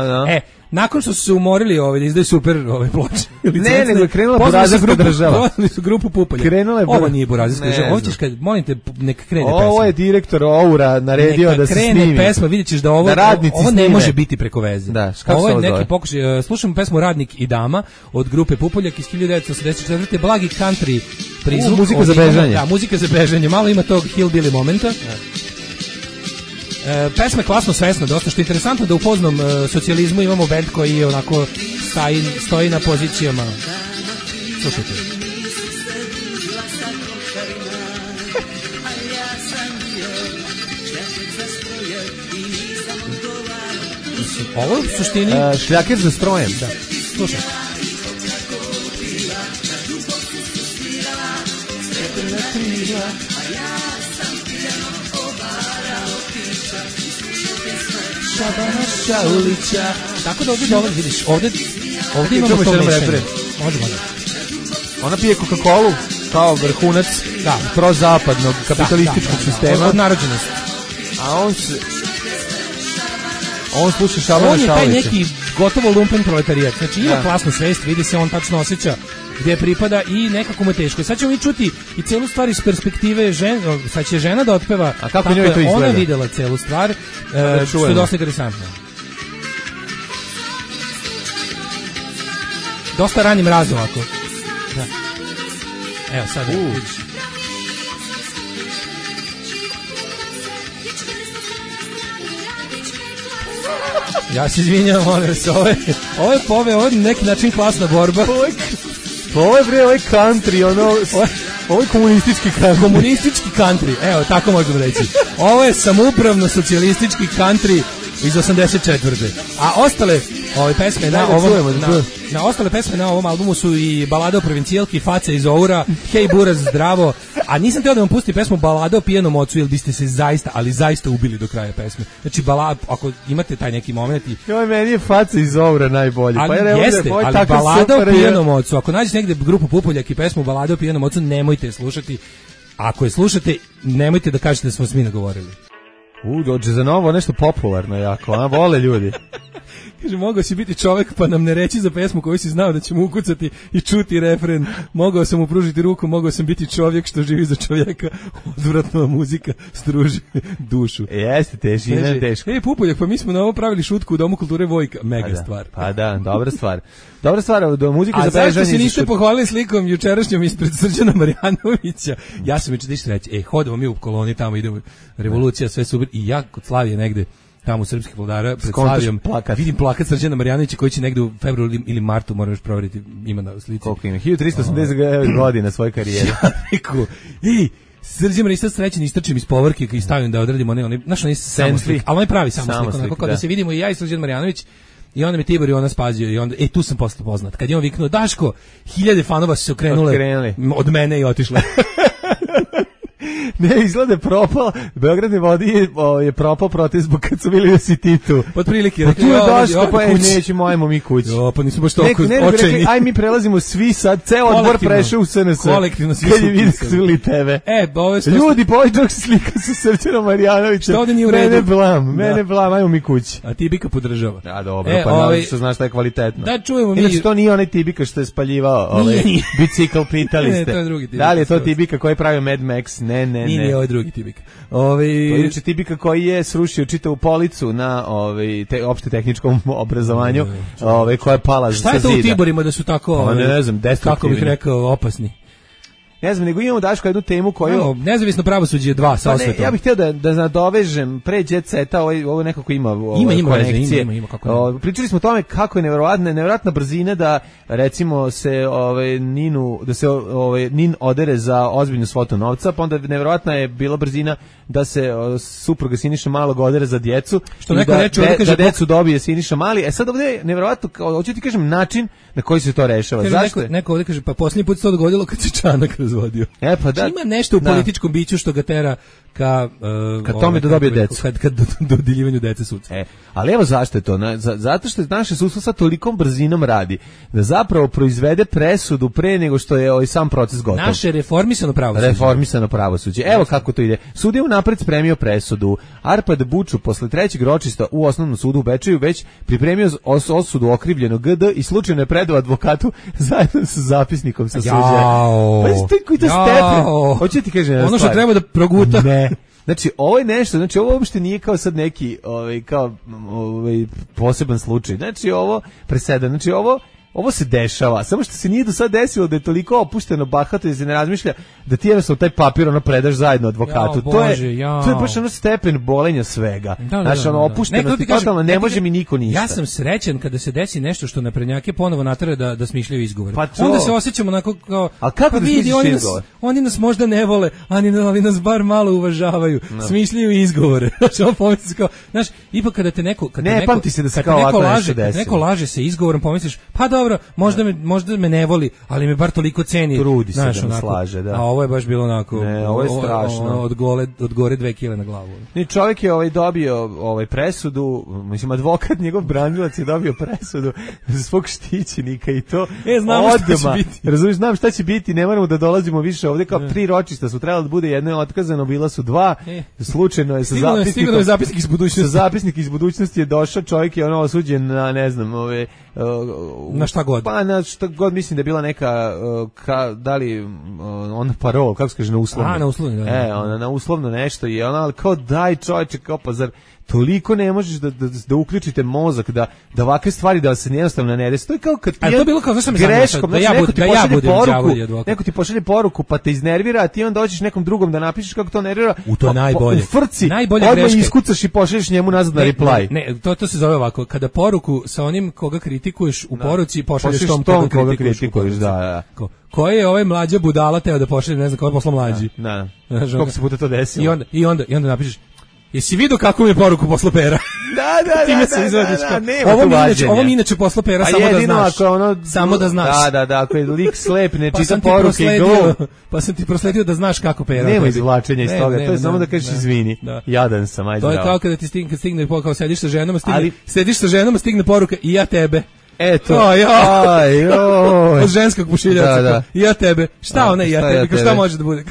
Nakon što su se umorili da izdaju super ploče. Ne, nego je krenula burazerska država. Pozvali su grupu Pupoljak. Ovo nije burazerska država. Ovo ćeš kad, molim te, nek krene pesma. Ovo je direktor Oura naredio da se snimi. Neka krene pesma, vidjet ćeš da ovo ne može biti preko veze. Ovo je neki pokušaj. Slušamo pesmu Radnik i dama od grupe Pupoljak iz 1984. Blagi country prizvuk. Muzika za bežanje. Da, muzika za bežanje. Malo ima tog hillbilly momenta. Pesma je klasno svesna, dosta što je interesantno da u poznom socijalizmu imamo band koji je onako stoji na pozicijama. Slušajte. Ovo u suštini... Šljaker za strojem. Da, slušaj. Tako da ovdje dolazi, vidiš, ovdje imamo to mešanje. Može. Ona pije Coca-Colu kao vrhunac prozapadnog kapitalističkog sistema. Od narođenosti. A on sluša Šabana Šaulića. On je taj neki gotovo lumpen proletarijat. Znači ima klasnu svest, vidi se, on tačno osjeća gdje pripada i nekako mu je teško. Sad ćemo mi čuti i celu stvar iz perspektive sad će žena da otpeva. A kako njoj to izgleda? Ona videla celu stvar, što je dosta interesantno. Dosta rani mraz ovako. Da. Evo sad vidiš. Ja se izvinjam, molim se, ovo je neki način klasna borba. Ovo je country, ovo je komunistički country. Komunistički country, evo, tako možemo reći. Ovo je samoupravno socijalistički country iz 84. A ostale pesme ostale pesme na ovom albumu su i Balada o provincijalki, Faca iz Oura, Hej Buraz, zdravo. A nisam teo da vam pustim pesmu Balada o pijenom ocu, jer biste se zaista ubili do kraja pesme. Znači, ako imate taj neki moment meni je Faca iz Oura najbolji. Ali Balada o pijenom ocu, ako nađete negde grupu Pupoljak i pesmu Balada o pijenom ocu, nemojte je slušati. Ako je slušate, nemojte da kažete da smo s mi nagovorili. Dođe za novo nešto popularno jako, vole ljudi. Kaže, mogao si biti čovek pa nam ne reći za pesmu koju si znao da ćemo ukucati i čuti refren. Mogao sam mu pružiti ruku, mogao sam biti čovjek što živi za čovjeka. Odvratna muzika struži dušu. Jeste, teško. Pupoljak, pa mi smo na ovo pravili šutku u Domu kulture Vojka. Mega stvar. Pa da, dobra stvar. Dobra stvar, do muzike za bežanje. A zašto se niste pohvalili slikom jučerašnjom ispred Srđana Marjanovića? Ja sam već da reći, hodamo mi u koloni, tamo idemo, revolucija, sve super, i ja kod Slavije negde, tamo u srpskih vladara, pred Slavijom, vidim plakat Srđana Marjanovića koji će negde u februaru ili martu, moram još provjeriti, ima na slici. Koliko ima? 1389 godina svoje karijere. Ja rekao, Srđan Marjanović srećen istrčim iz povorke i stavim da odradimo onaj samoslik, ali onaj pravi samoslik, onako kao da se vidimo i ja i Srđan Marjanović. I onda me Tibor i ona spazio i onda, tu sam posle poznat. Kad je on viknuo, Daško, 1000 fanova su se okrenule od mene i otišle. Ne, izgleda propala. Beogradne vodi je propao protest zbog kad su bili da si ti tu. Od prilike. Pa tu je Daško, pa nećemo, ajmo mi kući. Pa nismo baš toliko očajni. Aj mi prelazimo svi sad, ceo odbor prešao u SNS. Kolektivno svi kad je vidjeli tebe. Ljudi, pa ovaj čovjek se slika sa Srđanom Marjanovićem. Što ovdje nije u redu? Mene blam, ajmo mi kući. A Tibika podržava. A dobro, pa naravno što znaš da je kvalitetno. Da čujemo mi. Inače, to nije onaj Tibika što je spaljivao bicikl, pitali ste. Da li je to Tibika koji je pravio Mad Max? Ne. Nije ovaj drugi Tibika. To je Tibika koji je srušio čitavu policu na opšte tehničkom obrazovanju, koja je pala sa zida. Šta je to u Tiborima da su tako, ne znam, destruktivni? Kako bih rekao, opasni? Ne znam, nego imamo, Daško, jednu temu koju... Nezavisno pravosuđe 2 sa osvetom. Ja bih htio da nadovežem pre Jet Seta, ovo nekako ima konekcije. Ima, kako ne. Pričali smo o tome kako je nevjerovatna brzina da, recimo, se Nin odere za ozbiljnu svotu novca, pa onda nevjerovatna je bila brzina da se supruga Siniša Malog odere za djecu. Što neko reče, da decu dobije Siniša Mali. Sad ovdje je nevjerovatno, hoću ti kažem, način na koji se to rešava. Zašto? Neko ovdje kaže, pa posljednji put se to dogodilo kad se Čanak razvodio. Pa da. Ima nešto u političkom biću što ga tera ka tome da dobije decu. Kad dodjeljivanju dece sudstva. Ali evo zašto je to? Zato što naše sudstvo sa tolikom brzinom radi da zapravo proizvede presudu pre nego što je sam proces gotov. Naše reformisano pravosuđe. Evo kako to ide. Sud je unapred spremio presudu. Arpad Buču posle trećeg ročišta u osnovnom sudu u Bečeju već pripremio osudu okrivljenog GD i slučajno je predao advokatu zajedno sa zapisnikom sa suđenja. Koji to stepen? Hoće ti kažem ono što treba da proguta. Ne. Znači, ovo je nešto, ovo uopšte nije kao sad neki poseban slučaj. Znači, ovo presedan, znači ovo se dešava, samo što se nije do sad desilo da je toliko opušteno, bahato da se ne razmišlja da ti jednostavno taj papir predaš zajedno advokatu. To je baš stepen bolenja svega. Znači, opušteno ti totalno, ne može mi niko ništa. Ja sam srećan kada se desi nešto što naprednjake ponovo natare da smišljaju izgovore. Onda se osjećamo onako kao... A kako da smišljaš izgovor? Oni nas možda ne vole, ali nas bar malo uvažavaju. Smišljaju izgovore. Znaš, ipak kada te neko... Ne pamti se da se kao ovako nešto desilo. Neko laže se izgovorom, pomisliš, pa dobro, možda me ne voli, ali me bar toliko ceni. Trudi se da me slaže, da. A ovo je baš bilo onako... Ne, ovo je strašno. Od gore 2 kile na glavu. Čovjek je dobio presudu, mislim, advokat, njegov branilac je dobio presudu za svog štićenika i to znamo šta će biti. Razumiješ, znam šta će biti, ne moramo da dolazimo više ovdje, kao 3 ročišta su trebalo da bude, jedno je otkazano, bila su 2, slučajno je sa zapisnikom. Zapisnik iz budućnosti. Sa zapisnik iz budućnosti je došao, čovjek je osuđen na, ne znam, na šta god. Pa na šta god, mislim da je bila neka da li ona parol, kako se kaže, na uslovno. Na uslovno, ona na uslovno nešto i ona kao daj čovječe, kao pa zar toliko ne možeš da uključite mozak da ovakve stvari da se jednostavno ne desi. To je kao kad ti to bilo kao greškom, neko ti pošalje poruku pa te iznervira, a ti onda dođeš nekom drugom da napišeš kako to nervira. To je najbolje. U frci, odmah iskucaš i pošalješ njemu nazad na reply. Ne, to se zove ovako, kada poruku sa onim koga kritikuješ u poruci pošalješ tom koga kritikuješ. Da. Koji je ovaj mlađa budala teo da pošalje, ne znam kako je poslao mlađi. Da. Koliko se puta to desilo. I onda napišeš, jesi vidio kako mi je poruku poslao Pera? Ovo mi inače poslao Pera, samo da znaš. Da, ako je lik slep, ne čita poruke i gol. Pa sam ti prosledio da znaš kako Pera. Nema izvlačenja iz toga, to je samo da kažeš izvini. Jadan sam, ajde. To je kao kada ti stigne, kao sediš sa ženom, stigne poruka i ja tebe. Eto. Od ženskog pušiljaca. I ja tebe. Šta ona i ja tebe? Šta može da bude?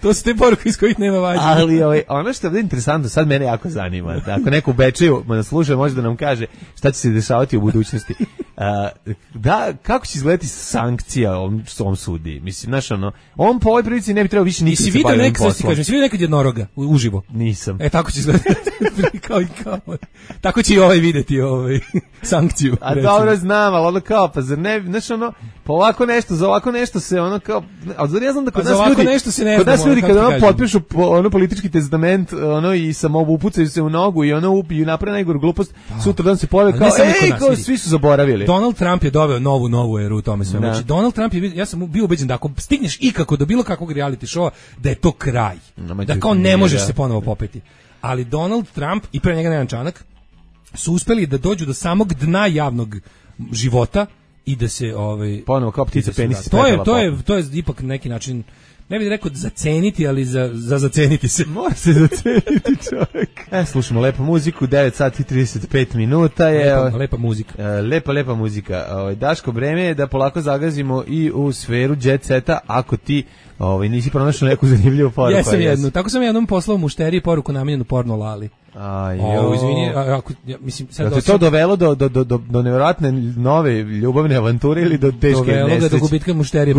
To su te poruke iz kojih nema vađenja. Ali ono što je interesantno, sad mene jako zanima. Da, ako neko u Bečeju nas sluša, može da nam kaže šta će se dešavati u budućnosti. Kako će izgledati sankcija ovom sudiji? Mislim, znaš, on po ovoj prilici ne bi trebao više nikad se baviti poslom. Si vidio nekad jednoroga uživo? Nisam. Tako će izgledati. kao. Tako će i ovaj videti sankciju. A dobro znam, ali ono kao, pa zar ne, znaš pa ovako nešto, za ovako nešto se kao, ali zar ja znam da kod nas ljudi kada potpišu politički testament, i upucaju se u nogu i i naprave najgoru glupost, sutra dan se pojave kao, svi su zaboravili. Donald Trump je doveo novu eru u tome sve. Znači, Donald Trump ja sam bio ubeđen da ako stigneš ikako do bilo kakvog reality showa, da je to kraj. Da kao ne možeš se ponovo popeti. Ali Donald Trump i pre njega Nenad Čanak su uspeli da dođu do samog dna javnog života i da se ponovo kao ptica penis. To je ipak neki način, ne bih rekao zaceniti, ali za zaceniti se. Mora se zaceniti, čovjek. Slušamo lepu muziku, 9 sati 35 minuta je. Lepa muzika. Lepa muzika. Daško, vreme je da polako zagazimo i u sferu jet seta, ako ti nisi pronašao neku zanimljivu poruku. Jesam jednu. Tako sam jednom poslao mušteriji poruku namenjenu porno Lali. Izvini, mislim sad to dovelo do nevjerojatne nove ljubavne avanture ili do teške nesreće? Dovelo ga do gubitka mušterije,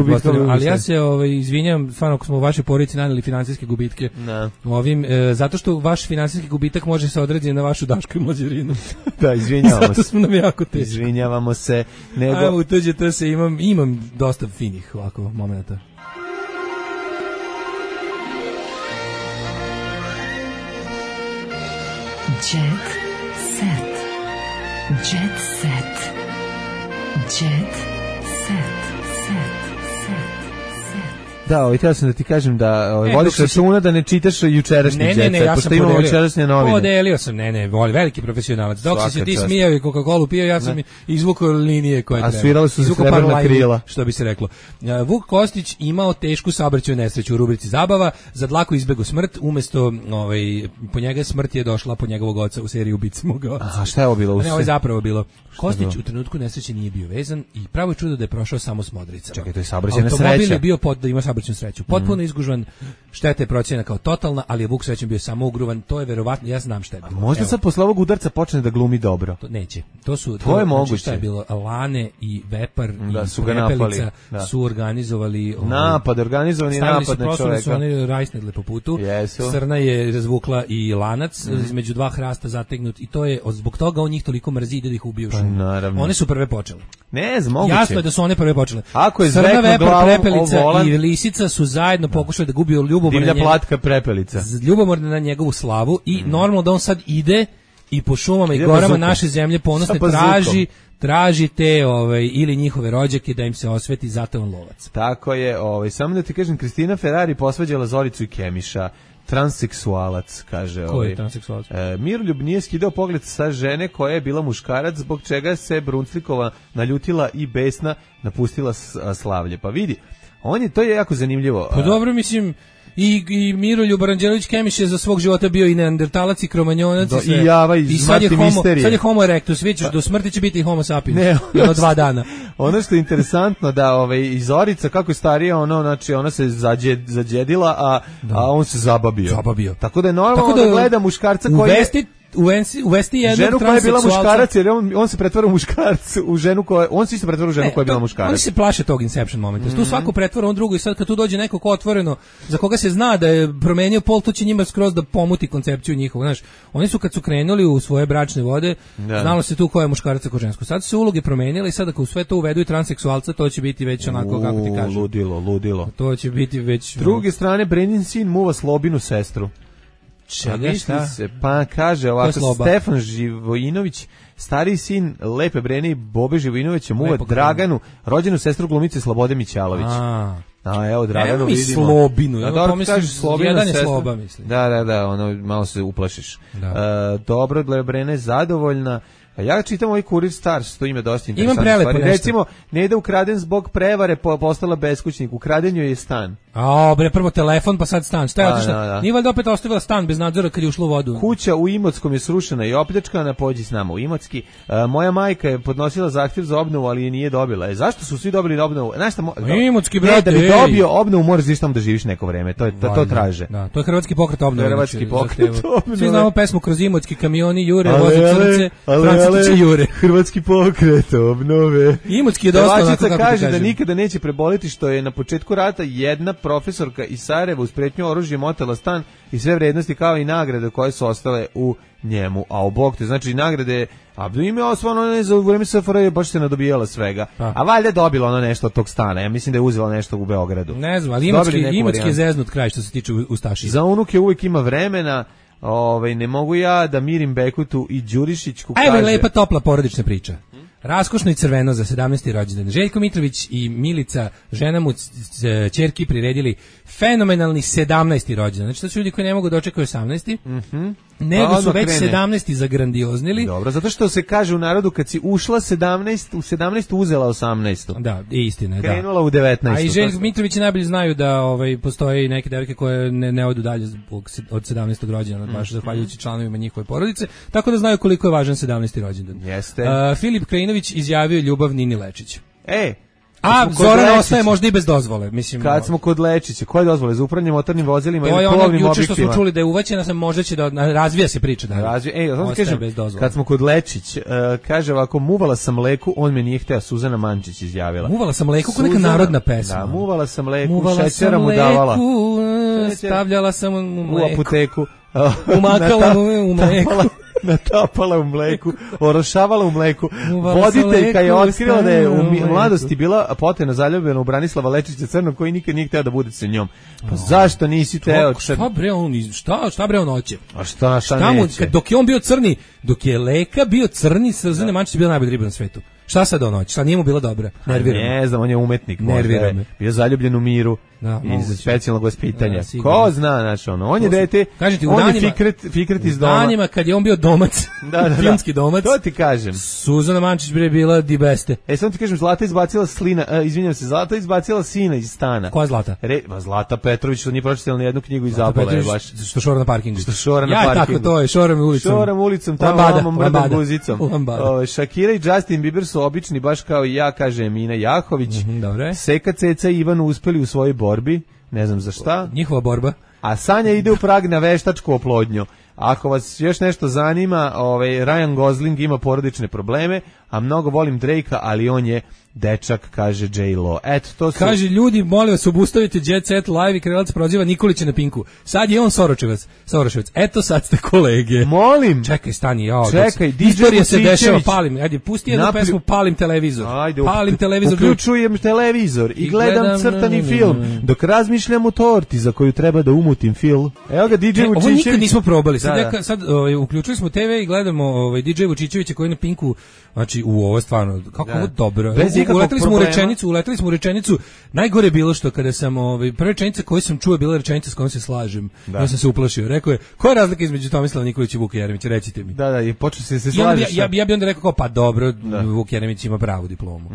ali ja se izvinjam, stvarno ako smo u vašoj porodici naneli finansijske gubitke. Zato što vaš finansijski gubitak može se odraziti na vašu Daško i Mlađu Irinu. Da, izvinjavamo se. Zato smo nam jako teško. Izvinjavamo se. Evo, u tuđe se imam dosta finih ovako momenta. Jet set. Jet set. Jet set. Da, htio sam da ti kažem da vodiš računa da ne čitaš jučerašnji jet set, pošto imamo jučerašnje novine. Podelio sam, veliki profesionalac. Dok si se ti smijao i Coca-Colu pio, ja sam izvukao linije koje treba. A svirali su se srebrna krila. Što bi se reklo. Vuk Kostić imao tešku saobraćajnu nesreću u rubrici zabava, za dlaku izbegao smrt, umesto po njega smrt je došla po njegovog oca u seriji Ubice mog oca. A šta je ovo bilo? Ne, ovo je zapravo bilo. Kostić u trenutku nesreće nije bio vezan i pravo čudo da je prošao samo s modricama. Čekaj, to je saobraćajna sreća. Automobil je bio da ima saobraćajnu sreću. Potpuno izgužvan, šteta je procenjena kao totalna, ali je Vuk srećem bio samo ugruvan, to je verovatno, ja znam šta je bilo. Možda sad posle ovog udarca počne da glumi dobro. Neće. To je moguće. Šta je bilo? Lane i Vepar da, i su ga napali. Su organizovali organizovani napad na čoveka. Su oni rajsnedle po putu. Srna je razvukla i lanac između dva hrasta zategnut i to je, zbog toga on njih toliko mrzi ide da ih ubiju. One su prve počele. Ne znam, moguće. Jasno je da su one prve počele. Ako je Srna, Vepar, Prepelica i Lisica su zajedno pokušali da gubiju divlja platka Prepelica. Ljubomorna na njegovu slavu i normalno da on sad ide i po šumama i gorama naše zemlje ponosne traži te ili njihove rođake da im se osveti, zato on lovac. Tako je, samo da ti kažem, Kristina Ferrari posvađala Zoricu i Kemiša. Transseksualac, kaže. Ko je transseksualac? Miroljub nije skidao pogled sa žene koja je bila muškarac, zbog čega se Brunslikova naljutila i besna napustila slavlje. Pa vidi, to je jako zanimljivo. Pa dobro, mislim, i Miroljub Aranđelović Kemiš je za svog života bio i neandertalac i kromanjonac i sve. I Java i sad je homo erectus, vidite, do smrti će biti i homo sapiens. I 2 dana. Ono što je interesantno da i Zorica kako je starija, znači ona se zađedila, a on se zabavio. Tako da je normalno da gleda muškarca koji uvesti jednog ženu koja je bila muškarac, jer on se pretvara u muškarac, u ženu koja, on se isto pretvara u ženu koja je bila muškarac. Oni se plaše tog Inception momenta. Tu svako pretvara on drugo i sad kad tu dođe neko ko otvoreno, za koga se zna da je promenio pol, to će njima skroz da pomuti koncepciju njihovu. Znaš, oni su kad su krenuli u svoje bračne vode, znalo se tu ko je muškarac a ko žensko. Sad su uloge promenile i sad ako u sve to uvedu i transseksualca, to će biti već onako, kako ti kažem. Ludilo. To će biti već... S druge strane, Brenin sin muva Slobinu sestru. Čega, šta? Pa kaže ovako, Stefan Živojinović, stariji sin Lepe Brene i Bobe Živojinovića muva Draganu, rođenu sestru glumice Slobode Mićalović. Evo Draganu vidimo. Slobinu. Jedan je Sloba, mislim. Da, malo se uplašiš. Dobro, Brena je zadovoljna. A ja čitam ovaj Kurir Stars, to ime dosta interesantno. Imam prelepo nešto. Recimo, Neda ukraden zbog prevare, postala beskućnik. Ukraden joj je stan. A, bre, prvo telefon, pa sad stan. Šta je otišla? Nije valjda opet ostavila stan bez nadzora kad je ušlo u vodu. Kuća u Imotskom je srušena i opljačkana, pođi s nama u Imotski. Moja majka je podnosila zahtjev za obnovu, ali je nije dobila. Zašto su svi dobili obnovu? Znaš šta, Imotski, brate, da bi dobio obnovu, moraš da tamo da živiš neko vreme. To traže. Da, to je Hrvatski pokret obnove. Hrvatski pokret obnove. Svi znamo pesmu Kroz Imotski, kamioni jure, voze crnce, Francistići jure. Hrvatski pokret obnove. Imotski je dosta onako kako kaže da nikada neće preboleti što je na početku rata jedna profesorka iz Sarajeva uz pretnju oružjem otela stan i sve vrednosti kao i nagrade koje su ostale u njemu. A u Bog te, znači nagrade, a ime osvano za vreme SFRJ baš se nadobijala svega. A valjda dobila ono nešto od tog stana. Ja mislim da je uzela nešto u Beogradu. Ne znam, ali Imotski je zeznut kraj što se tiče ustašija. Za unuke uvijek ima vremena. Ne mogu ja da mirim Bekutu i Đurišićku. Evo je lepa topla porodična priča. Raskošno i crveno za 17. rođendan. Željko Mitrović i Milica, žena mu ćerki, priredili fenomenalni 17. rođendan. Znači to su ljudi koji ne mogu dočekati 18. Nego su već 17. zagrandioznili. Dobro, zato što se kaže u narodu kad si ušla 17, u 17. uzela 18. Da, istina je. Krenula u 19. A i Željko Mitrović najbolje znaju da postoje neke devojke koje ne odu dalje od 17. rođendana, baš zahvaljujući članovima njihove porodice, tako da znaju koliko je važan 17. rođendan. Jeste. Filip Krajinović izjavio ljubav Nini Lečić. A Zoran ostaje možda i bez dozvole, mislim. Kad smo kod Lečića, koje dozvole za upravljanje motornim vozilima ili plovnim objektima? To je juče što smo čuli da je uvaćena, sam možda će da razvija se priča da. Kažem, kad smo kod Lečić, kaže ovako, muvala sam mleku, on me nije hteo, Suzana Mančić izjavila. Muvala sam mleku, kao neka narodna pesma. Da, muvala sam mleku, šećera mu davala. Stavljala sam u mleku. U apoteku. Umakala mu u mleku. Natapala u mleku, orošavala u mleku. Voditeljka je otkrila da je u mladosti bila potena zaljubljena u Branislava Lečića Crnog, koji nikad nije hteo da bude sa njom. Pa zašto nisi teo? Šta bre on hoće? A šta neće? Dok je on bio crni, dok je Leka bio crni, Srđan Mančić bio najbolji ribar na svetu. Šta sad on hoće? Šta nije mu bila dobra? Nervira me. Ne znam, on je umetnik. Nervira me. Bio zaljubljen u Miru. Iz specijalnog vaspitanja. Ko zna, znači on je dete, on je Fikret iz doma. U danima kad je on bio domac, filmski domac. To ti kažem. Suzana Mančić bre bila di beste. Samo ti kažem, Zlata izbacila Zlata izbacila sina iz stana. Koja Zlata? Zlata Petrović, što nije pročitala ni jednu knjigu i zapala je baš. Što šora na parkingu. Ja, tako to je, šoram ulicom. Šoram ulicom, tamo mrdom guzicom. Shakira i Justin Bieber su obični, baš kao i ja, kaže Emina Jahović. Seka, Ceca i Ivan uspeli u svojoj borbi, ne znam za šta. Njihova borba. A Sanja ide u Prag na veštačku oplodnju. Ako vas još nešto zanima, Ryan Gosling ima porodične probleme, a mnogo volim Drakea, ali on je dečak, kaže J-Lo. Eto, to su... Kaže, ljudi, molim vas, obustavite Jet Set Live i Krelac proziva Nikolića na Pinku. Sad je on Soroševac. Eto, sad ste kolege. Molim! Čekaj, stani, čekaj, DJ istorija se dešava, palim. Ajde, pusti jednu pesmu, palim televizor. Ajde, palim televizor. Uključujem televizor i gledam crtani film, dok razmišljam o torti za koju treba da umutim film. Evo ga, DJ Vučićević. Ovo nikad nismo probali. Sad uključili smo TV i gledamo DJ Vučićevića koji je na Pinku, znači, ovo je stvarno, kako ovo dobro. Uleteli smo u rečenicu. Najgore je bilo što kada sam prva rečenica koju sam čuo bila rečenica s kojom se slažem. Ja sam se uplašio. Rekao je: "Koja je razlika između Tomislava Nikolića i Vuka Jeremića? Recite mi." Da, i počeo se slažeš. Ja bih onda rekao pa dobro, Vuk Jeremić ima pravu diplomu.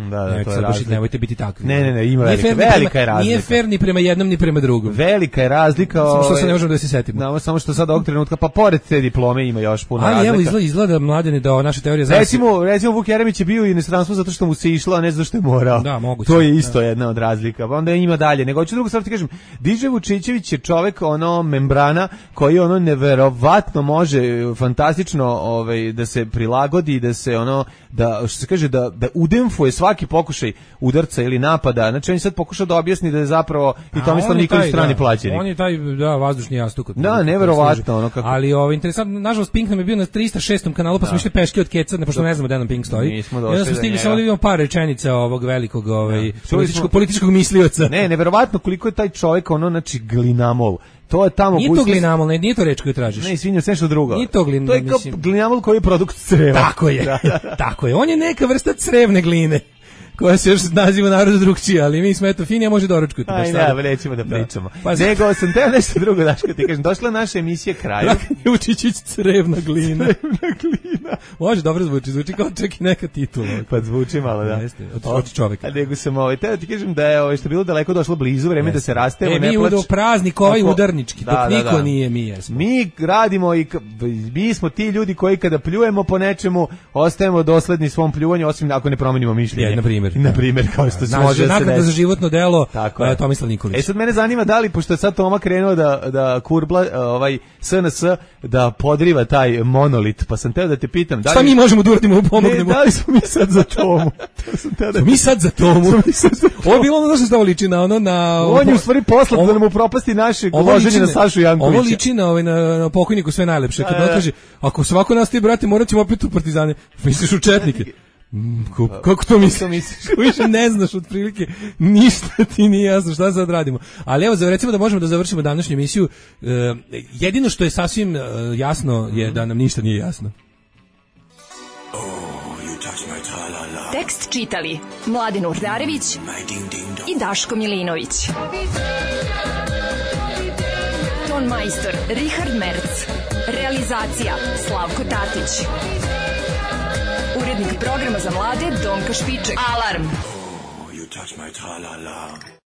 Nemojte biti takvi. Ne, ima velika je razlika. Nije fer ni prema jednom ni prema drugom. Velika je razlika. Što se ne možemo da se setimo. Samo što sad ovog trenutka pa pored te diplome ima još puno razlika. Ali evo izgleda Mladene da naša teorija recimo Vuk Jeremić je bio u inostranstvu zato što mu se išlo, a ne zato što je morao. Da, moguće. To je isto jedna od razlika. Onda ima dalje. Nego hoću drugu stvar ti kažem. DJ Vučićević je čovek membrana koji neverovatno može fantastično da se prilagodi, da se da što se kaže da udemfuje svaki pokušaj udarca ili napada. Znači on sad pokuša da objasni da je zapravo i Tomislav Nikolić strani plaćenik. On je taj vazdušni jastuk. Da, neverovatno kako. Ali interesantno, nažalost Pink nam je bio na 306. kanalu, pa smo išli peške od Keca, pošto ne znamo gde nam Pink stoji. Onda smo stigli samo da vidimo par rečenica ovog velikog političkog mislioca. Ne, neverovatno koliko je taj čovjek znači glinamol. To je tamo nije to glinamol, nije to reč koju tražiš. Ne, izvinjam se, nešto drugo. Nije to glinamol. To je kao glinamol koji je produkt creva. Tako je. Tako je. On je neka vrsta crevne gline. koja se još naziva narodu drugčije, ali mi smo eto fini, a može doručkati. Aj, ne, nećemo da pričamo. Nego sam teo nešto drugo, Daško, ti kažem, došla naša emisija kraju. Jučićić crevna glina. Može, dobro zvuči kao čak i neka titula. Pa zvuči malo, da. Od čoveka. A nego sam teo ti kažem da je što bilo daleko došlo blizu, vreme da se rastemo, ne plač. Mi u praznik ovaj udarnički, dok niko nije, mi jesmo. Mi radimo i mi smo ti ljudi koji kada pljujemo po nečemu, ostajemo dosledni svom pljuvanju, osim ako ne promenimo mišljenje. Na primjer, kao što se može da se desi. Za životno delo Tomislav Nikolić. Sad mene zanima da li, pošto je sad Toma krenuo da kurbla SNS, da podriva taj monolit, pa sam teo da te pitam. Šta mi možemo da uradimo, pomognemo? Da li smo mi sad za Tomu? Mi sad za Tomu. Ovo je bilo ono što liči na ono na... On je u stvari poslat da nam upropasti naše loženje na Sašu Jankovića. Ovo liči na pokojniku sve najlepše. Kad on kaže, ako svako nastavi, brate, morat ćemo opet u partizane. Misliš u četnike? Kako to misliš? Više ne znaš otprilike, ništa ti nije jasno šta sad radimo. Ali evo, recimo da možemo da završimo današnju emisiju. Jedino što je sasvim jasno je da nam ništa nije jasno. Tekst čitali Mladen Urdarević i Daško Milinović. Ton majstor Richard Merc. Realizacija Slavko Tatić. Urednik programa za mlade Donka Špiček. Alarm!